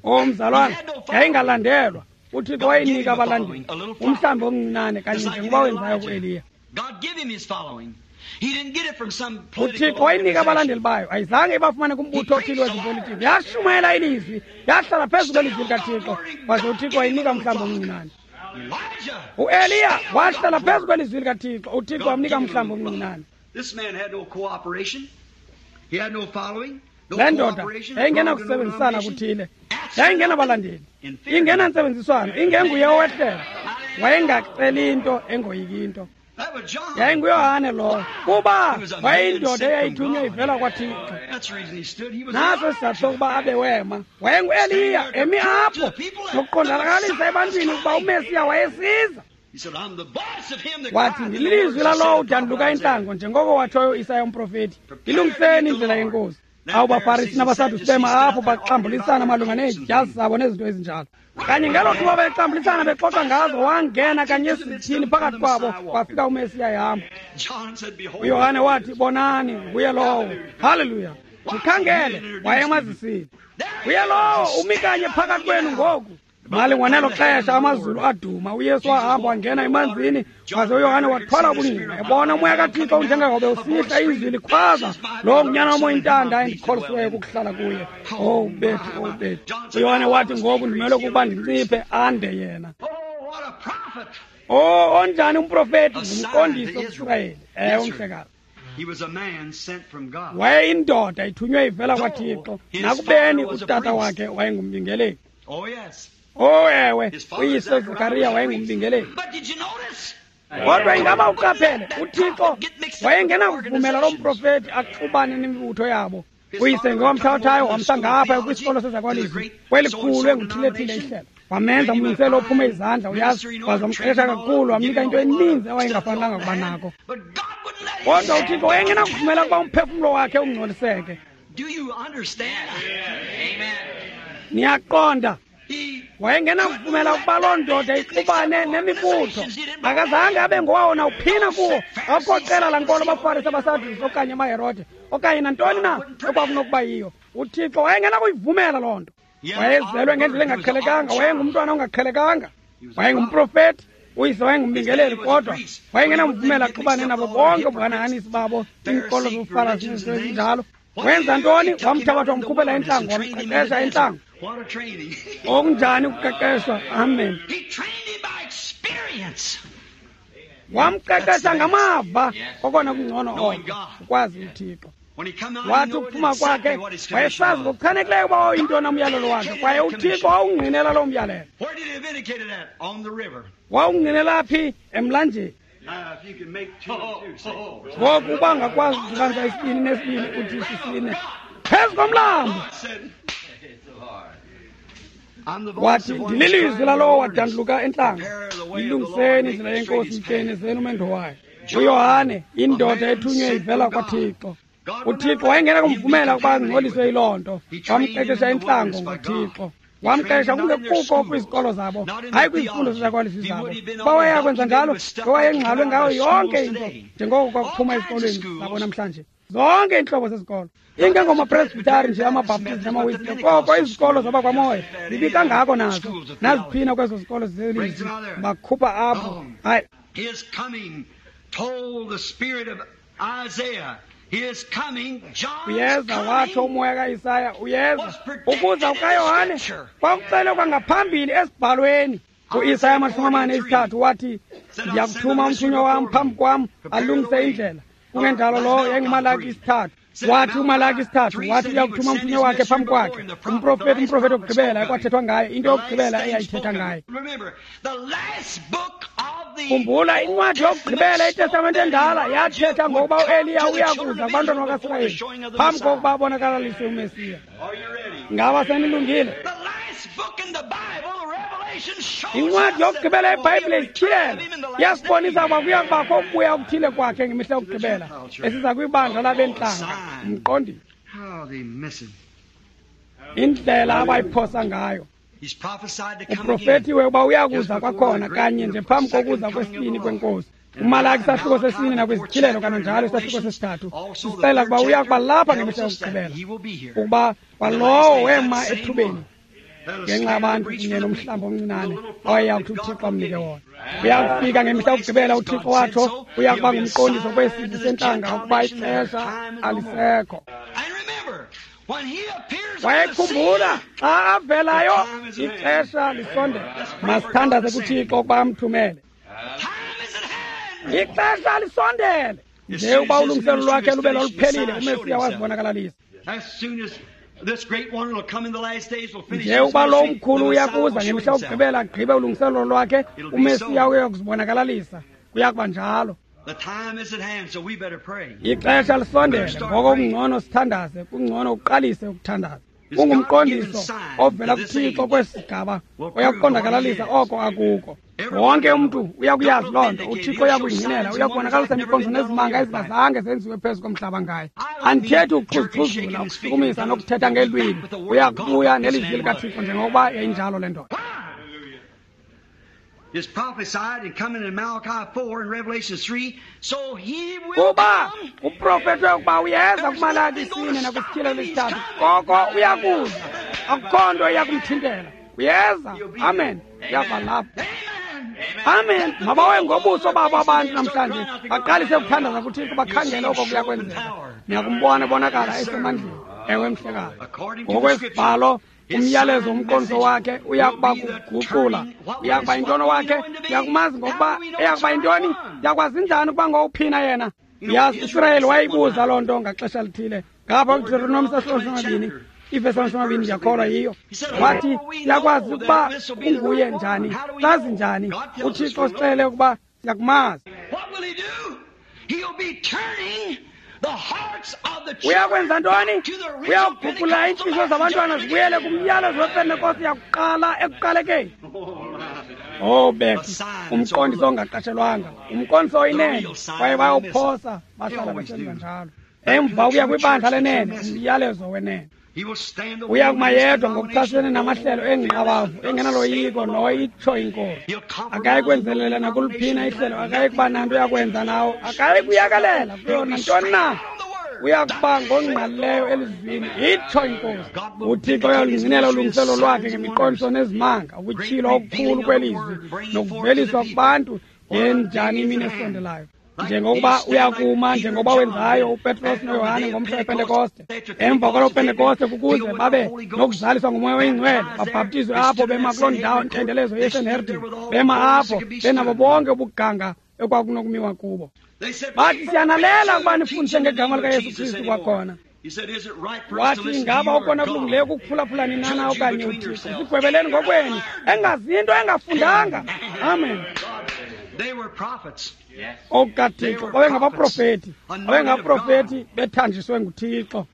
O mzalwana, yayingalandelwa. uThixo wayinika abalandeli umhlambi omncinane kanye njengoba wenzayo kuEliya. uThixo wayinika abalandeli bayo, ayizange ibafumane kumbutho othile wezepolitiki. Yashumayela ilizwi, yahlala phezu kwelizwi likaThixo, waze uThixo wayinika umhlambi omncinane. UEliya wahlala phezu kwelizwi likaThixo, uThixo wamnika umhlambi omncinane. Le ndoda yayingenakusebenzisana kuthile, yayingenabalandeli, ingenantsebenziswano, ingenguye owehlela. Wayengaceli into, engoyiki into. YayinguYohane lowo, kuba wayeyindoda eyayithunywe ivela kwaThixo. Naso isizathu sokuba abe wema. WayenguEliya emi apho nokuqondalakalisa ebantwini ukuba uMesiya wayesiza. Wathi, ndililizwi lalowo udanduluka intlango, njengoko watshoyo uIsaya umprofeti, ilungiseni indlela yeNkosi. Awu baFarisi nabaSadusi bema apho baxambulisana malunga needyasi zabo nezinto ezinjalo. Kanye ngelo thuba bexambulisana bexoxa ngazo, wangena kanye esithini phakathi kwabo, kwafika uMesiya ehamba. UYohane wathi, bonani, nguye lowo. Haleluya. Mkhangele, wayemazisile. Nguye lowo umi kanye phakathi kwenu ngoku. Malingwa nelo xesha amazulu aduma, uYesu wahamba wangena emanzini, waze uYohane wathwala ubungqina, ebona umoya kaThixo unjengehobe usihla izwi likhwaza, lo ngunyana wam oyintanda endikholisiweyo kukuhlala kuye. Oh bethu, oh bethu. uYohane wathi, ngoku ndimele ukuba ndinciphe ande yena. Oh, onjani umprofeti, ngumqondiso kuSirayeli. Ewe, mhlekazi. Wayeyindoda ithunywe ivela kwaThixo, nakubeni utata wakhe wayengumbingeleli. Oh ewe, uyise Zakariya wayengumbingeleli. Kodwa ingaba uqaphele, uThixo wayengenakuvumela lo mprofeti axubane nemibutho yabo. Uyise ngowamthathayo wamsa ngapha kwisikolo sezakwalizwi kwelikhulu enguthilethile ihlelo. Wamenza umlungiseli ophume izandla, uyazi, waze wamqeqesha kakhulu, wamnika into eninzi awayengafanelanga kuba nako. Kodwa uThixo wayengenakuvumela ukuba umphefumlo wakhe ungcoliseke. Niyaqonda? Wayengenakuvumela ukuba loo ndoda ixubane nemibutho. Akazange abe ngowawo nawuphina kuwo. Akukho qela lankolo abaFarisi, abaSadusi okanye amaHerode okanye nantoni na ekwakunokuba yiyo. UThixo wayengenakuyivumela loo nto. Wayezelwe ngendlela engaqhelekanga, wayengumntwana ongaqhelekanga, wayengumprofeti, uyise wayengumbingeleli, kodwa wayengenamvumela axubane nabo bonke ubuhanahanisi babo, iinkolo zobuFarisi nezinto ezinjalo. Wenza ntoni? Wamthabatha wamkhuphela entlango, wamqeqesha entlango. Okunjani ukuqeqeshwa? Amen. Wamqeqesha ngamava, okona kungcono oko, ukwazi uThixo. Wathi ukuphuma kwakhe wayesazi ngokuchanekileyo uba wawuyintoni umyalelo wakhe, kwaye uThixo wawungqinela loo myalelo. Wawungqinela phi? Emlanjeni. Ngoku uba ungakwazi ukudibanisa isibini nesibini uthi sisine phezu komlambo. Wathi, ndililizwi lalowo wadanduluka entlango, yilungiseni indlela yeNkosi, mtyenezeni umendo wayo. UYohane, indoda ethunywe ivela kwaThixo. UThixo wayengenakumvumela ukuba angcoliswe yiloo nto. Wamqeqesha entlango ngoThixo. Wamqeqesha kungekuko kwizikolo zabo, hayi kwizifundo zezakwalizwi zabo. Uba wayeyakwenza njalo, ngowayengxalwe ngayo yonke into, njengoko kwakuphuma ezikolweni zabo namhlanje. Zonke iintlobo zezikolo, ingengomapresbitari nje, amaBhaptizi namaWisile, koko izikolo zabakwamoya zibi kangako nazo. Naziphina kwezo zikolo zelizwi, bakhupha apho. Hayi. Uyeza, watsho umoya kaIsaya, uyeza. Ukuza kukaYohane kwakuxelwe kwangaphambili esibhalweni. UIsaya amashumi amane esithathu wathi, ndiyakuthuma umthunywa wam phambi kwam alungise indlela. Kungenjalo lowo yayinguMalaki isithathu. Wathi uMalaki isithathu, wathi uyakuthuma umthunywa wakhe phambi kwakhe. Umprofeti, umprofeti wokugqibela ekwathethwa ngaye, into yokugqibela eyayithetha ngaye. Khumbula, incwadi yokugqibela iTestamente endala yathetha ngokuba uEliya uyakuza kubantwana bakaSirayeli phambi kokuba abonakalaliswe uMesiya. Ngaba senilungile? Incwadi yokugqibela yeBhayibhile isityhilelo iyasibonisa ukuba kuya kubakho ukubuya okuthile kwakhe ngemihla yokugqibela esiza kwibandla labentlanga. Umqondile indlela abayiphosa ngayo. Uprofetiwe uba uyakuza kwakhona kanye nje phambi kokuza kwesibini kweNkosi. UMalaki isahluko sesine nakwizityhilelo kananjalo isahluko sesithathu sisixelela ukuba uya kuba lapha ngemihla yokugqibela, ukuba kwalowo wema ethubeni ngenxa yabantu kunye nomhlambi omncinane awayeyakuthi uThixo amnike wona. Uyakufika ngemihla yokugqibela, uThixo watsho, uya kuba ngumqondiso kwesizwe sentlanga ukuba ixesha alisekho. Wayekhumbula xa avelayo ixesha lisondele. Masithandaze kuThixo ukuba amthumele. Ixesha lisondele. Nje uba ulungiselelo lwakhe lube loluphelile, uMesiya wazibonakalalisa. Nje uba lo mkhulu uyakuza ngemihla yokugqibela agqibe ulungiselelo lwakhe, uMesiya uya kuzibonakalalisa. Kuya kuba njalo. Ixesha lisondele, ngoko kungcono sithandaze, kungcono uqalise ukuthandaza. Kungumqondiso ovela kuThixo kwesi sigaba oyakuqondakalalisa oko akuko. Wonke umntu uyakuyazi loo nto. UThixo uyakuyingqinela, uyakubonakalisa imiqondiso nezimanga ezingazange zenziwe phezu komhlaba ngaye. Andithethi ukuxhuzixhuzula, ukushukumisa nokuthetha ngeelwimi. Uyakubuya nelizwi likaThixo njengokuba yayinjalo le ndoda. Is prophesied and coming in Malachi four and Revelation three, so he will kuba come. Uprofetwe ukuba uyeza kuMalaki isine nakwisityhilelo isithathu, koko uyakuza. Akukho nto iyakumthintela. Uyeza. Amen. Uyakuba lapha. Amen. Mabawe ngobuso babo abantu namhlanje, baqalise ukuthandaza kuThixo, bakhangele oko kuya kwenzeka. Niyakumbona ebonakala esemandleni. Ewe, mhlekazi. Ngokwesibhalo, umyalezo umqondiso wakhe uyakuba kuguqula, uyakuba yintoni wakhe, uyakumazi ngokuba eyakuba yintoni, uyakwazi njani ukuba ngowuphina yena. Yazi, uSirayeli wayibuza loo nto ngaxesha lithile. Ngapha kuDeuteronomi sahluko samabini, ivesi amashumi amabini, ndiyakholwa yiyo. Wathi, siyakwazi ukuba unguye njani, sazi njani? UThixo sixelele ukuba siyakumazi. Uyakwenza ntoni? Uyakuguqula iintliziyo zabantwana zibuyele kumyalezo wePentekoste yakuqala ekuqalekeni. Oh, Becky, umqondiso ongaqashelwanga, umqondiso oyinene, kwaye bayawuphosa, bahlala besenza njalo. Emva ukuya kwibandla lenene, umyalezo wenene. Uya kuma yedwa ngokuchasene namahlelo engqabavu engenaloyiko noyitsho inkosi. Akayi kwenzelela nakuluphina ihlelo, akayi kuba nanto yakwenza nawo, akayi kuyakalela kuyo nantoni na. Uya kuba ngongqalileyo elizwini, itsho inkosi. UThixo uyalungcinela ulungiselo lwakhe ngemiqondiso nezimanga, ukutyhilwa okukhulu kwelizwi nokuveliswa kubantu ngenjani imini esondelayo. Njengokuba uyakuma njengoba wenzayo uPetros noYohane ngomhla wePentekoste. Emva kwaloo Pentekoste kukuze babe nokuzaliswa nguMoya oyiNgcwele, babhaptizwe apho bema kuloo ndawo ntendelezo yeSanhedrin, bema apho benabo bonke ubuganga ekwakunokumiwa kubo. Bathi siyanalela ukuba nifundise ngegama likaYesu Kristu kwakhona. Wathi ingaba okona kulungileyo kukuphulaphula nina okanye uThixo? Sigwebeleni ngokwenu, engazinto engafundanga. Amen. OkukaThixo babengabaprofeti, babengabaprofeti bethanjiswe nguThixo.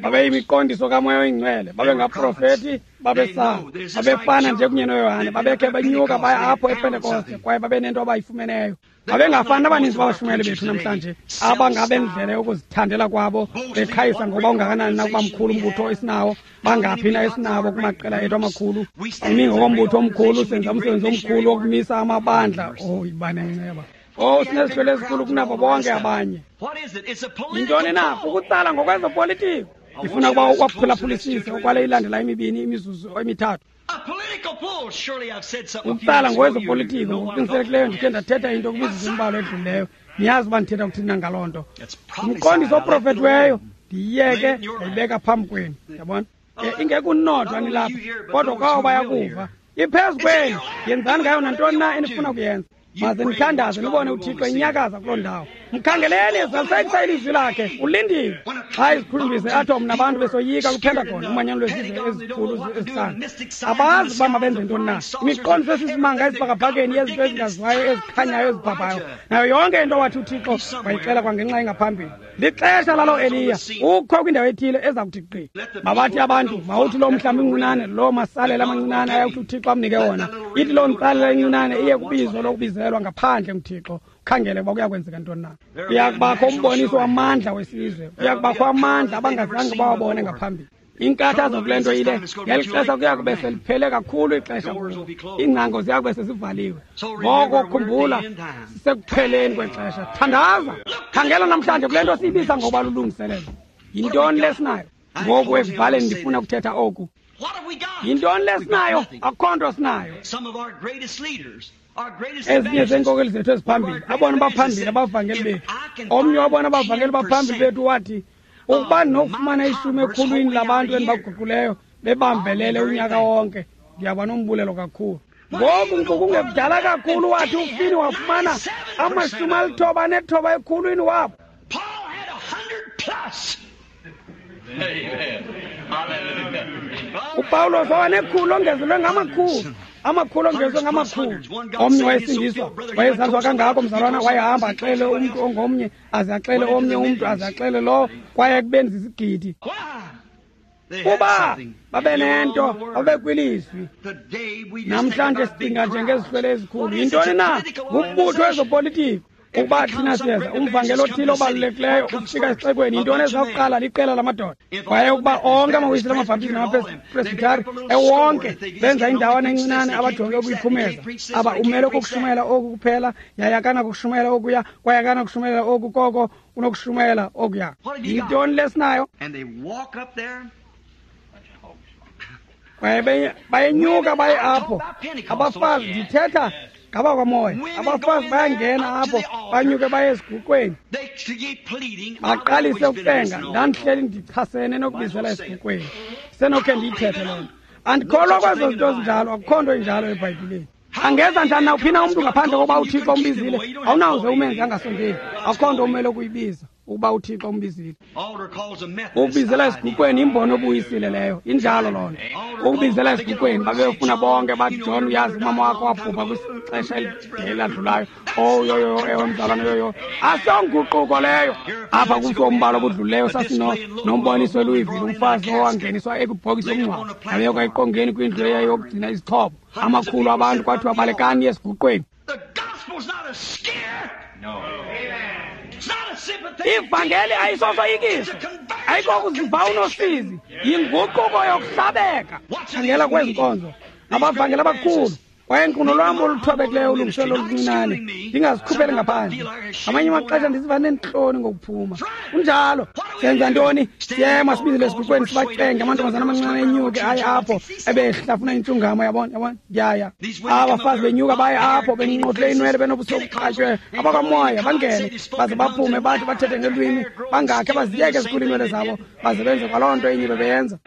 Babeyimiqondiso kaMoya oyiNgcwele, babengaprofeti, babesaba, babefana nje kunye noYohane, babekhe benyuka baya apho ePentekoste kwaye babenento abayifumeneyo. Babengafani abaninzi babashumayeli bethu namhlanje abangabendlela yokuzithandela kwabo beqhayisa ngoba ungakanani na ukuba mkhulu umbutho esinawo, bangaphi na esinabo kumaqela ethu amakhulu. Imi ngokombutho omkhulu, senza umsebenzi omkhulu wokumisa amabandla. Oh, yiba nenceba. Oh, sinezihlwele ezikhulu kunabo bonke abanye. Yintoni na? Kukutsala ngokwezopolitiko. Ndifuna ukuba ukwaphulaphulisise okwale ilandela imibini imizuzu emithathu. Ukutsala ngokwezopolitiko ngokuqinisekileyo ndikhe ndathetha into kwimizuzu embalwa edlulileyo. Niyazi uba ndithetha kuthini na ngaloo nto. Umqondiso oprofethiweyo ndiyiyeke ndayibeka phambi kwenu. Yabona? Ingekunodwa nilapha, kodwa kwabo bayakuva. Iphezu kwenu, yenzani ngayo nantoni na enifuna kuyenza. Maze nithandaze nibone uThixo enyakaza kuloo ndawo. Mkhangeleni, zalisekisa ilizwi lakhe, ulindile. Xa izikhulumbise atom nabantu besoyika kwiPentagon, umanyano lwezizwe ezikhulu ezihlanu. Abazi uba mabenze ntoni na. Imiqondiso esisimanga esibhakabhakeni yezinto ezingaziwayo, ezikhanyayo, ezibhabhayo. Nayo yonke into wathi uThixo wayixela kwangenxa engaphambili. Lixesha laloo Eliya, ukho kwindawo ethile eza kuthi gqi. Mabathi abantu, mawuthi loo mhlambi mncinane, loo masalela amancinane ayakuthi uThixo amnike wona. Ithi loo ntsalela incinane iye kubizo lokubizelwa ngaphandle nguThixo. Khangele uba kuyakwenzeka ntoni na. Kuyakubakho umboniso wamandla wesizwe, kuyakubakho amandla abangazange bawabone ngaphambili. Inkathazo kule nto ile, ngeli xesha kuya kube seliphele kakhulu ixesha kubo, iingcango ziya kube sezivaliwe. Ngoko khumbula, sisekupheleni kwexesha. Thandaza, khangela namhlanje kule nto siyibiza ngokuba lulungiselelo. Yintoni lesinayo? Ngoku ekuvaleni ndifuna ukuthetha oku. Yintoni lesinayo? Akukho nto sinayo. Ezinye zeenkokeli zethu eziphambili, abona baphambili abavangeli bethu. Omnye wabona abavangeli baphambili bethu wathi, ukuba ndinokufumana ishumi ekhulwini labantu endibaguquleyo bebambelele unyaka wonke, ndiyaba nombulelo kakhulu. Ngoku nkukungekudala kakhulu wathi uFini wafumana amashumi alithoba anethoba ekhulwini wabo. uPawulos wabanekhulu ongezelwe ngamakhulu, amakhulu ongezwe ngamakhulu. Omnye wayesindiswa, wayezazwa kangako mzalwana, wayehamba axele umntu ongomnye, aze axele omnye umntu, aze axele lowo, kwaye ekubeni zizigidi. Kuba babenento, babekwilizwi. Namhlanje sicinga njengezihlwele ezikhulu. Yintoni na? Ngumbutho wezopolitiko. Ukuba thina siyeza, umvangeli othile obalulekileyo ufika esixekweni, yintoni eza kuqala? Liqela lamadoda. Kwaye ukuba onke amawisile, amabhaptizi namapresbitari ewonke benza indawana encinane abajonge ukuyiphumeza. Aba umele kukushumayela oku kuphela, yaye akanakushumayela okuya, kwaye akanakushumayela oku koko unokushumayela okuya. Yintoni lesinayo? Kwaye bayenyuka baye apho. Abafazi, ndithetha ngabakwamoya, abafazi bayangena apho, banyuke baye esiguqweni, baqalise ukucenga. Ndandihleli ndichasene nokubizela esiguqweni, senokhe ndiyithethe loo nto. Andikholwa kwezo zinto zinjalo, akukho nto injalo eBhayibhileni. Angeza njani nawuphi na umntu ngaphandle kokuba uThixo umbizile? Awunawuze umenze angasondeli. Akukho nto umele ukuyibiza ukuba uThixo umbizile. Ukubizela esiguqweni imbono obuyisile leyo, injalo loo nto. Ukubizela esiguqweni, babefuna bonke bathi, John, uyazi umama wakho wabhubha kwixesha elide eladlulayo. Oh, yoyo, ewe mzalwana, yoyo. Asiyonguquko leyo. Apha kumfi ombalo obudlulileyo sasino nomboniso eLouisville, umfazi owangeniswa ekwibhokisi yomngcwabo, wabekwa eqongeni kwindlu eyayiyokugcina izixhobo. Amakhulu abantu kwathiwa balekani esiguqweni. Ivangeli ayisosoyikiso, ayikokuziva unosizi, yinguquko yokuhlabeka. Khangela kwezi nkonzo, abavangeli abakhulu. Kwaye nkquno lwam oluthobekileyo ulungiselelo oluncinane, ndingazikhupheli ngaphandle. Ngamanye amaxesha ndiziva neentloni ngokuphuma. Kunjalo, senza ntoni? Siyema sibizele esiguqweni sibacenge amantombazana amancinane enyuke aye apho ebehlafuna intshungamo, yabona, yabona, ndiyaya. Abafazi benyuka baye apho benqotle inwele benobuso obuqatywe abakwamoya bangene baze baphume bathi bathethe ngelwimi bangakhe baziyeke zikhulu iinwele zabo baze benze kwaloo nto enye bebeyenza.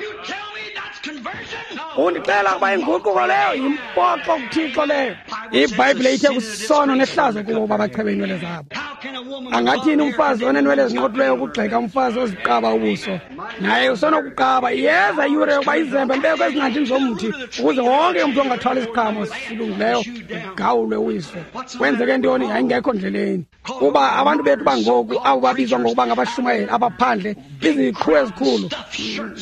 Undixela ukuba inguquko leyo yimpoxo kuThixo leyo. IBhayibhile ithe kusono nehlazo kubo uba bachebe iinwele zabo. Angathini umfazi oneenwele ezinqothuleyo ukugxeka umfazi oziqaba ubuso? Naye usenokuqaba. Iyeza iyure yokuba izembe libekwe ezingqanjini zomthi ukuze wonke umntu ongathwala isiqhamo silungileyo ugawulwe uwiswe. Kwenzeke ntoni? Yayingekho ndleleni. Kuba abantu bethu bangoku abo babizwa ngokuba ngabashumayeli abaphandle, iziqhu ezikhulu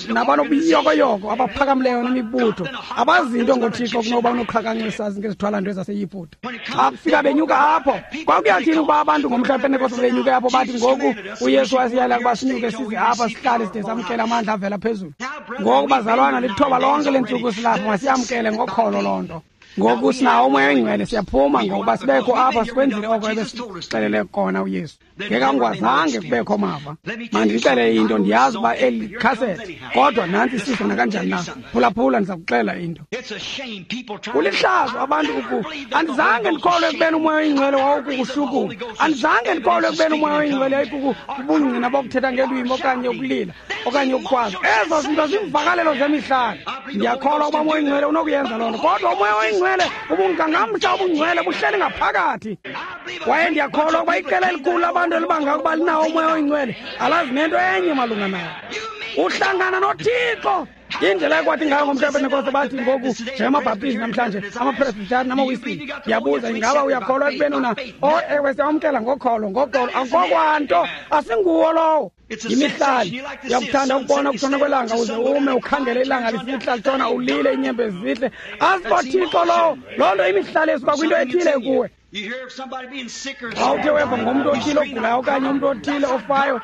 nabanobuyokoyoko abaphakamileyo nemibutho, abazinto ngoThixo kunokuba unoqhakanqisa ngezithwalanto zaseYiputa. Xa kufika benyuka apho, kwakuyathini ukuba abantu ngomhla wePentekoste benyuke apho bathi ngoku uYesu wasiyala ukuba sinyuke size apha sihlale side samkele amandla avela phezulu. Ngoku bazalwana, lithoba lonke lentsuku silapha, masiyamkele ngokholo loo nto. Ngoku sinawo uMoya oyiNgcwele, siyaphuma ngokuba sibekho apha sikwenzile oko ebesixelele kona uYesu. Ngekangwazange kubekho mava. Mandixele into, ndiyazi uba eli khasethi, kodwa nantsi isifo nakanjani na. Phulaphula, ndiza kuxela into. Kulihlazo abantu uku. Andizange ndikholwe ekubeni uMoya oyiNgcwele wawukukushukuma. Andizange ndikholwe ekubeni uMoya oyiNgcwele yayikukubungqina bokuthetha ngelwimi okanye ukulila okanye ukukhwaza. Ezo zinto ziimvakalelo zemihlali. Ndiyakholwa ukuba uMoya oyiNgcwele unokuyenza loo nto, kodwa uMoya oyiNgcwele ubungangamsha obungcwele buhleli ngaphakathi. Kwaye ndiyakholwa ukuba iqela elikhulu labantu elibanga ukuba linawo uMoya oyiNgcwele alazi nento enye malunga nawo. Uhlangana noThixo. Indlela ekwathi ngayo ngomhla wePentekoste bathi ngoku njengamabhaptizi namhlanje, amapresbitari namawisile. Ndiyabuza, ingaba uyakholwa ekubeni una? Oh, ewe, siyamkela ngokholo, ngokholo. Akukho asinguwo lowo. Yimihlali. Uyakuthanda ukubona ukutshona kwelanga uze ume ukhangele ilanga lisihla litshona ulile iinyembezi zihle. AsikoThixo lowo. Loo nto imihlali esuka kwinto ethile kuwe. Xa uthe weva ngomntu othile ogulayo okanye umntu othile ofayo,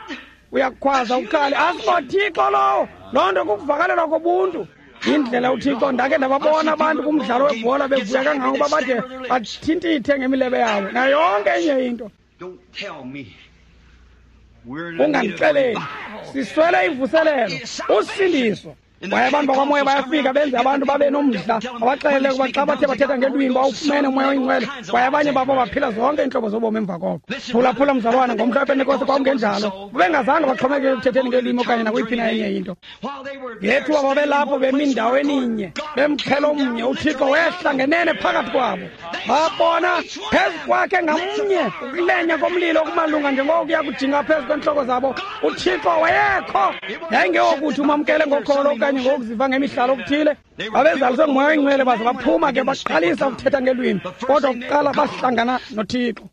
uyakukhwaza ukhale. AsikoThixo lowo. Loo nto kukuvakalelwa kobuntu. Indlela uThixo, ndake ndababona abantu kumdlalo webhola bevuya kangangokuba bade bathintithe ngemilebe yabo nayo yonke enye into. Ungandixeleli, siswele ivuselelo, usindiso. Kwaye abantu bakwamoya bayafika benze abantu babe nomdla, abaxelele ukuba xa bathe bathetha ngelwimi bawufumene uMoya oyiNgcwele. Kwaye abanye babo baphila zonke iintlobo zobomi emva koko. Phulaphula mzalwana, ngomhla wePentekoste kwakungenjalo. Bebengazange baxhomekeke ekuthetheni ngelwimi okanye nakweyiphi na enye into. Ngethuba babelapho bemi ndaweni inye, bemxhelo omnye, uThixo wehla ngenene phakathi kwabo. Babona phezu kwakhe ngamnye ukulenya komlilo okumalunga njengokuya kujinga phezu kwentloko zabo. UThixo wayekho. Yayingeyokuthi umamkele ngokholo okanye ngokuziva ngemihlalo okuthile. Babezaliswe nguMoya oyiNgcwele baze baphuma ke baqalisa ukuthetha ngelwimi, kodwa kuqala bahlangana noThixo.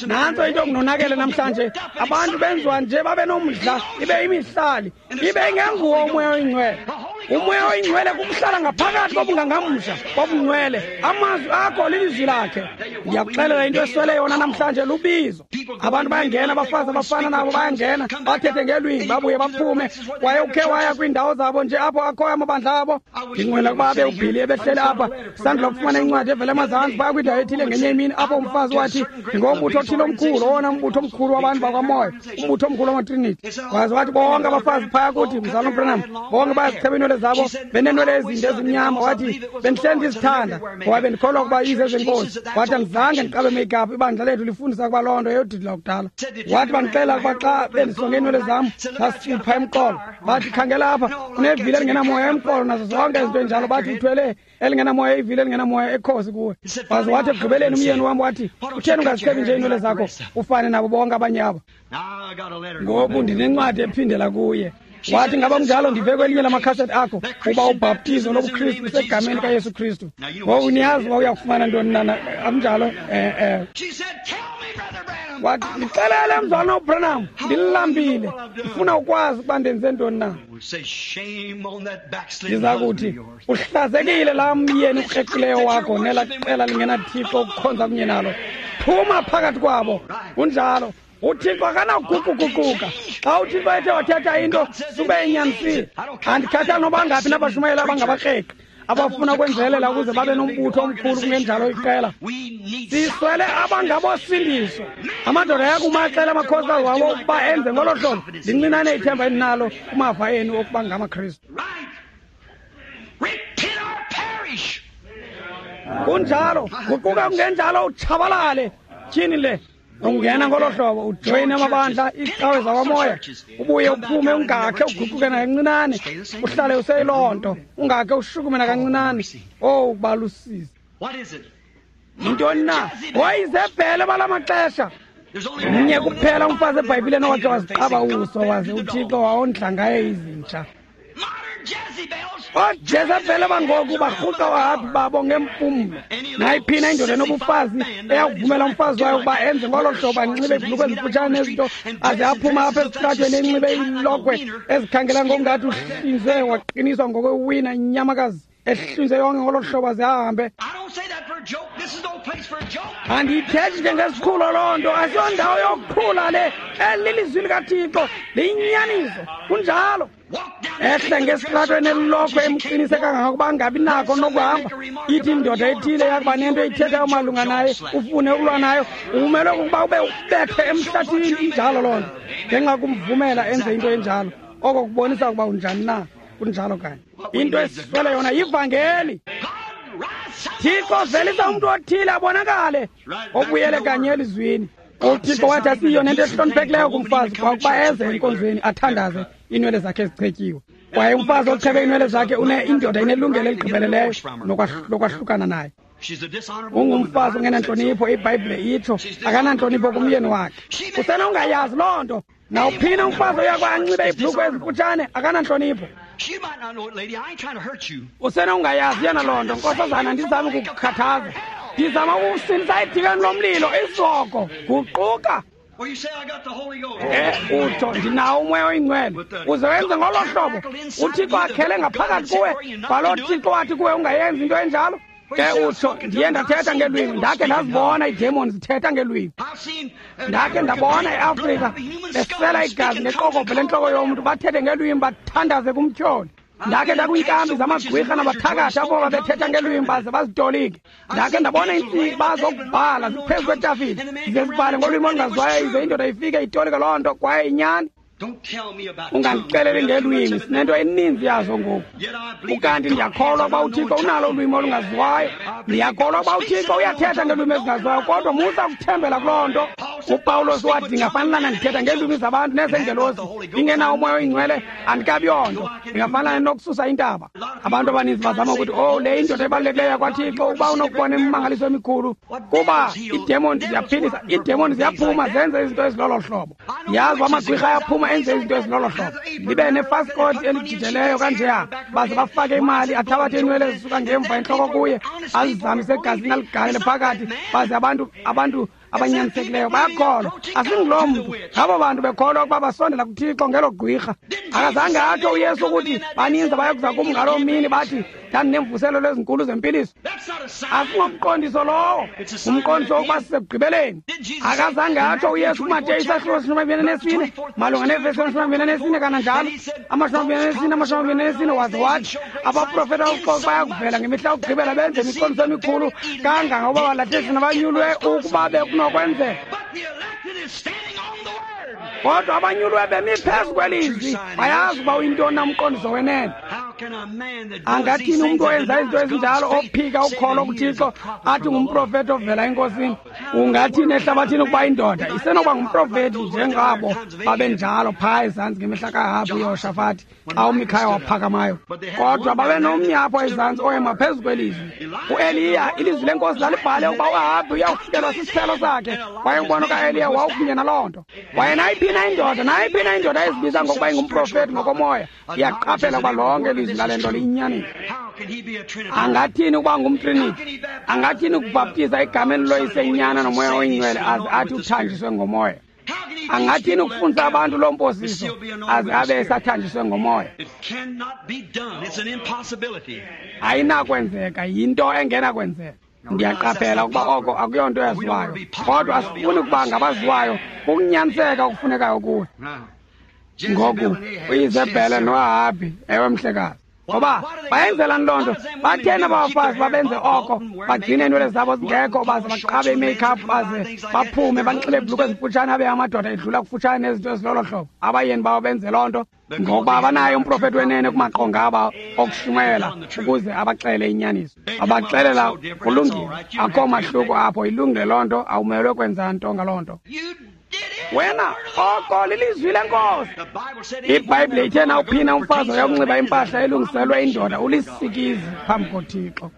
Nantso into okunonakele namhlanje, abantu benziwa nje babe nomdla, ibe imihlali, ibe ingenguwo uMoya oyiNgcwele. UMoya oyiNgcwele kukuhlala ngaphakathi kobungangamsha bobungcwele. Amazwi akho lilizwi lakhe. Ndiyakuxelela into eswele yona namhlanje lubizo. Abantu bayangena, abafazi abafana nabo bayangena, bathethe ngelwimi, babuye baphume. Kwaye ukhe waya kwiindawo zabo nje apho akhoyo amabandla abo. Ndinqwena ukuba abe uBhili ebehlele apha, sandula kufumana incwadi evela emazantsi phaya kwindawo ethile ngenye imini, apho umfazi wathi ndingombutho othile omkhulu, owona mbutho omkhulu wabantu bakwamoya, umbutho omkhulu wamaTrinity. Waze wathi bonke abafazi phaya kuthi, Mzalwana uBranham, bonke bayazicheba iinwele zabo, beneenwele ezinde ezimnyama. Wathi bendihleli ndizithanda ngoba bendikholwa ukuba izezenkosi. Wathi andizange ndiqabe make-up, ibandla lethu lifundisa ukuba loo nto yeyodidi lakudala. Wathi bandixelela ukuba xa bendisonge iinwele zam zasipha emqolo. Bathi khangela apha, unevili elingenamoya emqolo nazo zonke izinto enjalo. Bathi uthwele elingenamoya, ivili elingenamoya ekhosi kuwe. Waze wathi ekugqibeleni umyeni wam wathi, utheni ungazichebi nje iinwele zakho ufane nabo bonke abanye aba? Ngoku ndinencwadi ephindela kuye. Wathi ngaba kunjalo, ndive kwelinye lamakhaseti akho uba ubhaptizo lobuKristu lusegameni likaYesu Kristu. Ngoku niyazi uba uyakufumana ntoni na, akunjalo? Eh eh. Wathi ndixelele mzalwana uBranham, ndilambile, ndifuna ukwazi ukuba ndenze ntoni na. Ndiza kuthi uhlazekile laa myeni ukreqileyo wakho nelaa qela lingenaThixo ukukhonza kunye nalo. Phuma phakathi kwabo. Kunjalo. UThixo akanakuguquguquka. Xa uThixo ethe wathetha into sube inyanisile. Andikhathali noba ngaphi nabashumayeli abangabakreqi abafuna ukwenzelela ukuze babe nombutho omkhulu kungenjalo iqela. Siswele abangabosindiso. Amadoda ayakumacela amakhosikazi wabo ukuba enze ngolo hlobo. Lincinane ithemba endinalo kumava enu okuba ngamaKristu. Kunjalo, guquka kungenjalo utshabalale. Tyhini le. Ungena ngolo hlobo ujoyine amabandla iicawe zakwamoya, ubuye uphume ungakhe uguquke nakancinane, uhlale useyiloo nto, ungakhe ushukume nakancinane. Owu, balusizi. Yintoni na? Wayizebhele bala maxesha. Mnye kuphela umfazi eBhayibhileni owakhe waziqaba uso waze uThixo wawondla ngaye izintsha. OoJezebhele bangoku barhuqa wahabi babo ngempumlo. Nayiphina indoda enobufazi eyakuvumela umfazi wayo ukuba enze ngolo hlobo, anxibe iibhulukhwe ezimfutshane nezinto, aze aphume apha esitratweni enxibe iilokhwe ezikhangela ngokungathi uhlinzwe waqiniswa ngokwewina inyamakazi ehlinzwe yonke ngolo hlobo aze ahambe. Andiyithethi njengesiqhulo loo nto, asiyondawo yokuqhula le. Eli lilizwi likaThixo, liyinyaniso. Kunjalo. Ehle ngesitratweni elilokhwe emqinise kangangokuba angabi nako nokuhamba. Ithi indoda ethile yakuba nento eyithethayo malunga naye, ufune ukulwa nayo, umelwe kukuba ube ubethe emhlathini. Injalo loo nto, ngenxa kumvumela enze into enjalo. Oko kubonisa ukuba unjani na. Kunjalo kanye. Into esiswele yona yivangeli. Thixo velisa umntu othile abonakale obuyele kanye elizwini. UThixo wathi asiyo nento ehloniphekileyo kumfazi kwakuba eze enkonzweni athandaze iinwele zakhe ezichetyiwe. Kwaye umfazi ochebe iinwele zakhe une indoda inelungelo eligqibeleleyo lokwahlukana naye. Ungumfazi ongenantlonipho, iBhayibhile itsho akanantlonipho kumyeni wakhe. Usenongayazi loo nto. Nawuphina umfazi oya anxibe iibhulukhwe ezimfutshane akanantlonipho. Usenongayazi yena loo nto, nkosazana, ndizame ukukukhathaza. Ndizama ukusindisa edikeni lomlilo isihogo. Guquka. E utsho ndinawo umoya oyingcwele. Uze wenze ngolo hlobo. UThixo akhele ngaphakathi kuwe. Kwaloo Thixo wathi kuwe ungayenzi into enjalo. Ke utsho ndiye ndathetha ngelwimi, ndakhe ndazibona iidemoni zithetha ngelwimi. Ndakhe ndabona eAfrika besela igazi ngeqokobhe lentloko yomntu, bathethe ngelwimi, bathandaze kumtyholi. Ndakhe ndakwinkambi zamagqwirha nabathakathi apho babethetha ngelwimi baze bazitolike. Ndakhe ndabona iintsiba zokubhala ziphezu kwetafile, zize zibhale ngolwimi olungaziwayo, ize indoda ifike itolike loo nto kwaye inyani. Ungandixeleli ngelwimi, sinento eninzi yazo ngoku. Ukanti ndiyakholwa ukuba uThixo unalo ulwimi olungaziwayo. Ndiyakholwa ukuba uThixo uyathetha ngelwimi ezingaziwayo, kodwa musa ukuthembela kuloo nto. UPawulos wathi ndingafanelana ndithetha ngeelwimi zabantu nezengelosi, ndingenawo umoya oyingcwele andikabi yonto, ndingafanelana nokususa intaba. Abantu abaninzi bazama ukuthi, oh, le indoda ebalulekileyo yakwaThixo, uba unokubona imimangaliso emikhulu, kuba iidemoni ziyaphilisa, iidemoni ziyaphuma zenze izinto ezilolo hlobo. Yazi amagqwirha ayaphuma enze izinto ezilolo hlobo. Libe nefasikoti elijijeleyo kanjeya, baze bafake imali, athabathe iinwele ezisuka ngemva entloko kuye, azizamise egazini aligalele phakathi, baze abantu abantu abanyanisekileyo bayakholwa. Asinguloo mntu, ngabo bantu bekholwa ukuba basondela kuThixo ngelo gqwirha. Akazange atsho uYesu ukuthi baninzi abayokuza kum ngaloo mini bathi ndandinemvuselelo ezinkulu zempiliso. Asingomqondiso lowo, ngumqondiso wokuba sisekugqibeleni. Akazange atsho uYesu kuMateyu isahluko seshumi amabini anesine malunga nevesi yeshumi amabini anesine kananjalo amashumi amabini anesine amashumi amabini anesine, waze wathi abaprofeti abokuxoka bayakuvela ngemihla yokugqibela benze imiqondiso emikhulu kangangokuba balathisi nabanyulwe ukuba bekunokwenzeka. Kodwa abanyulwe bemi phezu kwelizwi bayazi uba uyintoni na umqondiso wenene. Angathini umntu owenza izinto ezinjalo ophika ukholo kuThixo athi ngumprofeti ovela enkosini? Ungathini ehlabathini ukuba indoda isenokuba ngumprofeti njengabo babenjalo phaa ezantsi ngemihla kaAhabhi uYehoshafati xa uMikhaya waphakamayo? Kodwa babenomnye apho ezantsi oyema phezu kwelizwi, uEliya. Ilizwi lenkosi lalibhale ukuba uAhabhi uyawufikelwa sisiphelo sakhe, kwaye umbono kaEliya wawukunye naloo nto. Kwaye nayiphi na indoda nayiphi na indoda ezibiza ngokuba ingumprofeti ngokomoya iyaqaphela ukuba lonke ilizwi lale nto liyinyaniso. Angathini ukuba ngumtriniti? Angathini ukubhaptiza egameni loyise, inyana nomoya oyingcwele aze athi uthanjiswe ngomoya? Angathini ukufundisa abantu loo mposiso aze abe esathanjiswe ngomoya? Ayinakwenzeka, yinto engenakwenzeka. Ndiyaqaphela ukuba oko akuyonto yaziwayo, kodwa asifuni ukuba ngabaziwayo kukunyaniseka okufunekayo kuwe. Ngoku uIzebhele noAhabhi, ewe mhlekazi, ngoba bayenzelani loo nto? Batheni abafazi babenze oko, bagcine iinwele zabo zingekho, baze baqabe i-makeup, baze baphume banxibe iibhulukhwe ezimfutshane, abe amadoda edlula kufutshane nezinto ezilolo hlobo. Abayeni babo benze loo nto ngokuba abanayo umprofethi wenene kumaqonga aba okushumayela ukuze abaxele inyaniso. Abaxelela kulungile, akho mahluko apho, ilungile loo nto, awumelwe kwenza nto ngaloo nto. Wena oko lilizwi lenkosi. IBhayibhile ithe nawuphina umfazi oyakunxiba impahla elungiselwe indoda ulisikizi phambi koThixo.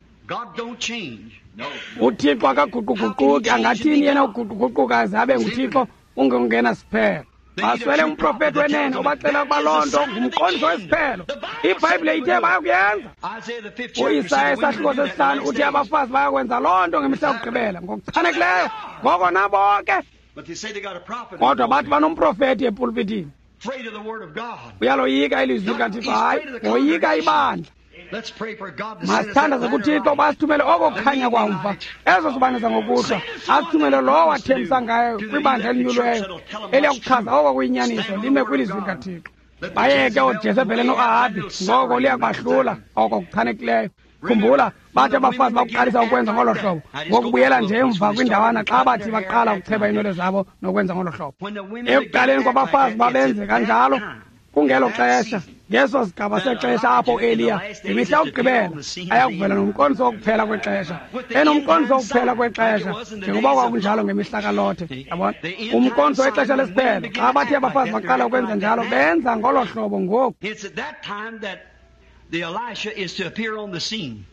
UThixo akaguquguquki, angathini yena uguquguquka aze abe nguThixo ungengena siphelo. Baswele umprofethi wenene obaxela ukuba loo nto ngumqondiso wesiphelo. IBhayibhile ithe bayakuyenza. UIsaya isahluko sesihlanu uthi abafazi bayakwenza loo nto ngemihla yokugqibela ngokuchanekileyo, ngoko nabo ke. Kodwa bathi banomprofethi epulpitini. Uyaloyika ilizwi likaThixo? Hayi, woyika ibandla. Masithandaze kuThixo basithumele oko kukhanya kwamva, ezo sibane zangokuhlwa, asithumele lowo wathembisa ngayo kwibandla elinyulweyo eliyakuchaza oko kuyinyaniso, lime kwilizwi likaThixo. Bayeke ooJezebhele noAhabhi, ngoko liyakubahlula oko kuchanekileyo. Khumbula, bathi abafazi bakuqalisa ukwenza ngolo hlobo ngokubuyela nje emva kwindawana xa bathi baqala ukucheba iinwele zabo nokwenza ngolo hlobo. Ekuqaleni kwabafazi babenze kanjalo kungelo xesha, ngeso sigaba sexesha apho uEliya ngemihla yokugqibela ayakuvela nomqondiso wokuphela kwexesha, enomqondiso wokuphela kwexesha njengoba kwakunjalo ngemihla kaLothe. Yabona, umqondiso wexesha lesiphelo. Xa bathi abafazi baqala ukwenza njalo, benza ngolo hlobo ngoku. The Elisha is to appear on the scene.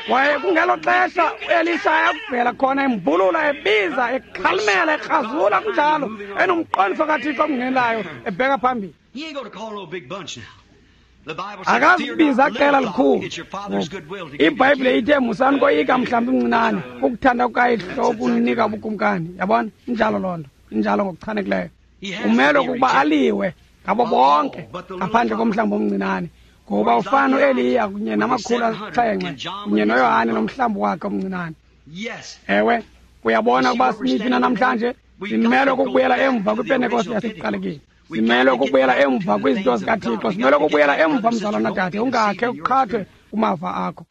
Kwaye kungelo xesha uElisha ayakuvela khona embulula, ebiza, ekhalimela, ekrazula kunjalo, enomqondiso kaThixo omngenelayo ebheka phambili. Akazibiza qela likhulu. IBhayibhile ithe musani koyika mhlawumbi mncinane, ukuthanda kukayihlo ukunika ubukumkani. Yabona, injalo loo nto, injalo ngokuchanekileyo. Umelwe kukuba aliwe ngabo bonke ngaphandle komhlambi omncinane, ngoba ufana uEliya kunye namakhulu asixhenxe kunye noYohane nomhlambi wakhe omncinane. Ewe, uyabona ukuba simiphi na namhlanje? Simelwe kukubuyela emva kwiPentekoste yasekuqalekeni. Simelwe kukubuyela emva kwizinto zikaThixo. Simelwe kukubuyela emva, mzalwana dade, ungakhe uqhathwe kumava akho.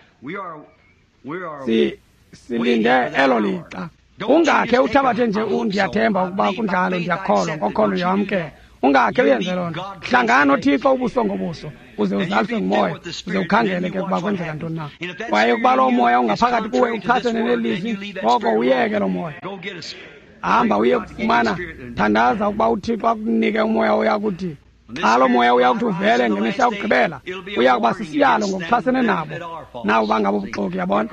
Si silinde elo lixa. Ungakhe uthabathe nje, ndiyathemba ukuba kunjalo, ndiyakholwa, ngokholo ndiyamkela. Ungakhe uyenze loo nto. Hlangana noThixo ubuso ngobuso, uze uzaliswe ngumoya, uze ukhangele ke ukuba kwenzeka ntoni na. Kwaye ukuba loo moya ungaphakathi kuwe uchasene nelizwi, ngoko uyeke loo moya. Hamba uye kufumana, thandaza ukuba uThixo akunike umoya oyakuthi xa loo moya uyakuthi uvele ngemihla yokugqibela, uya kuba sisiyalo ngokuchasene nabo nabo bangabobuxoki. Yabona,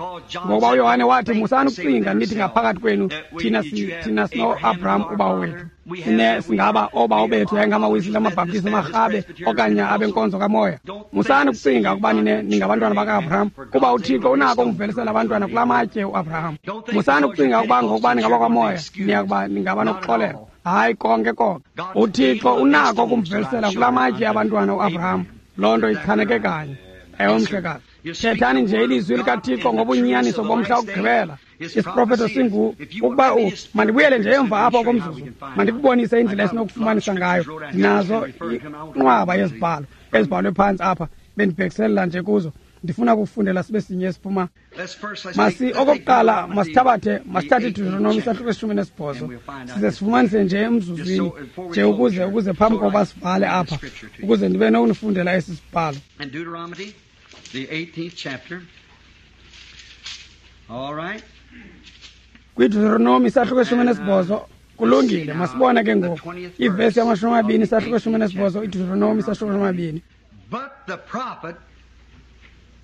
ngokuba uYohane wathi musani ukucinga nithi ngaphakathi kwenu thina thina sinoAbraham ubawo wethu, sine singaba oobawo bethu yayingamawisile, amaBhaptizi, amarhabe okanye abenkonzo kamoya. Musani ukucinga ukuba nine ningabantwana baka-Abraham, kuba uThixo unako ukumvelisela abantwana kula matye uAbraham. Musani ukucinga ukuba ngokuba ningabakwamoya niyakuba ningaba nokuxolelwa. Hayi, konke konke. UThixo unako ukumvelisela kula matye abantwana uAbraham. Loo nto ichaneke kanye. Ewe mhlekazi, thethani nje ilizwi likaThixo ngobunyaniso bomhla wokugqibela. Isiprofeto singu ukuba u mandibuyele nje emva apho komzuzu, mandikubonise indlela esinokufumanisa ngayo. Nazo inqwaba yezibhalo ezibhalwe phantsi apha, bendibhekiselela nje kuzo. Ndifuna ukufundela sibe sinye esiphuma. Masi okokuqala masithabathe masithathe iDeuteronomi isahluko esishumi nesibhozo, size sifumanise nje emzuzwini nje ukuze ukuze phambi kokuba sivale apha, ukuze ndibe nokunifundela esi sibhalo. KwiDeuteronomi isahluko esishumi nesibhozo. Kulungile, masibone ke ngoku ivesi yamashumi amabini isahluko esishumi nesibhozo, iDeuteronomi isahluko esishumi amabini. But the prophet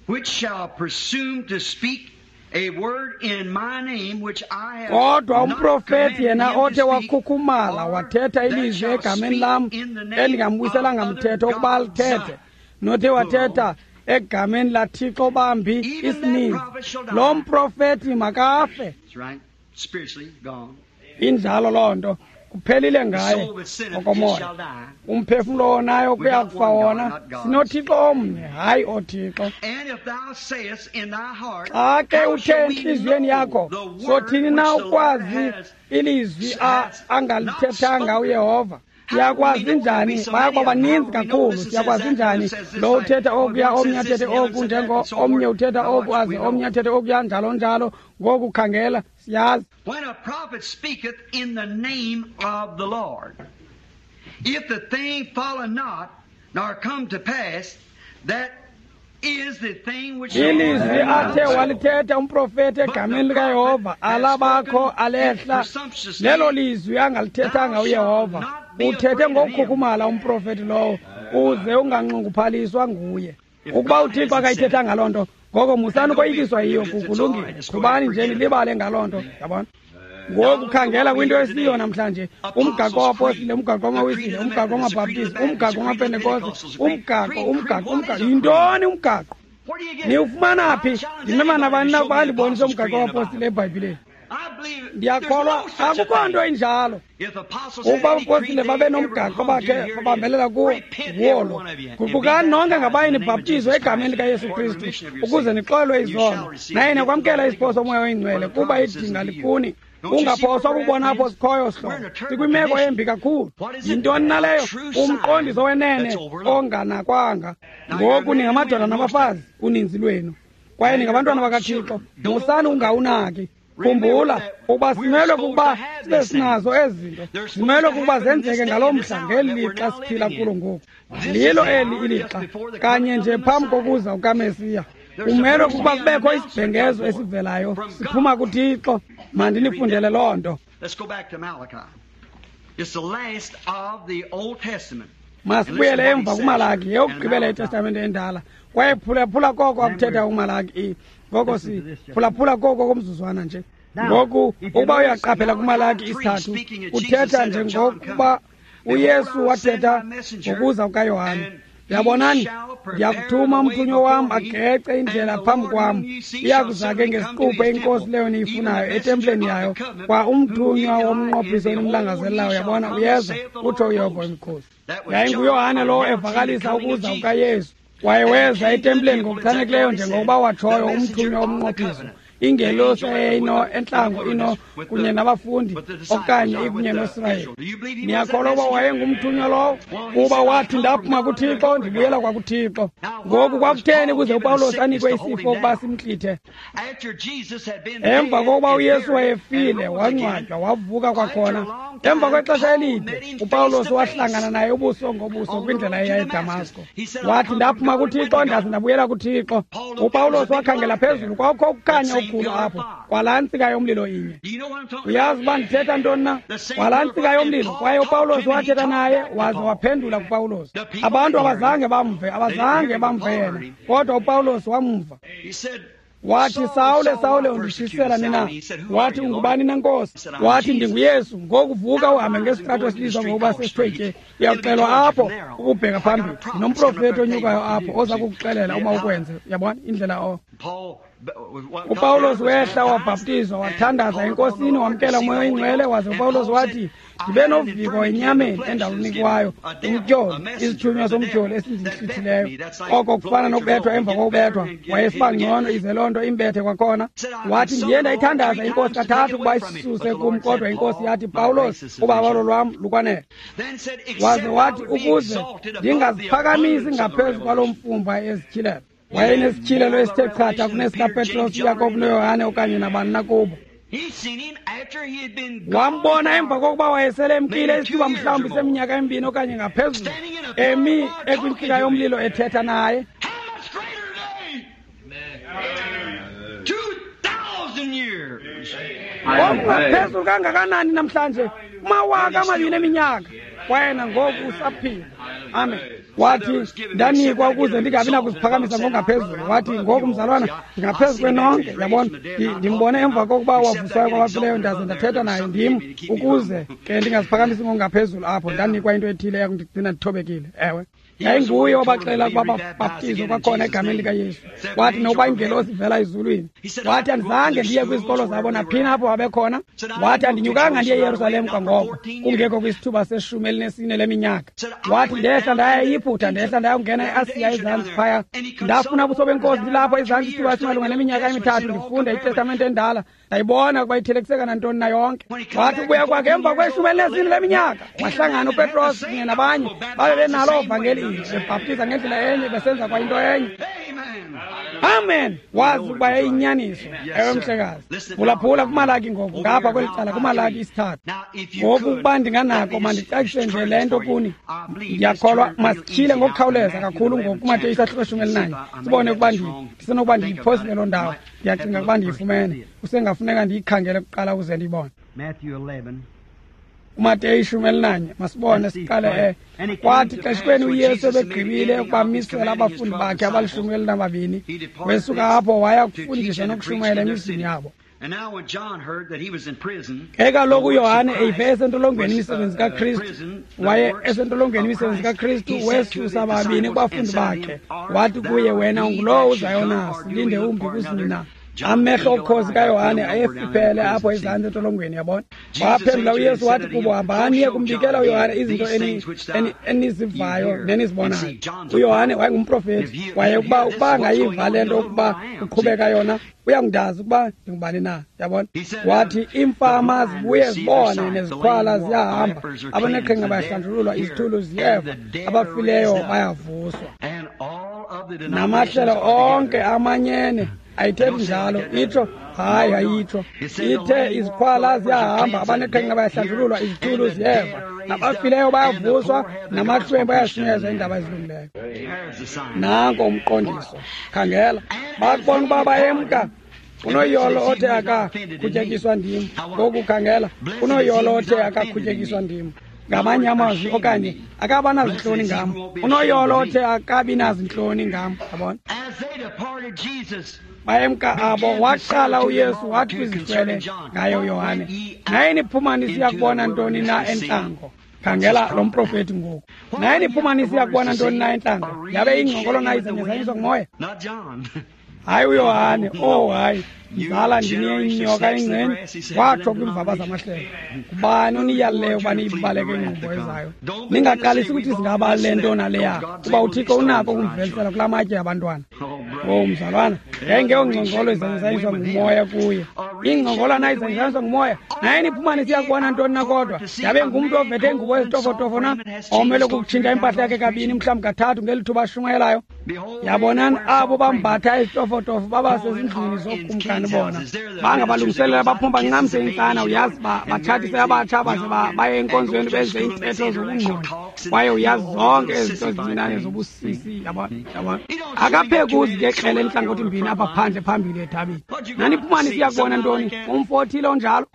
which shall presume to speak a word in my name which I have Kodwa umprofeti yena othe wakhukhumala wathetha ilizwi egameni lam endingambuyiselanga mthetho ukuba alithethe, nothe wathetha egameni laThixo bambi isininzi, lo mprofeti makafe. Injalo loo nto, Kuphelile ngaye ngokomoya. Umphefumlo wonayo kuyakufa wona. SinoThixo omnye, hayi ooThixo. Xa ke uthe entliziyweni yakho, sothini na ukwazi ilizwi angalithethanga uYehova? Siyakwazi njani? Bayakuba baninzi kakhulu. Siyakwazi njani? Lo uthetha okuya, omnye athethe oku, njengo omnye uthetha oku, aze omnye athethe okuya, njalo njalo. Ngoku khangela, siyazi. When a prophet speaketh in the name of the Lord, if the thing follow not, nor come to pass, that is the thing which ilizwi athe walithetha umprofeti egameni likaYehova alabakho alehla, lelo lizwi angalithethanga uYehova. Uthethe ngokukhukhumala umprofeti lowo, uze unganxunguphaliswa nguye. Ukuba uThixo akayithethanga loo nto, ngoko musani ukoyikiswa yiyo. Kulungile, qhubani nje nilibale ngaloo nto, yabona. Ngoku khangela kwinto esiyo namhlanje, umgaqo wapostile, umgaqo wamawisile, umgaqo wamabhaptizi, umgaqo wamapentekoste, umgaqo, umgaqo, umgaqo. Yintoni umgaqo? Niwufumana phi? Ndimema nabani na ukuba andibonise umgaqo wapostile eBhayibhileni. Ndiyakholwa akukho nto injalo. Ukuba abapostile babe nomgaqo bakhe babambelela kuwo, nguwo lo. Guqukani nonke ngabaye nibhaptizwe egameni likaYesu Kristu ukuze nixolelwe izono, naye nakwamkela isipho soMoya oyiNgcwele, kuba idinga likuni. Ungaphoswa ukubona apho sikhoyo sihlobo. Sikwimeko embi kakhulu. Yintoni naleyo? Umqondiso wenene onganakwanga. Ngoku ningamadoda nabafazi, uninzi lwenu, kwaye ningabantwana bakaThixo. Musani ungawunaki. Khumbula ukuba simelwe kukuba sibe sinazo ezi zinto. Simelwe kukuba zenzeke ngalo mhla, ngeli lixa siphila kulo ngoku. Lilo eli ilixa, kanye nje phambi kokuza kukaMesiya. Kumelwe kukuba kubekho isibhengezo esivelayo siphuma kuThixo. Mandinifundele loo nto. Masibuyele emva kuMalaki, yeyokugqibela iTestamente endala. Kwaye phulaphula koko akuthetha uMalaki. Ngoko siphulaphula koko komzuzwana nje. Ngoku ukuba uyaqaphela kuMalaki isithathu, uthetha njengokuba uYesu wathetha ngokuza kukaYohane. Yabonani, ndiyakuthuma umthunywa wam agece indlela phambi kwam. Iyakuza ke ngesiquphe inkosi leyo niyifunayo etempileni yayo, kwa umthunywa womnqophiso enimlangazelelayo. Yabona, uyeza, utsho uYehova wemikhosi. YayinguYohane lowo evakalisa ukuza kukaYesu. Kwaye weza etempileni ngokuchanekileyo njengokuba watshoyo umthunywa womnqophiso. Ingelosi eyayino entlango ino kunye nabafundi okanye ikunye noSirayeli. Niyakholwa uba wayengumthunywa lowo? Kuba wathi, ndaphuma kuThixo, ndibuyela kwakuThixo. Ngoku kwakutheni ukuze uPawulos anikwe isifo ukuba simntlithe? Emva kokuba uYesu wayefile, wangcwatywa, wavuka kwakhona. Emva kwexesha elide, uPawulos wahlangana naye ubuso ngobuso kwindlela eya eDamasko. Wathi, ndaphuma kuThixo, ndaze ndabuyela kuThixo. UPawulos wakhangela phezulu, kwakukho ukukhanya okukhulu apho, kwalaa ntsika yomlilo inye. Uyazi uba ndithetha ntoni na? Kwalaa ntsika yomlilo. Kwaye uPawulos wathetha naye, waze waphendula kuPawulos. Abantu abazange bamve, abazange bamve yena, kodwa uPawulos wamva. Wathi, Sawule, Sawule, undishisela nina? Wathi, ungubani na, Nkosi? Wathi, ndinguYesu. Ngoku vuka uhambe ngesitrato esibizwa ngokuba sesithwetye. Uyakuxelwa apho ukubheka phambili. Ndinomprofeti onyukayo apho oza kukuxelela uma ukwenze. Uyabona indlela o. UPawulos wehla wabhaptizwa, wathandaza eNkosini, wamkela uMoya oyiNgcwele. Waze uPawulos wathi, ndibe noviko enyameni endalunikwayo umtyholi, isithunywa somtyholi esindintlithileyo. Oko kufana nokubethwa emva kokubethwa. Wayesiba ngcono ize loo nto imbethe kwakhona. Wathi, ndiye ndayithandaza iNkosi kathathu ukuba isisuse kum, kodwa iNkosi yathi, Pawulos, ubabalo lwam lukwanele. Waze wathi, ukuze ndingaziphakamisi ngaphezu kwalo mfumba ezityhilelo. Wayenesityhilelo esithe chatha kunesikaPetros, uYakobi noYohane okanye nabani na kubo. Wambona emva kokuba wayesele emkile isithuba mhlawumbi seminyaka emibini okanye ngaphezulu, emi ekwintsika yomlilo ethetha naye. Okungaphezulu kangakanani namhlanje, kumawaka amabini eminyaka, kwaye nangoku usaphila. Amen. Wathi, ndanikwa ukuze ndingabi nakuziphakamisa ngokungaphezulu. Wathi, ngoku mzalwana, ndingaphezu kwenonke. Yabona, ndimbone emva kokuba wavuswayo kwabafileyo, ndaze ndathetha naye ndim, ukuze ke ndingaziphakamisi ngokungaphezulu apho. Ndanikwa into ethile eyakundigcina ndithobekile. Ewe. Yayinguye obaxela ukuba babhaptizwe kwakhona egameni likaYesu. Wathi nokuba ingelosi ivela ezulwini. Wathi andizange ndiye kwizikolo zabo naphina apho babekhona. Wathi andinyukanga ndiye eYerusalem kwangoko, kungekho kwisithuba seshumi elinesine leminyaka. Wathi ndehla ndaya eYiphutha, ndehla ndayongena eAsiya ezantsi phaya. Ndafuna ubuso benkosi ndilapho ezantsi isithuba esimalunga neminyaka emithathu ndifunda iTestamente endala. Ndayibona ukuba ithelekiseka nantoni na yonke. Wathi ubuya kwakhe emva kweshumi elinesine leminyaka, wahlangana uPetros kunye nabanye, babe benalo uvangeli bebhaptiza ngendlela enye, besenza kwa into enye. Amen. Wazi ukuba yayiyinyaniso. Ewe mhlekazi. Phulaphula kuMalaki ngoku, ngapha kweli cala kuMalaki isithathu. Ngoku ukuba ndinganako mandicacise nje le nto kuni. Ndiyakholwa masityhile ngokukhawuleza kakhulu ngoku kuMateyu isahluko eshumi elinanye. Sibone ukuba ndisenokuba ndiyiphosile loo ndawo. Ndiyacinga ukuba ndiyifumene. Kusengafuneka ndiyikhangele kuqala ukuze ndiyibone. uMateyu ishumi elinanye, masibone siqale. Kwathi xeshikweni uYesu ebegqibile ukubamisela abafundi bakhe abalishumi elinababini, wesuka apho waya kufundisa nokushumayela emizini yabo. Ke kaloku uYohane eyive esentolongweni imisebenzi kaKristu, waye esentolongweni imisebenzi kaKristu, wesusa babini kubafundi bakhe, wathi kuye, wena ungulowo uzayo na, silinde umbi kusini na? Amehlo okhozi kaYohane ayefiphele apho ezantsi entolongweni, yabona. Waphendula uYesu wathi kubo, hambani niye kumbikela uYohane izinto enizivayo nenizibonayo. UYohane wayengumprofeti, waye ukuba ukuba angayiva le nto ukuba kuqhubeka yona, uyangundazi ukuba ndingubani na, yabona. Wathi iimfama zibuye zibone, neziqhwala ziyahamba, abaneqhinga bayahlanjululwa, izithulu ziyeva, abafileyo bayavuswa. Namahlelo onke amanyene ayithethi njalo, itsho hayi ayitsho. Ithe iziqhwala ziyahamba, abaneqhinga bayahlanjululwa, izithulu ziyeva, nabafileyo bayavuswa, namahlwempu ayashunyezwa iindaba ezilungileyo. Nanko umqondiso. Khangela, bakubona uba bayemka. Unoyolo othe akakhutyekiswa ndim. Ngoku khangela, unoyolo othe akakhutyekiswa ndim. Ngamanye amazwi okanye akaba nazintloni ngam. Unoyolo othe akabi nazintloni ngam, yabona. Bayemka abo, waqala uYesu wathi kwizihlwele ngaye uYohane, naye niphuma nisiya kubona ntoni na entlango? Khangela lo mprofeti ngoku. Naye niphuma nisiya kubona ntoni na entlango? Yabe ingcongolo na izanyazanyiswa ngumoya? Hayi uYohane, oh hayi, mzala ndinenyoka ingceni, watsho kwiimvaba zamahlelo. Ngubani oniyalileyo ukuba niyibaleke ingqumbo ezayo? Ningaqalisi ukuthi singaba le nto naleya, kuba uThixo unako ukumvelisela kulaa matye abantwana. Oh mzalwana, yayingeyongcongolo izanyazanyiswa ngumoya kuye. Ingcongolo na izanyazanyiswa ngumoya, naye niphuma nisiya kubona ntoni na kodwa? Yabe ngumntu ovethe ingubo ezitofotofo na, omele ukutshintsha impahla yakhe kabini mhlawumbi kathathu ngeli thuba ashumayelayo. Yabonani abo bambatha izitofotofo baba sezindlwini zokumkani bona. Bangabalungiselela baphuma bancamise intsana, uyazi, batshatise abatsha baze baye enkonzweni benze iintetho zobungqondi. Kwaye uyazi zonke ezi zinto zincinane zobusisi, yabona, yabona. Akaphekuzi ngekrele entlangothi mbini apha phandle phambili edabini. Naniphuma nisiya kubona ntoni? Umfo othile onjalo?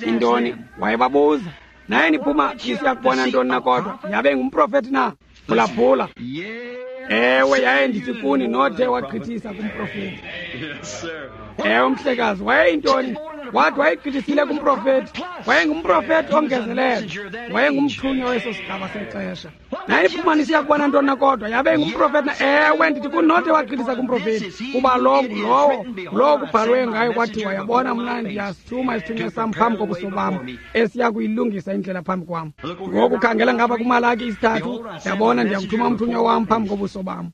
Intoni? Wayebabuza. Naye niphuma nisiya kubona ntoni na kodwa? Yabe ngumprofeti na? Phulaphula. Ewe, yaye ndithi kuni nothe wagqithisa kumprofeti. Ewe mhlekazi, wayeyintoni? Wathi wayegqithisile kumprofeti. Wayengumprofeti ongezelelo. Wayengumthunywa weso sigaba sexesha. Naye niphuma nisiya kubona ntoni na kodwa? Yabe ngumprofeti na? Ewe, ndithi kuni nothe wagqithisa kumprofeti. Kuba lo ngulowo, lowo kubhalwe ngayo kwathiwa, yabona mna ndiyasithuma isithunywa sam phambi kobuso bam, esiya kuyilungisa indlela phambi kwam. Ngoku khangela ngapha kuMalaki isithathu, yabona ndiyakuthuma umthunywa wam phambi kobuso bam.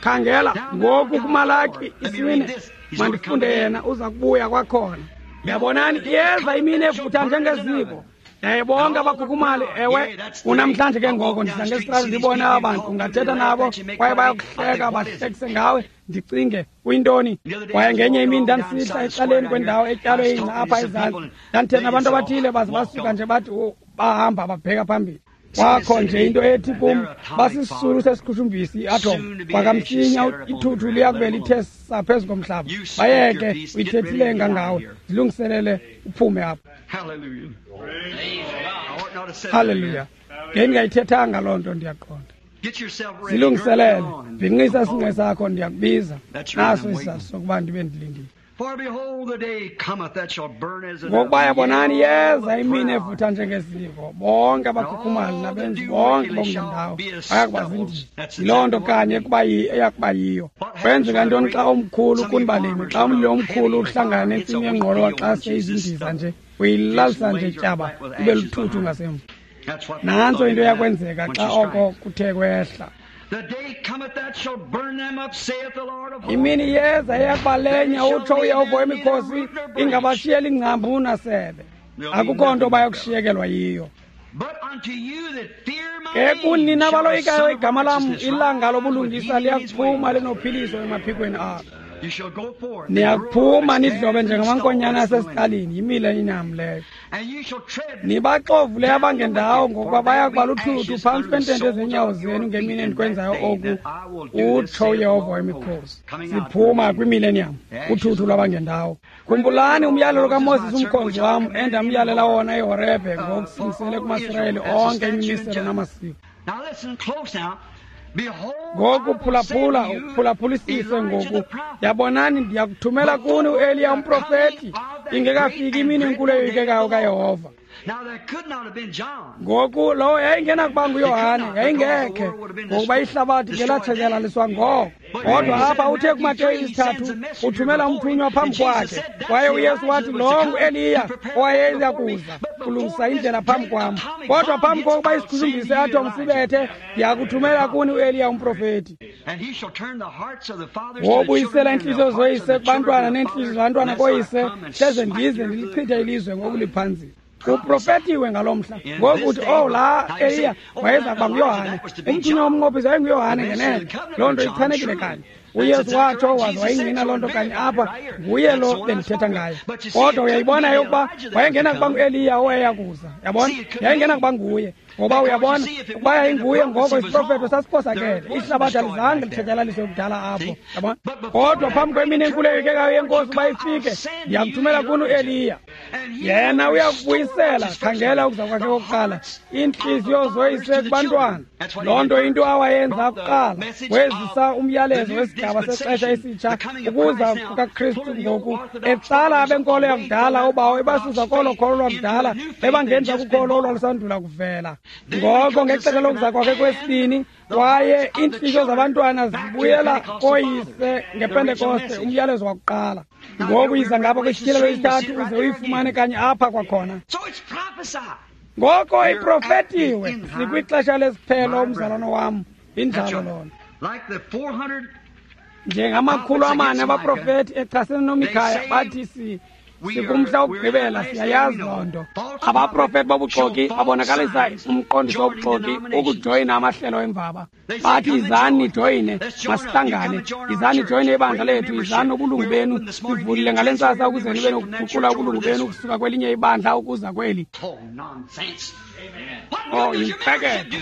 Khangela ngoku kuMalaki isine, mandifunde yena uza kubuya kwakhona. Yabonani, iyeza imini evutha njengeziko. Yaye bonke abakhukhumali, ewe, unamhlanje ke ngoko ndihla ngesitrato ndibone aba bantu, ungathetha nabo kwaye bayakuhleka bahlekise ngawe. Ndicinge kuyintoni? Kwaye ngenye imini ndandisihla ecaleni kwendawo etyalwe ingca apha ezantsi, ndandithetha nabantu abathile baze basuka nje bathi bahamba babheka phambili. Kwakho nje into ethi kum, basisisulu sesiqhushumbisi i-atom, kwakamsinya ithuthu liyakube lithe saa phezu komhlaba. Bayeke, uyithethile ngangawe, zilungiselele uphume apha. Haleluya. Ngendingayithethanga loo nto, ndiyaqonda. Zilungiselele, bhinqisa isinqe sakho, ndiyakubiza. Naso isizathu sokuba ndibe ndilindile. Ngokuba yabonani yeza imini evutha njengeziko, bonke abakhukhumali nabenzi bonke bokungendawo bayakuba zindiza. Yiloo nto kanye ekuba eyakuba yiyo. Kwenzeka ntoni xa omkhulu kunibalimi, xa umlilo omkhulu uhlangana nentsimi yengqolowa xa seyizindiza nje, uyilalisa nje tyaba ibe luthuthu ngasemva. Nantso into eyakwenzeka xa oko kuthe kwehla. Imini yeza eyakubalenya, utsho uYehova wemikhosi, ingabashiyeli ingcambu nasebe. Akukho nto bayakushiyekelwa yiyo. Ke kunina abaloyikayo igama lam, ilanga lobulungisa liyakuphuma linophiliso emaphikweni alo. Niyakuphuma nidlobe njengamankonyana asesitalini, yimileniyam leyo. Nibaxovule abangendawo, ngokuba baya kuba luthuthu phantsi kwentente zenyawo zenu ngemini endikwenzayo oku, utsho uYehova wemikhosi. Siphuma kwimileniyam, uthuthu lwabangendawo. Khumbulani umyalelo kaMoses umkhonzi wam, endamyalela wona eHorebhe ngokusingisele kumaSirayeli onke imimiselo namasiko. Ngoku phulaphula, uphulaphulisise ngoku. Yabonani, ndiyakuthumela kuni uEliya umprofeti, ingekafiki imini enkulu eyoyikekayo kaYehova. Ngoku lowo yayingenakuba nguYohane, yayingekhe, ngokuba ihlabathi ngelatshatyalaliswa ngoko. Kodwa apha uthe kuMateyu isithathu uthumela umthunywa phambi kwakhe, kwaye uYesu wathi lo nguEliya owayeza kuza kulungisa indlela phambi kwam. Kodwa phambi kokuba isiqukumbisi se-atom sibethe, ndiyakuthumela kuni uEliya umprofeti. Wobuyisela iintliziyo zoyise kubantwana neentliziyo zabantwana koyise, hleze ndize ndilichithe ilizwe ngokuliphanzisa. Kuprofetiwe ngaloo mhla. Ngoku uthi, oh, laa Eliya wayeza kuba nguYohane. Umthunywa womnqophiso yayinguYohane ngenene. Loo nto ichanekile kanye. uYesu watsho waze wayingqina loo nto kanye apha, nguye lo bendithetha ngaye. Kodwa uyayibona yokuba wayengena kuba nguEliya owayeya kuza. Yabona? Yayingena kuba nguye. Ngoba uyabona, ukuba yayinguye ngoko isiprofeto sasiphosakele. Ihlabathi alizange litshatyalaliswe kudala apho. Yabona? Kodwa phambi kwemini enkulu eyoyikekayo yeNkosi uba ifike, ndiyakuthumela kuni uEliya. Yena uyakubuyisela, khangela ukuza kwakhe kokuqala, iintliziyo zoyise kubantwana. Loo nto into awayenza kuqala, wezisa umyalezo wesigaba sexesha esitsha, ukuza kukaKristu ngoku, etsala abenkolo yakudala ubawo ebasusa kolo kholo lwakudala, ebangenza kukholo olwalusandula kuvela. Ngoko ngexesha lokuza kwakhe kwesibini, kwaye iintliziyo zabantwana zibuyela koyise ngePentekoste, umyalezo wakuqala. Ngoku yiza ngapha kwisityhilelo isithathu uze uyifumane kanye apha kwakhona. Ngoko iprofetiwe, sikwixesha lesiphelo, umzalwana wam, injalo lona. Njengamakhulu amane abaprofeti echasene noMikhaya bathi si sikumhla wokugqibela, siyayazi loo nto. Abaprofeti bobuxoki babonakalisa umqondiso wobuxoki ukujoyina amahlelo emvaba. Bathi izani nijoyine, masihlangane, izani nijoyine ibandla lethu, izani nobulungu benu, sivulile ngale ntsasa ukuze nibe nokuguqula ubulungu benu ukusuka kwelinye ibandla ukuza kweli. Oh, yimfeketho.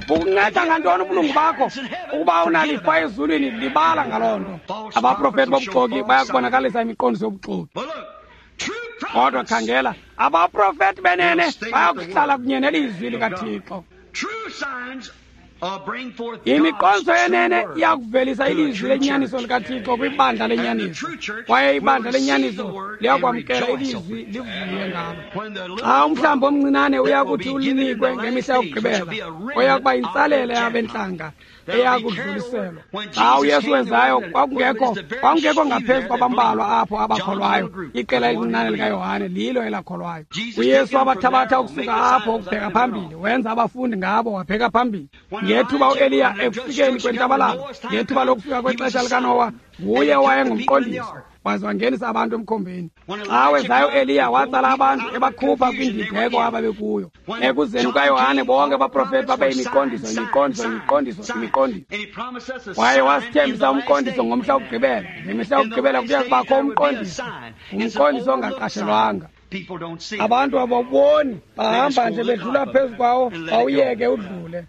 Bukunceda ngantoni ubulungu bakho? Ukuba unalifa ezulwini, libala ngaloo nto. Abaprofeti bobuxoki bayakubonakalisa imiqondiso yobuxoki. Kodwa khangela, abaprofeti benene bayakuhlala kunye nelizwi likaThixo. Imiqondiso yenene iyakuvelisa ilizwi lenyaniso likaThixo kwibandla lenyaniso, kwaye ibandla lenyaniso liyakwamkela ilizwi livuye ngalo. Xa umhlambi omncinane uyakuthi ulinikwe ngemihla yokugqibela, oyakuba yintsalela yabentlanga eyakudluliselwa. Xa uYesu wezayo, kwakungekho kwakungekho ngaphezu kwabambalwa apho abakholwayo. Iqela elincinane likaYohane lilo elakholwayo. uYesu wabathabatha ukusuka apho ukubheka phambili, wenza abafundi ngabo wabheka phambili. Ngethuba uEliya ekufikeni kwentabalala, ngethuba lokufika kwexesha likaNowa, nguye owayengumqondiso, waze wangenisa abantu emkhombeni. Xa wezayo uEliya, watsala abantu ebakhupha kwindideko ababekuyo. Ekuzeni kukaYohane, bonke abaprofeti babeyimiqondiso, imiqondiso, imiqondiso, imiqondiso. Kwaye wasithembisa umqondiso ngomhla wokugqibela. Ngemihla yokugqibela kuya kubakho umqondiso, umqondiso ongaqashelwanga. Abantu abawuboni, bahamba nje bedlula phezu kwawo, bawuyeke udlule.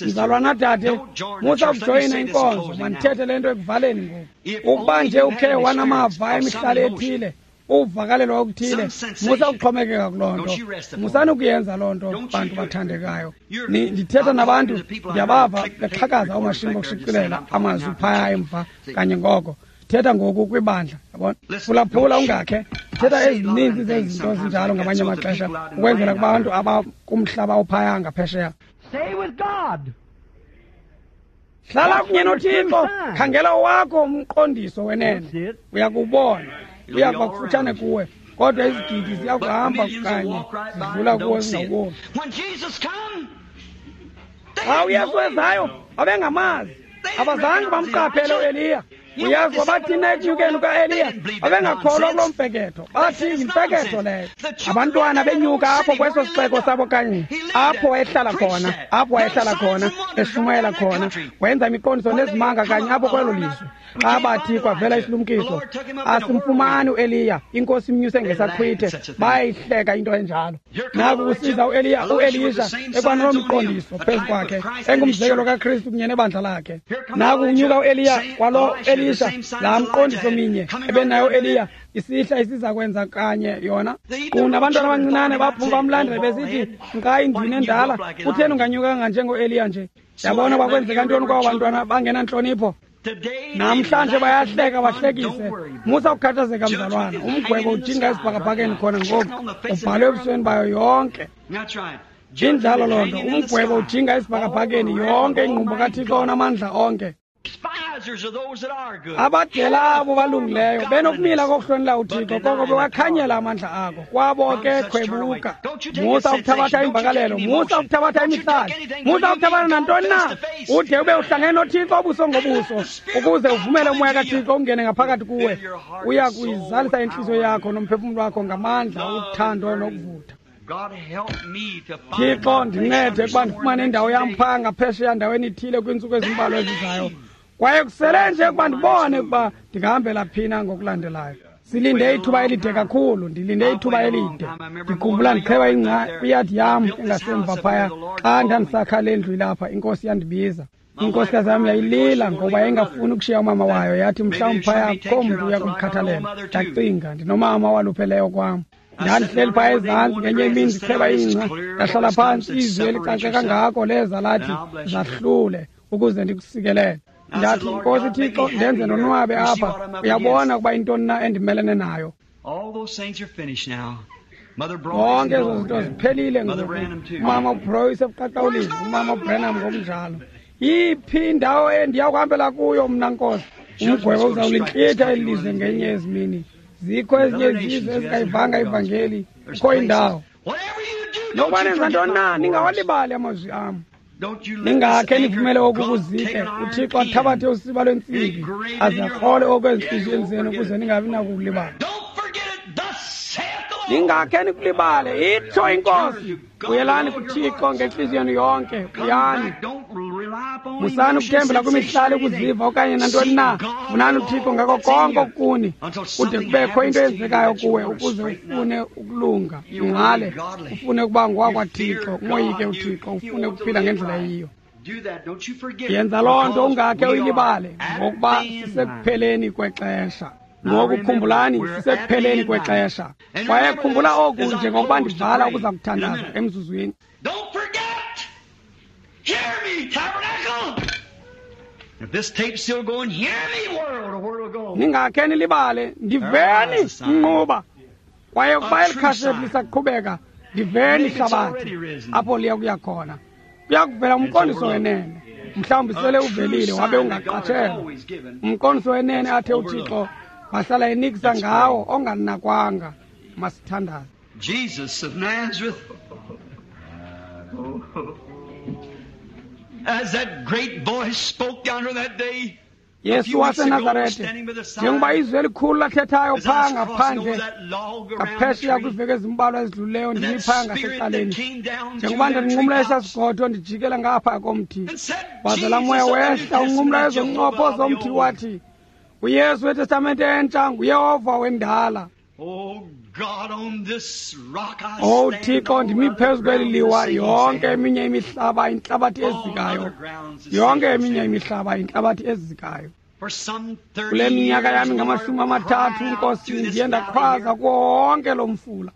Mzalwana dade, musa ukujoyina inkonzo, mandithethe le nto ekuvaleni ngoku. Ukuba nje ukhe wanamava emihlali ethile, uvakalelwa okuthile, musa ukuxhomekeka kuloo nto. Musani ukuyenza loo nto, bantu bathandekayo. Ndithetha nabantu, ndiyabava bexhakaza oomashini bokushicilela amazwi phaya emva kanye ngoko. Ndithetha ngoku kwibandla, yabona. Phulaphula ungakhe. Ndithetha ezininzi zezinto ezinjalo ngamanye amaxesha ukwenzela kubantu abakumhlaba ophaya ngaphesheya. Stay with God. Hlala kunye noThixo, khangela owakho umqondiso wenene. Uyakubona, uyakuba kufutshane kuwe. Kodwa izigidi ziyakuhamba kanye zidlula kuwe zingawuboni. Xa uYesu wezayo babengamazi, abazange bamqaphele uEliya. Uyazi wabathina ekunyukeni kukaEliya, babengakholwa kuloo mfeketho, bathi yimfeketho leyo. Abantwana benyuka apho kweso sixeko sabo kanye, apho wayehlala khona, apho wayehlala khona, eshumayela khona, wenza imiqondiso nezimanga kanye apho kwelo lizwe. Xa bathi kwavela isilumkiso, asimfumani uEliya, inkosi imnyuse ngesaqhwithe, bayayihleka into enjalo. Naku kusiza uEliya, uElisha ekwanaloo mqondiso phezu kwakhe, engumzekelo kaKristu kunye nebandla lakhe. Naku kunyuka uEliya kwalo Elisha, laa mqondiso minye ebenayo uEliya, isihla isiza kwenza kanye yona. Kunabantwana abancinane baphuma bamlandela besithi, nkayi ndini endala, kutheni unganyukanga njengoEliya nje? Yabona kwakwenzeka ntoni kwabo bantwana bangenantlonipho? Namhlanje bayahleka bahlekise. Musa ukukhathazeka mzalwana, umgwebo ujinga esibhakabhakeni khona ngoku, ubhalwe ebusweni bayo yonke. Injalo loo nto, umgwebo ujinga esibhakabhakeni yonke ingqumbo kaThixo onamandla onke. Abadela abo balungileyo benokumila kokuhlonela uThixo, koko bewakhanyela amandla ako. Kwabo ke khwebuka. Musa ukuthabatha imvakalelo, musa ukuthabatha imihlali, musa ukuthabatha nantoni na, ude ube uhlangene noThixo ubuso ngobuso, ukuze uvumele umoya kaThixo ungene ngaphakathi kuwe. Uya kuyizalisa intliziyo yakho nomphefumlo wakho ngamandla, uthando nokuvutha. Thixo, ndincede ukuba ndifumane indawo yam phaa ngaphesheya ndaweni ithile kwiintsuku ezimbalwa ezizayo. Kwaye kusele nje ukuba ndibone ukuba ndingahambela phina ngokulandelayo. Silinde ithuba elide kakhulu, ndilinde ithuba elide. Ndikhumbula ndicheba ingca kwiyadi yam engasemva phaya xa ndandisakha le ndlu ilapha, inkosi yandibiza. Inkosikazi yam yayilila ngoba yayingafuni ukushiya umama wayo, yathi mhlawumbi phaya akukho mntu uya kumkhathalela. Ndacinga, ndinomama owalupheleyo kwam. Ndandihleli phaya ezantsi ngenye imini ndicheba ingca, ndahlala phantsi, izwi elicace kangako leza lathi, zahlule ukuze ndikusikelele. Ndathi, Nkosi Thixo, ndenze ndonwabe apha, uyabona ukuba intoni na endimelene nayo. Zonke ezo zinto ziphelile ngoku. Umama uBroy usebuqaqawulini, umama uBrenham ngokunjalo. Iphi indawo endiya kuhambela kuyo mna Nkosi? Umgwebo uzawulintlitha eli lizwe ngenye yezi mini. Zikho ezinye izizwe ezingayivanga ivangeli, kukho indawo. Nokuba nenza ntoni na, ningawalibali amazwi am. Ningakhe nivumele oku kuzike, uThixo athabathe usiba lwentsimbi aze akrole oku ezintliziyweni zenu ukuze ningabi nakukulibala. Ningakhe nikulibale, itsho inkosi. Buyelani kuThixo ngentliziyo yenu yonke, buyani. Musani ukuthembela kwimihlali ukuziva okanye nantoni na. Funani uThixo ngako konke okukuni, kude kubekho into eyenzekayo kuwe ukuze ufune ukulunga, ungqale, ufune ukuba ngowakwaThixo, umoyike uThixo, ufune ukuphila ngendlela eyiyo. Yenza loo nto ungakhe uyilibale, ngokuba sisekupheleni kwexesha. Ngoku khumbulani, sisekupheleni kwexesha. Kwaye khumbula oku njengokuba ndivala ukuza kuthandaza emzuzwini. Don't forget! Hear me, tabernacle! If this tape's still going, hear me, world, or where it'll go. Ningakhe nilibale, ndiveni mnquba. Kwaye ukuba eli khashethi lisaqhubeka, ndiveni hlabathi, apho liya kuya khona. Kuya kuvela umqondiso wenene. Mhlawumbi sele uvelile wabe ungaqatshelwa. Umqondiso wenene athe uThixo wahlala enikisa ngawo onganakwanga. Masithandaze. Jesus of Nazareth, as that great voice spoke down here that day, Yesu waseNazarete, njengoba izwi elikhulu lathethayo phaa ngaphandle ngaphesheya kwiiveki ezimbalwa ezidlulileyo, ndimi phaya ngasecaleni, njengoba ndinqumla esaa sigodo ndijikela ngapha komthi, waze laa moya wehla unqumla ezo ncopho zomthi wathi, uYesu weTestamente entsha nguYehova wendala. Oh Thixo, ndimi phezu kweli liwa, yonke eminye imihlaba intlabathi ezikayo, yonke eminye imihlaba intlabathi ezikayo. Kule minyaka yami ngamashumi amathathu, Nkosi, ndiye ndakhwaza kuwo wonke lo mfula.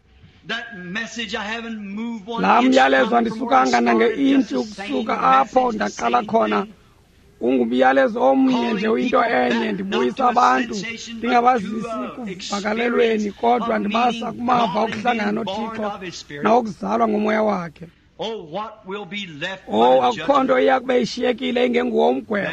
Laa myalezo andisukanga nange-intshi ukusuka apho ndaqala khona, Ungumyalezo omnye nje uyinto enye, ndibuyisa abantu ndingabazisi kuvakalelweni, kodwa ndibasa kumava okuhlangana noThixo nawokuzalwa ngomoya wakhe. Oh, akukho nto iya kube ishiyekile ingenguwo umgwebo.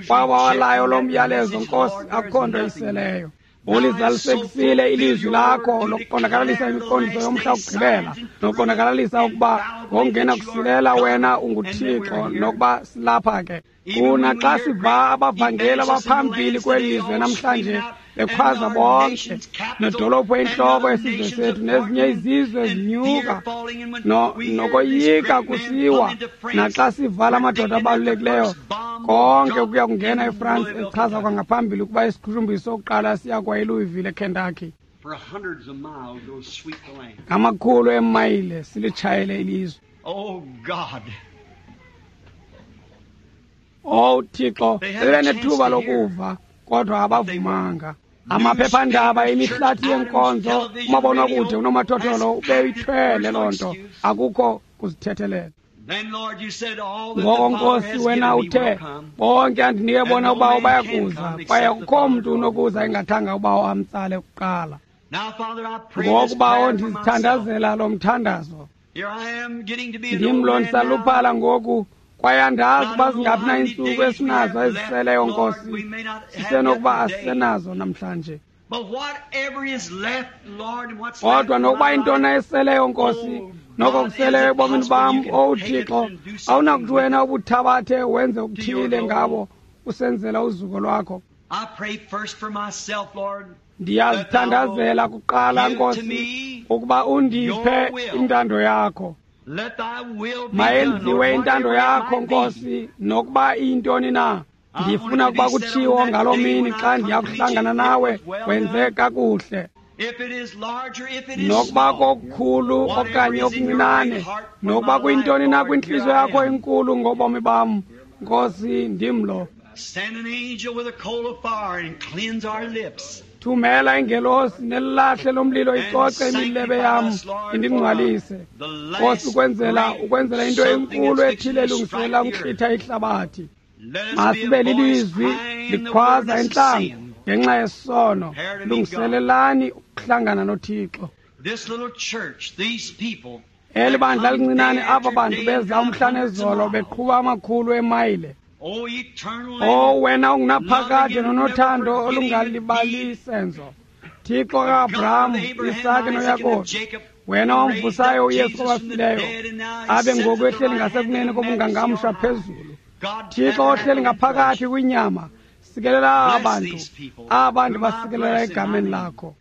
Kwaba walayo lo myalezo, Nkosi, akukho nto iseleyo. Ulizalisekisile ilizwi lakho lokuqondakalalisa imiqondiso yomhla wokugqibela, nokuqondakalalisa ukuba ngokungena kusilela wena unguThixo, nokuba silapha ke. Kuna xa siva abavangeli abaphambili kweli lizwe namhlanje bekhwaza bonke, nedolophu entloko yesizwe sethu nezinye izizwe zinyuka no, nokoyika kusiwa, naxa sivala amadoda abalulekileyo konke ukuya kungena eFrance echaza kwangaphambili ukuba isiqhushumbisi sokuqala siya kwa eLouisville eKentucky. Ngamakhulu eemayile silitshayele ilizwe. Oh God. Oh Thixo, bebenethuba lokuva kodwa abavumanga. Amaphephandaba, imihlathi yenkonzo, umabonakude, unomathotholo ubeyithwele loo nto, akukho kuzithethelela. Ngoko Nkosi, wena uthe bonke andinike bona ubawo bayakuza, kwaye akukho mntu unokuza engathanga ubawo amtsale kuqala. Ngoku bawo ndizithandazela lo mthandazo. Ndim lo ndisaluphala ngoku, kwaye andazi uba zingaphi na iintsuku esinazo eziseleyo, Nkosi. Sisenokuba asisenazo namhlanje. Kodwa nokuba intona eseleyo, Nkosi, noko kuseleyo ebomini bam, owu Thixo, awunakuthi wena ubuthabathe wenze okuthile ngabo usenzela uzuko lwakho. Ndiyazithandazela kuqala, Nkosi, ukuba undiphe intando yakho. Mayenziwe intando yakho, Nkosi, nokuba iyintoni na. Ndifuna ukuba kutshiwo ngaloo mini xa ndiya kuhlangana nawe, wenze kakuhle. Nokuba kokukhulu okanye okuncinane, nokuba kuyintoni na kwintliziyo yakho enkulu ngobomi bam, Nkosi, ndim lo. Thumela ingelosi nelilahle lomlilo icoce imilebe yam indingcwalise, Nkosi, ukwenzela ukwenzela into enkulu ethile elungiselela ukuhlitha ihlabathi. Masibe lilizwi likhwaza entlango ngenxa yesono. Lungiselelani ukuhlangana noThixo. Eli bandla lincinane, aba bantu beza umhla nezolo beqhuba amakhulu emayile. Oh wena ungunaphakade nonothando olungalibali senzo, Thixo ka-Abraham, Isake noYakobi, wena wamvusayo uYesu kwabafileyo, abe ngoku ehleli ngasekunene kobungangamsha phezulu. Thixo ohleli ngaphakathi kwinyama, sikelela abantu, abantu basikelela egameni lakho.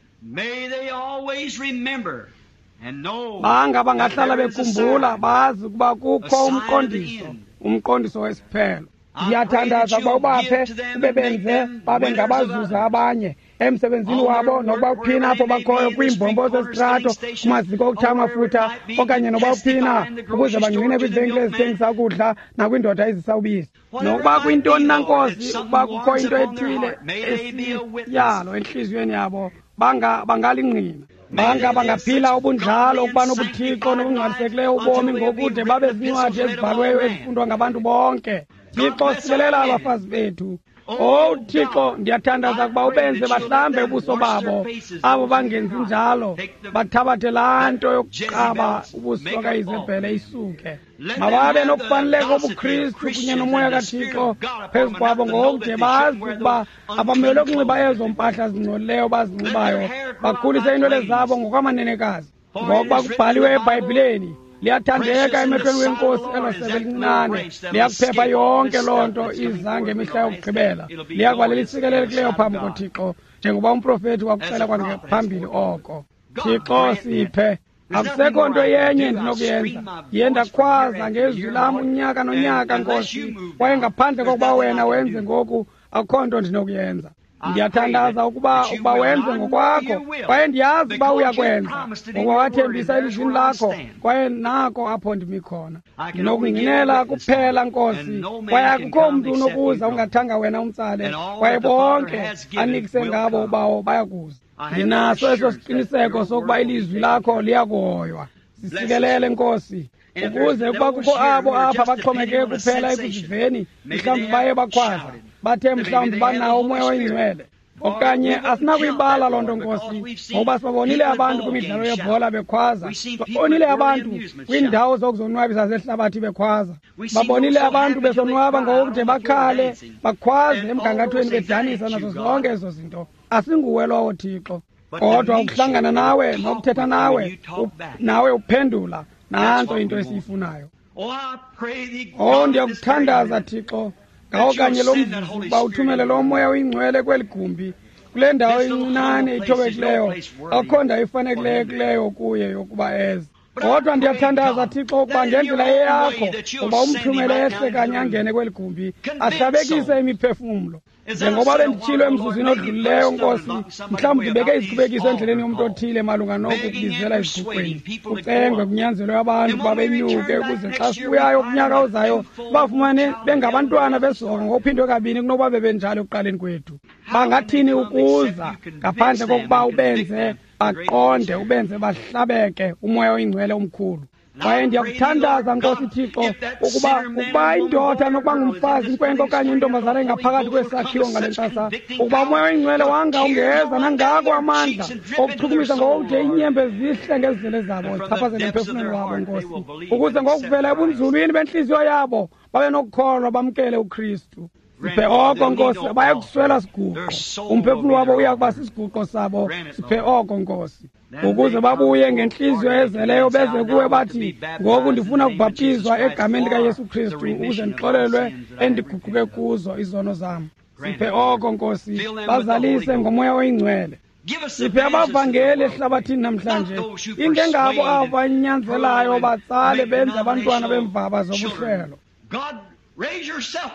Banga bangahlala bekhumbula, bazi ukuba kukho umqondiso, umqondiso wesiphelo. Ndiyathandaza ukuba ubaphe ube benze babe ngabazuza abanye emsebenzini wabo, nokuba uphina apho bakhoyo, kwiimbombo zezitrato, kumaziko okutha amafutha, okanye nokuba uphina, ukuze bangqine kwiivenkile ezithengisa ukudla nakwindoda ezisa ubisi. Nokuba kuyintoni na, Nkosi, ukuba kukho into ethile esiyalo entliziyweni yabo, banga bangalingqina. Banga bangaphila ubunjalo, ukuba nobuthixo nobungcwalisekileyo ubomi ngokude babe zincwadi ezibhalweyo ezifundwa ngabantu bonke. Thixo, sikelela abafazi bethu. Oh Thixo, ndiyathandaza ukuba ubenze bahlambe ubuso babo, abo bangenzi njalo, bathabathe laa nto yokuqaba ubuso kaIzebhele isuke. Mababe nokufaneleka obuKristu kunye nomoya kaThixo phezu kwabo ngokude bazi ukuba abamelwe kunxiba ezo mpahla zingcolileyo bazinxibayo, bakhulise iinwele zabo ngokwamanenekazi. Ngokuba kubhaliwe eBhayibhileni, liyathandeka emehlweni wenkosi elo sebe lincinane, liyakuphepha yonke loo nto iza ngemihla yokugqibela, liyakuba lelisikelekileyo phambi koThixo, njengoba umprofethi wakuxela kwangaphambili oko. Thixo, siphe. Akusekho nto yenye ndinokuyenza. Ndiye ndakhwaza ngezwi lam unyaka nonyaka, Nkosi, kwaye ngaphandle kokuba wena wenze ngoku, akukho nto ndinokuyenza. Ndiyathandaza ukuba ukuba wenze ngokwakho, kwaye ndiyazi uba uyakwenza, ngokuba wathembisa elizwini lakho, kwaye nako apho ndimi khona. Ndinokungqinela kuphela, Nkosi, kwaye akukho mntu unokuza ungathanga wena umtsale, kwaye bonke anikise ngabo ubawo bayakuza. Ndinaso eso siqiniseko sokuba ilizwi lakho liyakuhoywa. Sisikelele, Nkosi. Ukuze ukuba kukho abo apha baxhomekeke kuphela ekuziveni, mhlawumbi baye bakhwaza, bathe mhlawumbi banawo uMoya oyiNgcwele. Okanye asinakuyibala loo nto, Nkosi, ngokuba sibabonile abantu kwimidlalo yebhola bekhwaza, sibabonile abantu kwiindawo zokuzonwabisa zehlabathi bekhwaza, babonile abantu besonwaba ngokude bakhale, bakhwaze emgangathweni bedanisa nazo zonke ezo zinto. Asinguwe lowo, Thixo. Kodwa ukuhlangana nawe nokuthetha nawe, nawe uphendula, nantso into esiyifunayo. Oh, ndiyakuthandaza, Thixo, ngawo kanye lo mzuzu ukuba uthumele lo Moya oyiNgcwele kweli gumbi, kule ndawo incinane ithobekileyo, akukho ndawo ifanelekileyo kuye yokuba eze. Kodwa ndiyathandaza, Thixo, ukuba ngendlela eyakho uba umthumele ehle kanye angene kweli gumbi, ahlabekise imiphefumlo. Njengoba benditshilo emzuzwini odlulileyo, Nkosi, mhlawumbi ndibeke izikhubekiso endleleni yomntu othile malunga noku kubizela eziguqweni, kucengwe kunyanzelwe abantu ukuba benyuke, ukuze xa sibuyayo kunyaka ozayo bafumane bengabantwana besoka ngokuphindwe kabini kunokuba bebenjalo ekuqaleni kwethu. Bangathini ukuza ngaphandle kokuba ubenze baqonde, ubenze bahlabeke uMoya oyiNgcwele omkhulu. Kwaye ndiyakuthandaza, Nkosi Thixo, ukuba ukuba indoda nokuba ngumfazi, inkwenkwe okanye intombazana engaphakathi kwesakhiwo ngale ntsasa, ukuba uMoya oyiNgcwele wanga ungeza nangako amandla okuchukumisa ngokude iinyembe zihle ngezizele zabo zichaphazele emphefumlweni wabo, Nkosi, ukuze ngokuvela ebunzulwini bentliziyo yabo babe nokukholwa bamkele uKristu. Siphe oko, Nkosi, abayakuswela siguqo, umphefumlo wabo uya kuba sisiguqo sabo. Siphe oko, Nkosi, ukuze babuye ngentliziyo ezeleyo beze kuwe bathi, ngoku ndifuna ukubhaptizwa egameni likaYesu Kristu ukuze ndixolelwe endiguquke kuzo izono zam. Siphe oko, Nkosi, bazalise ngoMoya oyiNgcwele. Siphe abavangeli ehlabathini namhlanje, ingengabo abo banyanzelayo batsale benze abantwana bemvaba zobuhlelo.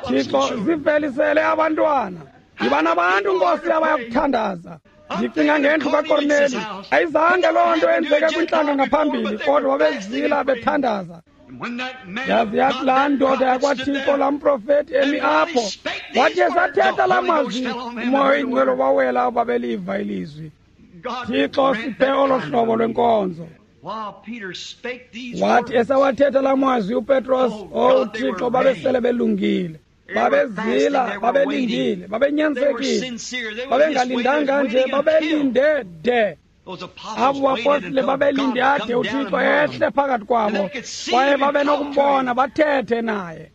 Thixo, zivelisele abantwana. Yiba nabantu, Nkosi, abayakuthandaza. Ndicinga ngendlu kaKorneli. Ayizange loo nto yenzeke kwintlanga ngaphambili, kodwa babezila bethandaza. Yazi yathi laa ndoda yakwaThixo, laa mprofethi emi apho, wathi esathetha laa mazwi, uMoya oyiNgcwele wawela abo babeliva ilizwi. Thixo, siphe olo hlobo lwenkonzo. Wathi esawathetha laa mazwi uPetros, owu Thixo, babesele belungile. Babezila, babelindile, babenyanzekile, babengalindanga nje, babelinde de. Abo bapostile babelinde ade uThixo ehle phakathi kwabo, kwaye babenokumbona bathethe naye.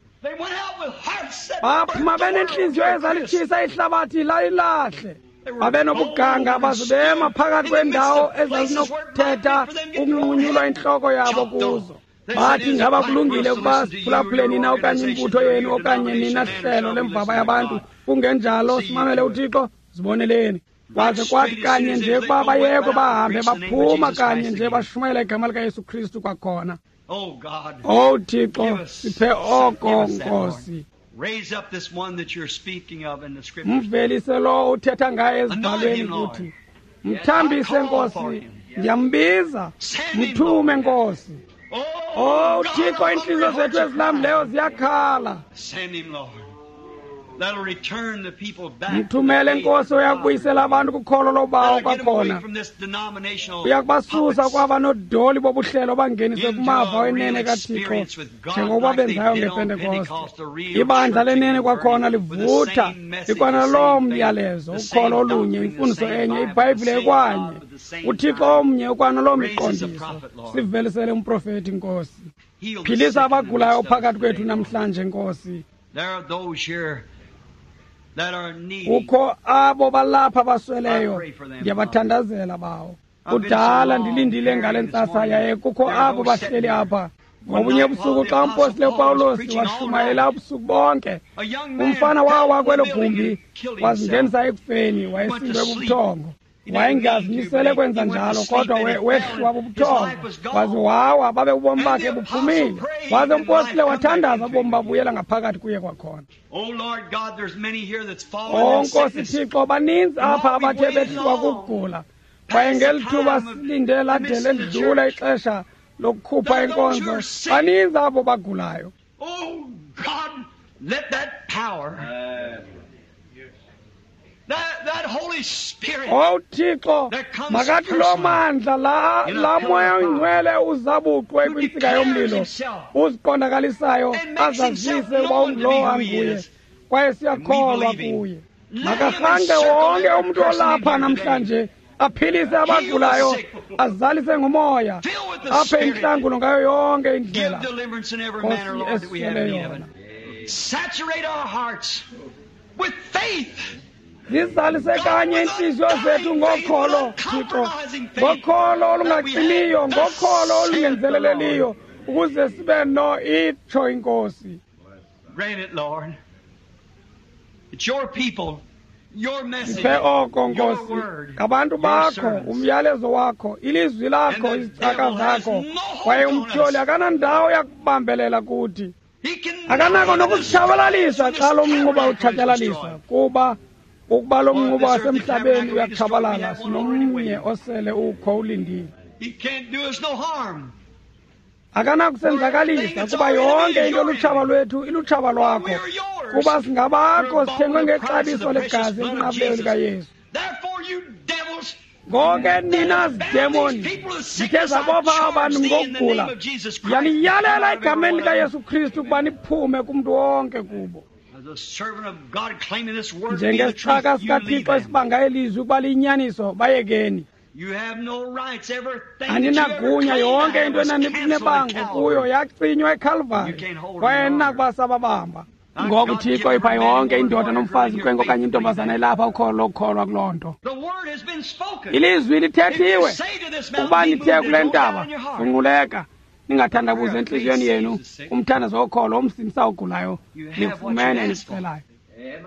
Baphuma benentliziyo ezalitshisa ihlabathi lalilahle. Babenobuganga baze bema phakathi kweendawo ezazinokuthetha ukunqunyulwa intloko yabo kuzo. Bathi, ngaba kulungile ukuba siphulaphule nina okanye imbutho yenu okanye nina hlelo lemvaba yabantu, kungenjalo simamele uThixo, ziboneleni. Kwaze kwathi kanye nje ukuba bayekwe bahambe, baphuma kanye nje bashumayela igama likaYesu Kristu kwakhona. Owu Thixo, siphe oko, Nkosi. Mvelise lowo uthetha ngaye ezibhalweni kuthi, mthambise, Nkosi, ndiyambiza, mthume, Nkosi. Oh Thixo, iintliziyo zethu ezilambileyo ziyakhala. Mthumele, Nkosi, uyakubuyisela abantu kukholo lobawo kwakhona. Uyakubasusa kwaba nodoli bobuhlelo bangenise kumava wenene kaThixo, njengokuba benzayo ngePentekoste. Ibandla lenene kwakhona livutha likwanaloo myalezo, ukholo olunye, imfundiso enye, iBhayibhile ekwanye, uThixo omnye ukwanaloo miqondiso. Sivelisele umprofethi, Nkosi. Philisa abagulayo phakathi kwethu namhlanje, Nkosi. Kukho abo balapha basweleyo, ndiyabathandazela bawo. Kudala ndilindile ngale ntsasa, yaye kukho abo bahleli apha. Ngobunye ubusuku xa umpostile uPawulos washumayela ubusuku bonke, umfana wawa kwelo gumbi wazingenisa ekufeni, wayesindwe bubuthongo. Wayengazimisele kwenza njalo, kodwa wehliwa bubuthongo waze wawa, babe ubomi bakhe buphumile. Waze umpostile wathandaza, ubomi babuyela ngaphakathi kuye kwakhona. O Nkosi Thixo, baninzi apha abathe behliwa kukugula, kwaye ngeli thuba silinde lade ledlula ixesha lokukhupha inkonzo, baninzi abo bagulayo. Oh God, let that power Owu Thixo, makathi loo mandla la laa moya oyingcwele uzabuqwe kwintsika yomlilo uziqondakalisayo azazise uba ungulowo anguye, kwaye siyakholwa kuye. Makarhange wonke umntu olapha namhlanje, aphilise abagulayo, azalise ngomoya, aphe intlangulo ngayo yonke indlela Nkosi esiswele yona. Zizalise kanye iintliziyo zethu ngokholo, Thixo, ngokholo olungacimiyo, ngokholo olungenzeleleliyo, ukuze sibe no itsho iNkosi. Siphe oko, Nkosi, ngabantu bakho, umyalezo wakho, ilizwi lakho, izicaka zakho, kwaye umtyholi akanandawo yakubambelela kuthi. Akanako nokusitshabalalisa xa lo mnquba utshatyalaliswa, kuba ukuba lo mnquba wasemhlabeni uyatshabalala, sinomnye osele ukho ulindile. Akanakusenzakalisa, kuba yonke into lutshaba lwethu ilutshaba lwakho, kuba singabakho, sithengwe ngexabiso legazi elinqabileyo likaYesu. Ngoke nina zidemoni zithe zabopha abantu ngokugula, ndiyaniyalela egameni likaYesu Kristu ukuba niphume kumntu wonke kubo. Njengesicaka sikaThixo esibanga elizwi ukuba liyinyaniso, bayekeni. Aninagunya, yonke into enaninebango kuyo yacinywa eKhalvari, kwaye ninakuba sababamba. Ngoku Thixo ipha yonke indoda nomfazi, inkwenkwe okanye intombazana elapha ukholo lokukholwa kuloo nto. Ilizwi lithethiwe, ukuba nithe kule ntaba, funquleka, ningathandabuzi entliziyweni yenu, umthandazo wokholo umsindisa ogulayo, nifumene enikucelayo.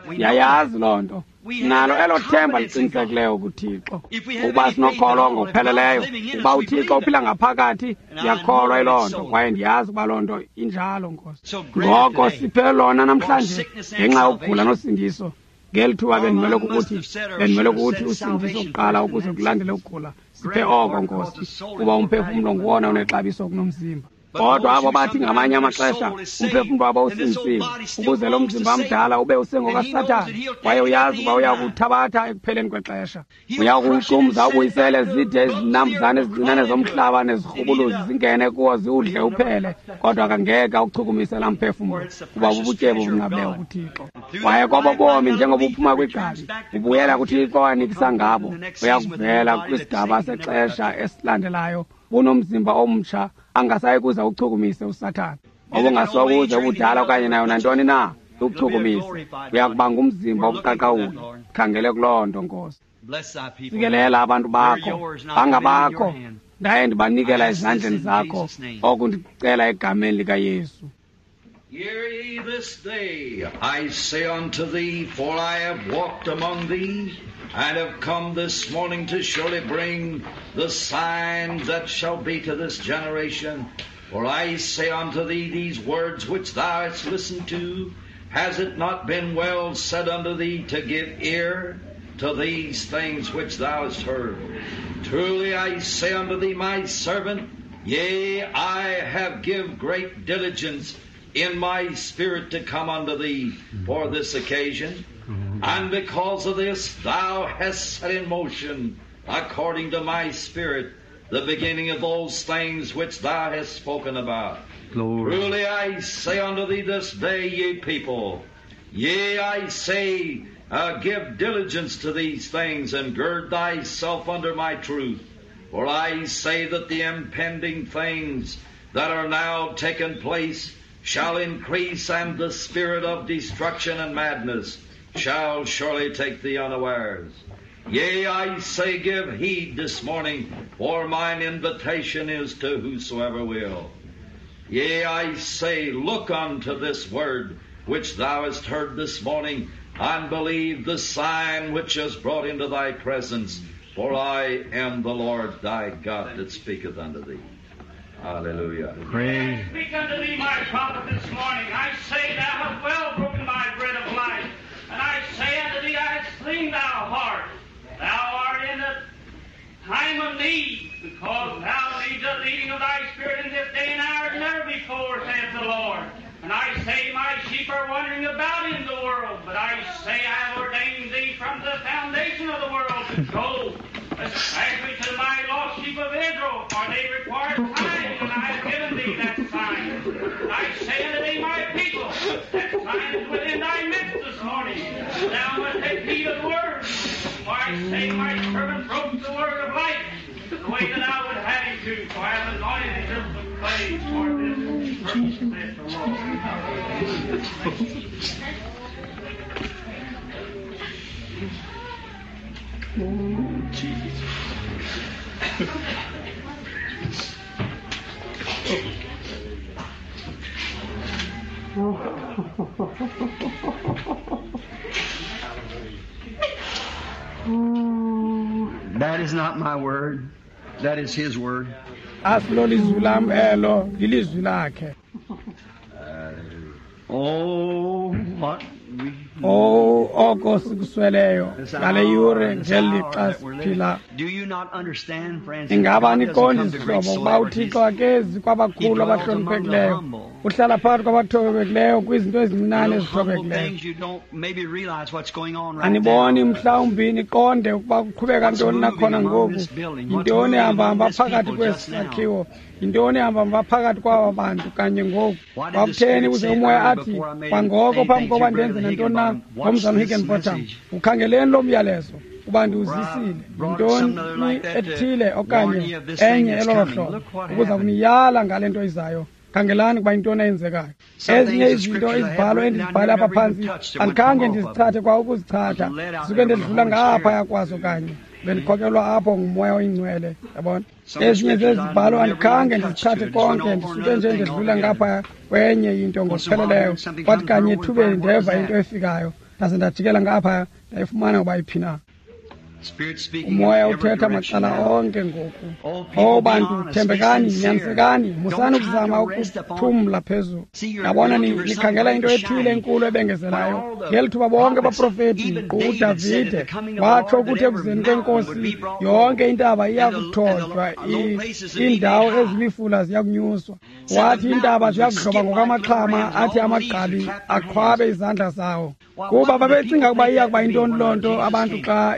Siyayazi loo nto. Nalo elo themba liqinisekileyo kuThixo. Ukuba sinokholo ngokupheleleyo, ukuba uThixo uphila ngaphakathi, siyakholwa yiloo nto, kwaye ndiyazi ukuba loo nto injalo, Nkosi. Ngoko siphe lona namhlanje ngenxa yokugula nosindiso. Ngeli thuba bendimele kukuthi, bendimele kukuthi usindiso kuqala ukuze kulandele ukugula. Siphe oko, Nkosi, kuba umphefumlo nguwona unexabiso kunomzimba. Kodwa abo bathi ngamanye amaxesha umphefumlo wabo usindisiwe, ukuze lo mzimba mdala ube usengokaSathane, kwaye uyazi uba uya kuthabatha ekupheleni kwexesha. Uya kuwuqumza ubuyisele zide izinambuzane ezincinane zomhlaba nezirhubuluzi zingene kuwo ziwudle uphele, kodwa akangeke awuchukumise laa mphefumlo, kuba bubutyebi obunqabileyo kuThixo. Kwaye kobo bomi njengoba uphuma kwigqabi ubuyela kuThixo anikisa ngabo, uya kuvela kwisigaba sexesha esilandelayo bunomzimba omtsha angasayi kuza uchukumise uSathane. Obungasokuze ubudala okanye nayo nantoni na uchukumise, uya kuba ngumzimba obuqaqawuli. Khangele kuloo nto, Nkosi. Sikelela abantu bakho, bangabakho, ndaye ndibanikela ezandleni zakho, oku ndicela egameni likaYesu. Hear ye this day, I say unto thee, for I have walked among thee, and have come this morning to surely bring the sign that shall be to this generation. For I say unto thee, these words which thou hast listened to, has it not been well said unto thee to give ear to these things which thou hast heard? Truly I say unto thee, my servant, yea, I have give great diligence in my spirit to come unto thee for this occasion. And because of this thou hast set in motion, according to my spirit, the beginning of those things which thou hast spoken about. Glory. Truly I say unto thee this day, ye people, yea, I say, uh, give diligence to these things, and gird thyself under my truth. For I say that the impending things that are now taken place shall increase, and the spirit of destruction and madness shall surely take thee unawares. Yea, I say, give heed this morning, for mine invitation is to whosoever will. Yea, I say, look unto this word which thou hast heard this morning, and believe the sign which is brought into thy presence, for I am the Lord thy God that speaketh unto thee. Hallelujah. Praise. I speak unto thee, my prophet, this morning. I say, thou hast well broken my bread of life. And I say unto thee, I have seen thou heart. Thou art in the time of need, because thou needest the leading of thy spirit in this day and hour as never before, saith the Lord. And I say, my sheep are wandering about in the world, but I say, I have ordained thee from from the foundation of the world to go, especially to my lost sheep of Israel, for they require signs, and I have given thee that sign. I say unto thee, my people, that sign is within thy midst this morning. Thou must take heed of the word, for I say my servant broke the word of life, the way that I would have him to, for I have anointed him with clay for this purpose, saith the Lord. Oh, Jesus. That is not my word. That is his word. Asilolizwi lam elo, lilizwi lakhe. Oh, what we Oh, oko sikusweleyo ngale yure ngeli lixa siphila. Do you not understand, friends? Ingaba niqondi zihlobo ukuba uThixo akezi kwabakhulu abahloniphekileyo, uhlala phakathi kwabathobekileyo kwizinto ezincinane ezithobekileyo. Aniboni mhlawumbi niqonde ukuba kuqhubeka ntoni nakhona ngoku, yintoni ehambahamba phakathi kwesi sakhiwo, yintoni ehambahamba phakathi kwaba bantu kanye ngoku. Kwakutheni ukuze umoya athi kwangoko phambi koba ndenze nantoni na ngomzana Higginbotham, ukhangeleni lo myalezo kuba ndiwuzisile, yintoni ethile okanye enye elolo hlobo ukuza kuniyala ngale nto izayo. Khangelani kuba yintoni eyenzekayo. Ezinye izinto izibhalo endizibhale apha phantsi andikhange ndizithathe kwa ukuzichatha, suke ndidlula ngaphaya kwazo kanye bendikhokelwa apho ngumoya oyingcwele, yabona. Ezinye zezibhalo andikhange ndizithathe konke, ndisuke nje ndidlula ngaphaya kwenye into ngokupheleleyo. Kwathi kanye ethubeni ndeva into efikayo, ndaze ndajikela ngaphaya ndayifumana ukuba iphi na. Umoya uthetha macala onke ngoku. Oh bantu, thembekani, nyanisekani, musani ukuzama ukuthumla phezulu. Yabona, nikhangela into ethile enkulu ebengezelayo. Ngeli thuba bonke abaprofeti, nkqu uDavide watsho ukuthi ekuzeni kwenkosi yonke intaba iyakuthotywa, iindawo ezimifula ziyakunyuswa. Wathi iintaba ziyakudloba ngokwamaxhama, athi amagqabi aqhwabe izandla zawo. Kuba babecinga ukuba iya kuba yintoni loo nto abantu xa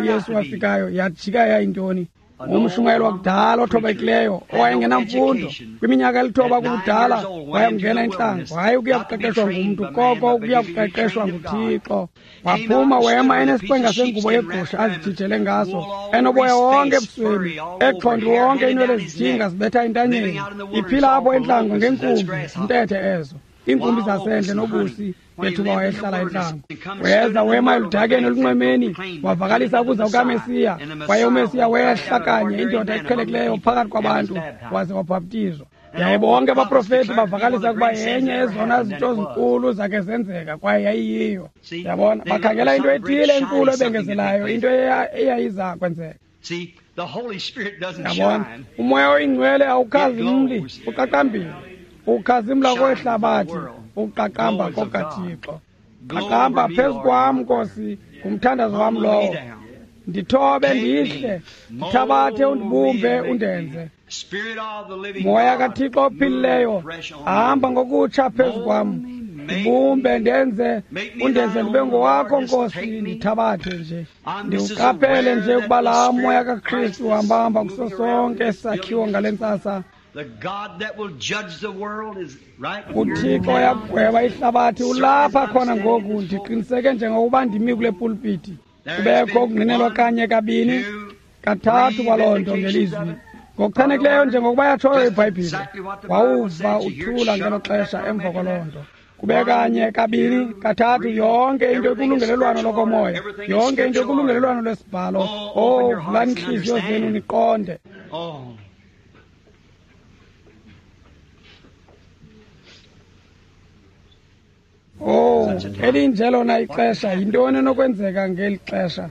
uYesu wafikayo, yajika yayintoni? Ngumshumayeli wakudala othobekileyo owayengenamfundo. Kwiminyaka elithoba kubudala wayakungena entlango, hayi ukuya kuqeqeshwa ngumntu, koko ukuya kuqeqeshwa nguThixo. Waphuma wema enesiqwenga sengubo yegusha azijijele ngaso, enoboya wonke ebusweni, exhonti wonke iinwele zijinga zibetha entanyeni, iphila apho entlango ngeenkumbi zintethe ezo, iinkumbi zasendle nobusi ngethuba wayehlala entlango. Weza wema eludakeni olunxwemeni, wavakalisa ukuza kukaMesiya, kwaye uMesiya wehla kanye, indoda eqhelekileyo phakathi kwabantu, waze wabhaptizwa. Yaye bonke abaprofeti bavakalisa ukuba yenye ezona zinto zinkulu zakhe zenzeka, kwaye yayiyiyo. Yabona, bakhangela into ethile enkulu ebengezelayo, into eyayiza kwenzeka. Yabona, umoya oyingcwele awukhazimli, uqaqambile. Ukhazimla kwehlabathi, uqaqamba kokaThixo. Qaqamba phezu kwam, Nkosi, ngumthandazo wam lowo. Ndithobe ndihle, ndithabathe undibumbe undenze. Moya kaThixo ophilileyo, hamba ngokutsha phezu kwam. Ndibumbe ndenze, undenze ndibe ngowakho, Nkosi, ndithabathe nje. Ndiwuqaphele nje ukuba laa moya kaKristu uhambahamba kuso sonke esakhiwo ngale ntsasa. uThixo uyakugweba ihlabathi ulapha khona ngoku. Ndiqiniseke njengokuba ndimi kule pulpiti, kubekho ukungqinelwa kanye, kabini, kathathu kwaloo nto ngelizwi ngokuchanekileyo njengokuba yatshoyo iBhayibhile. Wawuva uthula ngelo xesha emva kwaloo nto. Kube kanye, kabini, kathathu, yonke into ikulungelelwano lokomoya, yonke into ikulungelelwano lwesibhalo. Oh, vulani iintliziyo zenu niqonde. Oh, elinje lona ixesha, yintoni enokwenzeka ngeli xesha?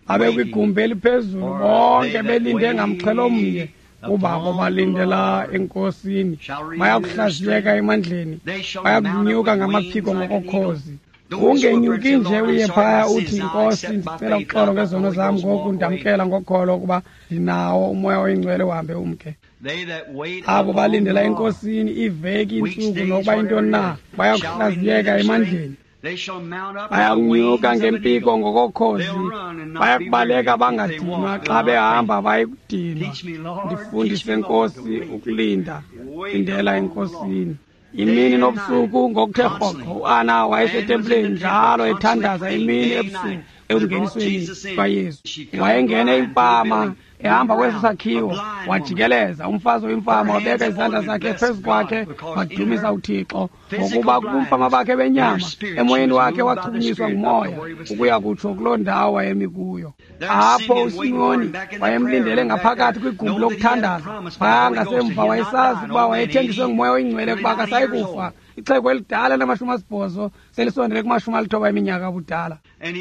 Abe kwigumbi eliphezulu bonke belinde ngamxhelo omnye, kuba abo balindela enkosini bayakuhlaziyeka emandleni, bayakunyuka ngamaphiko ngokokhozi. Ungenyuki nje uye phaya uthi, Nkosi, ndicela uxolo ngezono zam ngoku, ndamkela ngokholo ukuba ndinawo umoya oyingcwele, uhambe umke. Abo balindela enkosini iiveki, iintsuku, nokuba yintoni na, bayakuhlaziyeka emandleni. Bayakunyuka ngempiko ngokokhozi, bayakubaleka bangadinwa, xa behamba bayikudinwa. Ndifundise Nkosi ukulinda, lindela eNkosini. Imini nobusuku ngokuthe rhoqo uAna wayesetempileni njalo ethandaza imini ebusuku ekungenisweni kwaYesu. Wayengene imfama ehamba kwesi sakhiwo, wajikeleza umfazi oyimfama, wabeka izandla zakhe phezu kwakhe, wadumisa uThixo ngokuba kubumfama bakhe benyama emoyeni wakhe wachukunyiswa ngumoya ukuya kutsho kuloo ndawo wayemi kuyo. Apho uSimoni wayemlindele ngaphakathi kwigumbi lokuthandaza phaya ngasemva. Wayesazi ukuba wayethenjiswe ngumoya oyingcwele ukuba akasayi kufa. Ixhego elidala lamashumi asibhozo selisondele kumashumi alithoba eminyaka ubudala.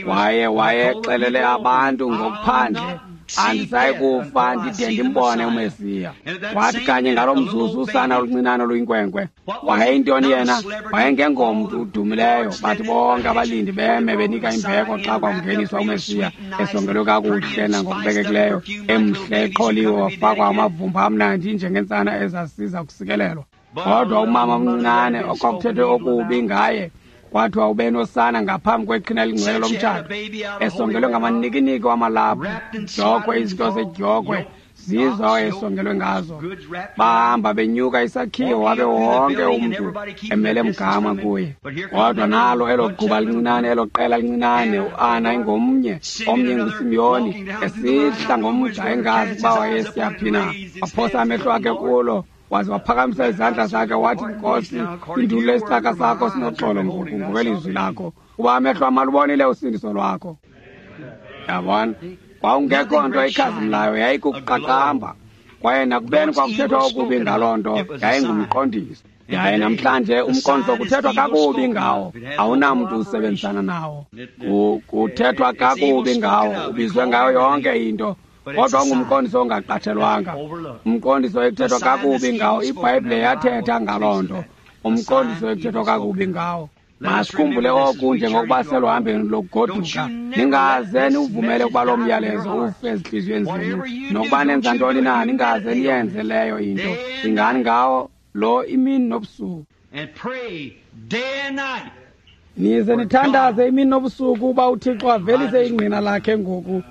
Waye wayexelele abantu ngokuphandle, andisayi kufa ndide ndimbone uMesiya. Wathi kanye ngalo mzuzu usana oluncinane oluyinkwenkwe. Wayeyintoni yena? Wayengengomntu udumileyo. Bathi bonke abalindi beme benika imbeko xa kwakungeniswa uMesiya, esongelwe kakuhle nangokubekekileyo, emhle, eqholiwe, wafakwa amavumba amnandi njengentsana ezasiza kusikelelwa. Kodwa umama omncinane okwakuthethwe okubi ngaye, kwathiwa ube nosana ngaphambi kweqhina elingcwele lomtshato, esongelwe ngamanikiniki wamalaphu, dyokhwe, izinto zedyokhwe zizo awayesongelwe ngazo. Bahamba benyuka isakhiwo, wabe wonke umntu emele mgama kuye. Kodwa nalo elo quba lincinane, elo qela lincinane, uAna ingomnye, omnye nguSimiyoni, esihla ngomgca engazi ukuba wayesiya phi na. Waphosa amehlo akhe kulo, waze waphakamisa izandla zakhe wathi, Nkosi, indulule isicaka sakho sinoxolo ngoku ngokwelizwi lakho, kuba amehlo am alubonile usindiso lwakho. Yabona, kwawungekho nto ikhazimlayo, yayikukuqaqamba. Kwaye nakubeni kwakuthethwa okubi ngaloo nto, yayingumqondiso. Yaye namhlanje umqondiso kuthethwa kakubi ngawo, awunamntu usebenzisana nawo. Kuthethwa kakubi ngawo, ubizwe ngayo yonke into. Kodwa ungumqondiso ongaqatshelwanga, umqondiso ekuthethwa kakubi ngawo. IBhayibhile yathetha ngaloo nto, umqondiso ekuthethwa kakubi ngawo. Masikhumbule oku njengokuba seluhambeni lokugoduka. Ningaze niwuvumele ukuba loo myalezo ufe ezintliziyweni zenu. Nokuba nenza ntoni na, ningaze niyenze leyo into. Cingani ngawo lo imini nobusuku. Nize nithandaze imini nobusuku uba uThixo avelise ingqina lakhe ngoku.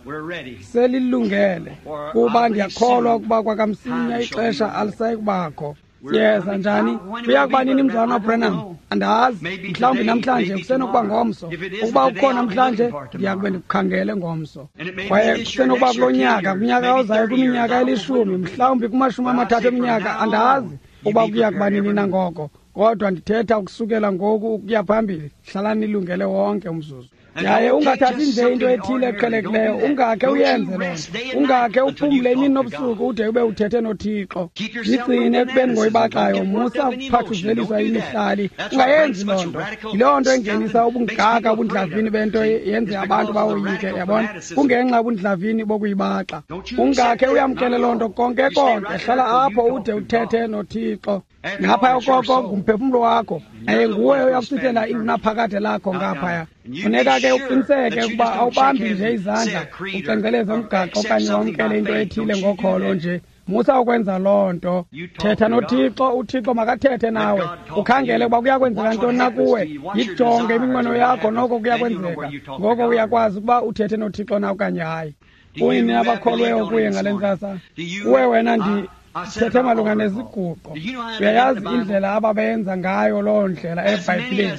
Selilungele, kuba ndiyakholwa ukuba kwakamsinya ixesha alisayi kubakho. Siyeza njani? Kuya kuba nini, mzalwana Branham? Andazi. Mhlawumbi namhlanje, kusenokuba ngomso. Ukuba ukho namhlanje, ndiya kube ndikukhangele ngomso. Kwaye kusenokuba kulo nyaka, kunyaka ozayo, kwiminyaka elishumi, mhlawumbi kumashumi amathathu eminyaka, andazi ukuba kuya kuba nini nangoko. Kodwa ndithetha ukusukela ngoku ukuya phambili, hlalani nilungele wonke umzuzu. Yaye ungathathi nje into ethile eqhelekileyo, ungakhe uyenze loo nto. Ungakhe uphumle imini nobusuku ude ube uthethe noThixo. Zigcine ekubeni ngoyibaxayo, musa ukuphathuzeliswa imihlali. Ungayenzi loo nto. Yiloo nto engenisa ubungaka ubundlavini bento yenze abantu bawoyike, yabona? Kungenxa yobundlavini bokuyibaxa. Ungakhe uyamkele loo nto konke konke. Hlala apho ude uthethe noThixo. Ngaphaya koko ngumphefumlo wakho, yaye nguwe oyakuchithela ingunaphakade lakho ngaphaya. Funeka ke uqiniseke ukuba awubambi nje izandla ucengceleze umgaqo okanye wamkele into ethile ngokholo nje. Musa ukwenza loo nto. Thetha noThixo, uThixo makathethe nawe. Ukhangele ukuba kuyakwenzeka ntoni na kuwe. Yijonge iminqweno yakho, noko kuyakwenzeka. Ngoko uyakwazi ukuba uthethe noThixo na okanye hayi. Kuyini abakholweyo kuye ngale ntsasa? Kuwe wena ndi thethe malunga neziguqo. Uyayazi indlela ababenza ngayo loo ndlela eBhayibhileni.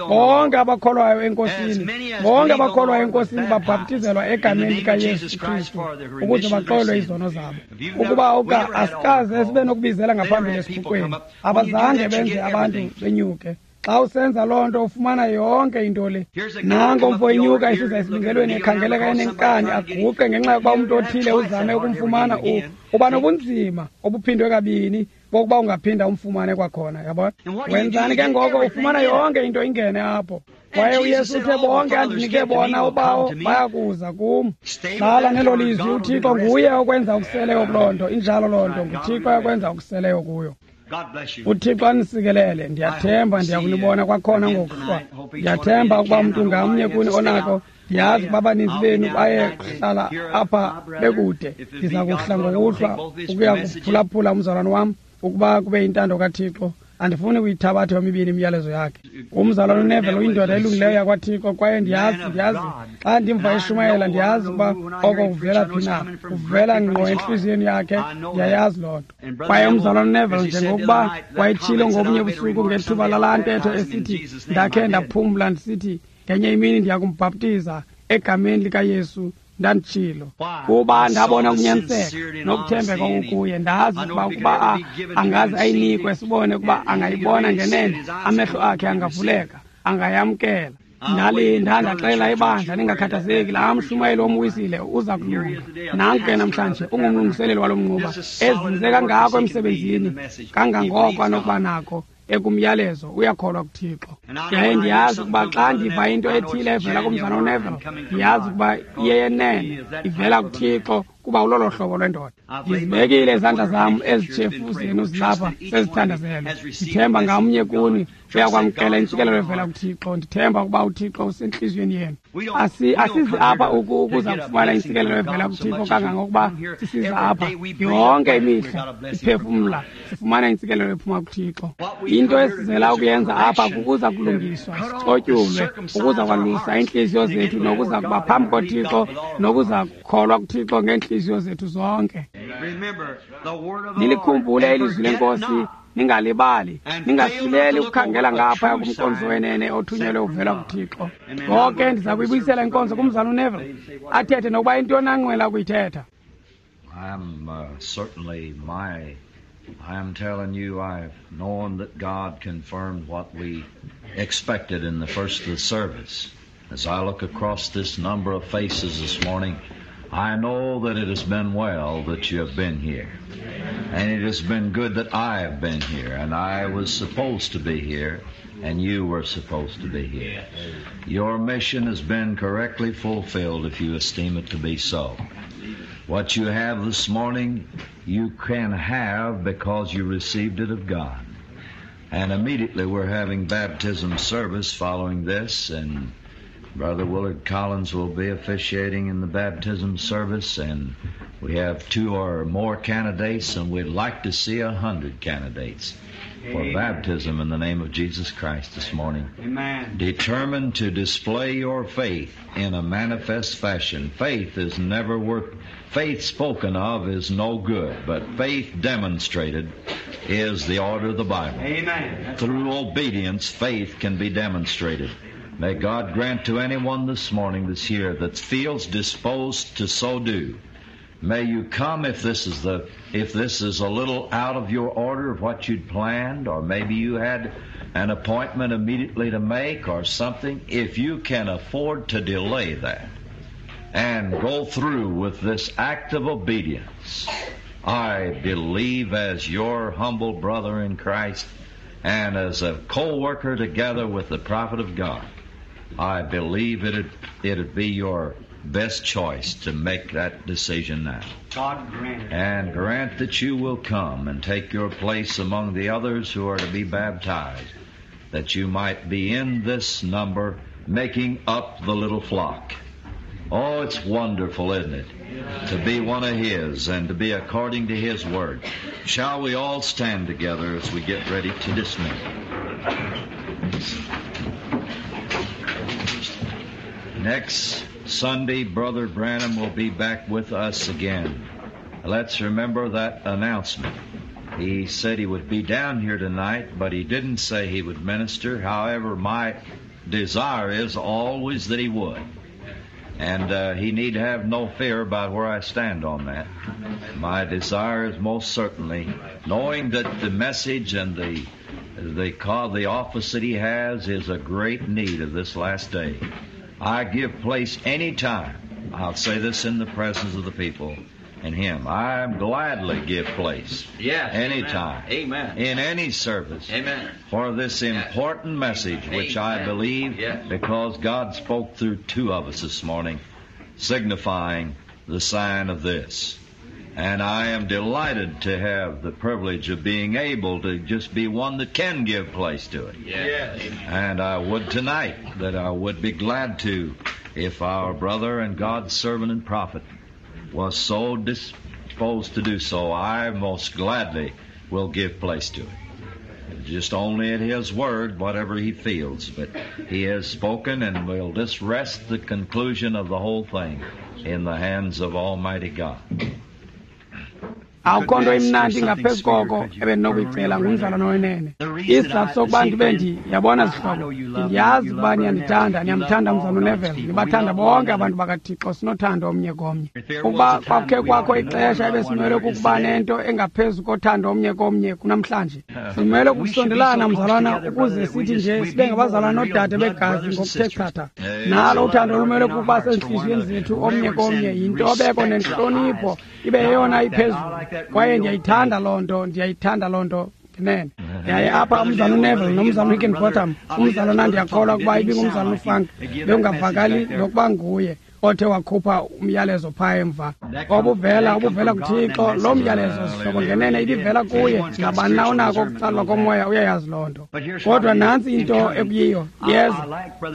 Bonke abakholwayo eNkosini, bonke abakholwayo eNkosini babhaptizelwa egameni likaYesu Kristu ukuze baxolelwe izono zabo. Ukuba uka asikaze sibe nokubizela ngaphambili esiguqweni, abazange benze abantu benyuke. Xa usenza loo nto ufumana yonke into le. Nanko umfo enyuka esiza esibingelweni ekhangeleka enenkani, aguqe ngenxa yokuba umntu othile uzame ukumfumana. Uba nobunzima obuphindwe kabini bokuba ungaphinda umfumane kwakhona, yabona? Wenzani ke ngoko? Ufumana yonke into ingene apho. Kwaye uYesu uthe, bonke andinike bona uBawo bayakuza kum. Hlala nelo lizwi. uThixo nguye okwenza okuseleyo kuloo nto. Injalo loo nto, nguThixo okwenza okuseleyo kuyo. uThixo anisikelele. Ndiyathemba ndiyakunibona kwakhona ngokuhlwa. Ndiyathemba ukuba umntu ngamnye kuni onako. Ndiyazi ukuba abaninzi benu baye kuhlala apha bekude. Ndiza kuhla ngokuhlwa ukuya kuphulaphula umzalwane wam, ukuba kube yintando kaThixo. Andifuni kuyithabatha yomibini imiyalezo yakhe. Umzalwana uNeville uyindoda elungileyo yakwaThixo, kwaye ndiyazi ndiyazi xa ndimva eshumayela, ndiyazi ukuba oko kuvela phi na, kuvela ngqo entliziyweni yakhe, ndiyayazi loo nto. Kwaye umzalwana uNeville, njengokuba wayetshilo ngobunye busuku ngethuba lalaa ntetho esithi ndakhe ndaphumla ndisithi ngenye imini ndiyakumbhaptiza egameni likaYesu, ndanditshilo kuba ndabona ukunyaniseka nokuthembeka okukuye. Ndazi ukuba ukuba angaze ayinikwe, sibone ukuba angayibona ngenene, amehlo akhe angavuleka, angayamkela. Ndalinda, ndaxela ibandla, ningakhathazeki, laa mshumayeli womwisile uza kulunga. Nanku ke namhlanje ungumlungiseleli walo mnquba, ezinze kangako emsebenzini kangangoko anokuba nako ekumyalezo, uyakholwa kuThixo. Yaye ndiyazi ukuba xa ndiva into ethile evela kumzalwana uNeville, ndiyazi ukuba iyeyenene, ivela kuThixo, kuba ulolo hlobo lwendoda. Ndizibekile izandla zam ezitshefu zenu zilapha sezithandazelwe. Ndithemba ngamnye kuni uyakwamkela intsikelelo evela kuThixo. Ndithemba ukuba uThixo usentliziyweni yenu. Asi asizi apha ukuza kufumana intsikelelo evela kuThixo kangangokuba sisiza apha yonke imihla siphefumla sifumana intsikelelo ephuma kuThixo. Into esizela ukuyenza apha kukuza kulungiswa, sicotyulwe, ukuza kwalusa iintliziyo zethu nokuza kuba phambi koThixo nokuza kukholwa kuThixo ngeentliziyo zethu zonke. Nilikhumbule ilizwi lenkosi, ningalibali, ningasileli ukukhangela ngaphaya kumkonzo wenene othunyelwe uvela kuThixo. Ngoke ndiza kuyibuyisela inkonzo kumzalwana uNeville, athethe nokuba intoni anqwela ukuyithetha. I'm uh, certainly my I'm telling you, I've known that God confirmed what we expected in the first of the service. As I look across this number of faces this morning, I know that it has been well that you have been here. And it has been good that I have been here, and I was supposed to be here, and you were supposed to be here. Your mission has been correctly fulfilled if you esteem it to be so. What you have this morning, you can have because you received it of God. And immediately we're having baptism service following this, and Brother Willard Collins will be officiating in the baptism service, and we have two or more candidates, and we'd like to see a hundred candidates for baptism in the name of Jesus Christ this morning. Amen. Determined to display your faith in a manifest fashion. Faith is never worth, faith spoken of is no good, but faith demonstrated is the order of the Bible. Amen. Through obedience, faith can be demonstrated. May God grant to anyone this morning that's here that feels disposed to so do. May you come if this is the if this is a little out of your order of what you'd planned, or maybe you had an appointment immediately to make or something. If you can afford to delay that and go through with this act of obedience, I believe as your humble brother in Christ and as a co-worker together with the prophet of God, I believe it'd, it'd be your best choice to make that decision now. God grant it. And grant that you will come and take your place among the others who are to be baptized, that you might be in this number, making up the little flock. Oh, it's wonderful, isn't it, to be one of His and to be according to His word. Shall we all stand together as we get ready to dismiss? Next Sunday, Brother Branham will be back with us again. Let's remember that announcement. He said he would be down here tonight, but he didn't say he would minister. However, my desire is always that he would. And uh, he need have no fear about where I stand on that. My desire is most certainly, knowing that the message and the the call, the office that he has is a great need of this last day. I give place any time. I'll say this in the presence of the people and him. I gladly give place. Yes. Any time. Amen. In any service. Amen. For this important message, which Amen. I believe, Yes. because God spoke through two of us this morning, signifying the sign of this. And I am delighted to have the privilege of being able to just be one that can give place to it. Yes. And I would tonight that I would be glad to if our brother and God's servant and prophet was so disposed to do so. I most gladly will give place to it. Just only at his word, whatever he feels. But he has spoken, and we'll just rest the conclusion of the whole thing in the hands of Almighty God. Akukho nto imnandi ngaphezu koko ebendinokuyicela ngumzalwana wenene. Isizathu sokuba ndibe ndi yabona zihlobo, ndiyazi ukuba niyandithanda, niyamthanda mzalwana uNeville, nibathanda bonke abantu bakaThixo, sinothando omnye komnye. Ukuba kwakhe kwakho ixesha ebesimele kukuba nento engaphezu kothando omnye komnye kunamhlanje. Simele ukusondelana mzalwana ukuze sithi nje sibe ngabazalwana noodade begazi ngokuthe chatha. Nalo uthando lumele kukuba sezintliziyweni zethu omnye komnye, yintobeko nentlonipho ibe yeyona iphezulu. Kwaye ndiyayithanda loo nto, ndiyayithanda loo nto ngenene. Yaye apha umzalwana uNeville nomzalwana uHigginbotham, umzalwana ndiyakholwa ukuba ibingumzalwana uFrank, bekungavakali nokuba nguye othe wakhupha umyalezo phaa emva. Obuvela, obuvela kuThixo, loo myalezo zihlobo ngenene ibivela kuye. Nabani na unako ukutsalwa komoya uyayazi loo nto. Kodwa nantsi into ekuyiyo, yeza.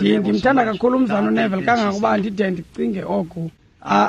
Ndimthanda kakhulu umzalwana uNeville kangangokuba ndide ndicinge oku.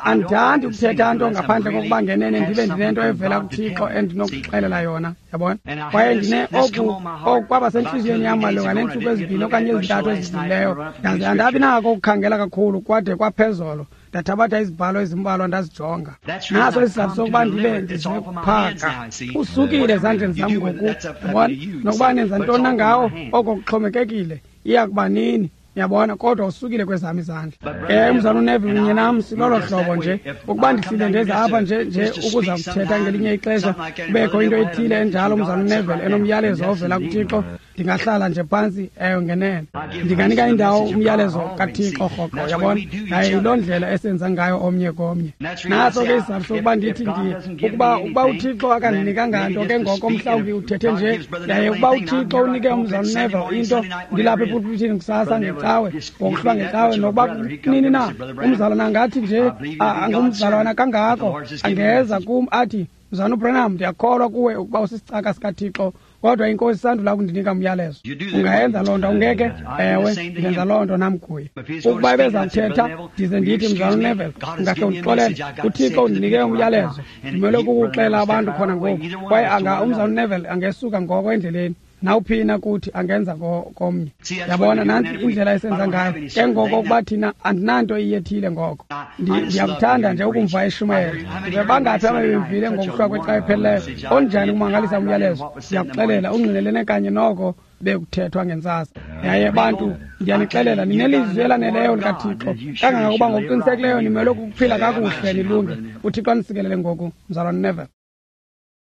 Andithandi ukuthetha nto ngaphandle kokuba ngenene ndibe ndinento evela kuThixo endinokuxelela yona, yabona. Kwaye ndine oku oku kwaba sentliziyweni yam malunga neentsuku ezibini okanye ezintathu ezidlulileyo. Ndaze andabi nako ukukhangela kakhulu kwade kwaphezolo. Ndathabatha izibhalo ezimbalwa ndazijonga. Naso isizathu sokuba ndibe ndizekuphaka. Usukile ezandleni zam ngoku, yabona. Nokuba nenza ntoni na ngawo, oko kuxhomekekile. Iya kuba nini? Yabona, kodwa usukile kwezam izandla. Eh, umzalwana uNeville kunye nam silolo hlobo nje. Ukuba ndihlile ndeza apha nje nje ukuza kuthetha ngelinye ixesha, kubekho into ethile enjalo umzalwana uNeville enomyalezo ovela kuThixo, ndingahlala nje phantsi eyo ngenene. Ndinganika indawo umyalezo kaThixo rhoqo, yabona. Yaye yiloo ndlela esenza ngayo omnye komnye. Naso ke isizathu sokuba ndithi ndi ukuba ukuba uThixo akandinikanga nto ke ngoko mhlawumbi uthethe nje, yaye ukuba uThixo unike umzalwana uNeville into, ndilapha epulpitini kusasa ngecawe, ngokuhlwa ngecawe, nokuba nini na, umzalwana angathi nje angumzalwana kangako, angeza kum athi, Mzalwana uBranham, ndiyakholwa kuwe ukuba usisicaka sikaThixo, kodwa inkosi isandula ukundinika umyalezo. Ungayenza loo nto, ungeke? Ewe, ndenza loo nto nam kuye. Ukuba ebeza kuthetha, ndize ndithi, Mzalwana uNeville, ungakhe undixolele, uThixo undinike umyalezo, ndimele ukuwuxelela abantu khona ngoku. Kwaye anga umzalwana uNeville angesuka ngoko endleleni. Nawuphina kuthi angenza komnye. Yabona, nantsi indlela esenza ngayo. Ke ngoko ukuba thina andinanto iyethile ngoko. Ndiyakuthanda nje ukumva eshumayela. Ndive bangaphi ababemvile ngokuhlwa kwecawa ephelileyo. Onjani ukumangalisa umyalezo. Ndiyakuxelela, ungqinelene kanye noko bekuthethwa ngentsasa. Yaye bantu, ndiyanixelela, ninelizwi elaneleyo likaThixo kangangokuba ngokuqinisekileyo nimele ukuphila kakuhle nilunge. UThixo anisikelele ngoku, mzalwana Neville.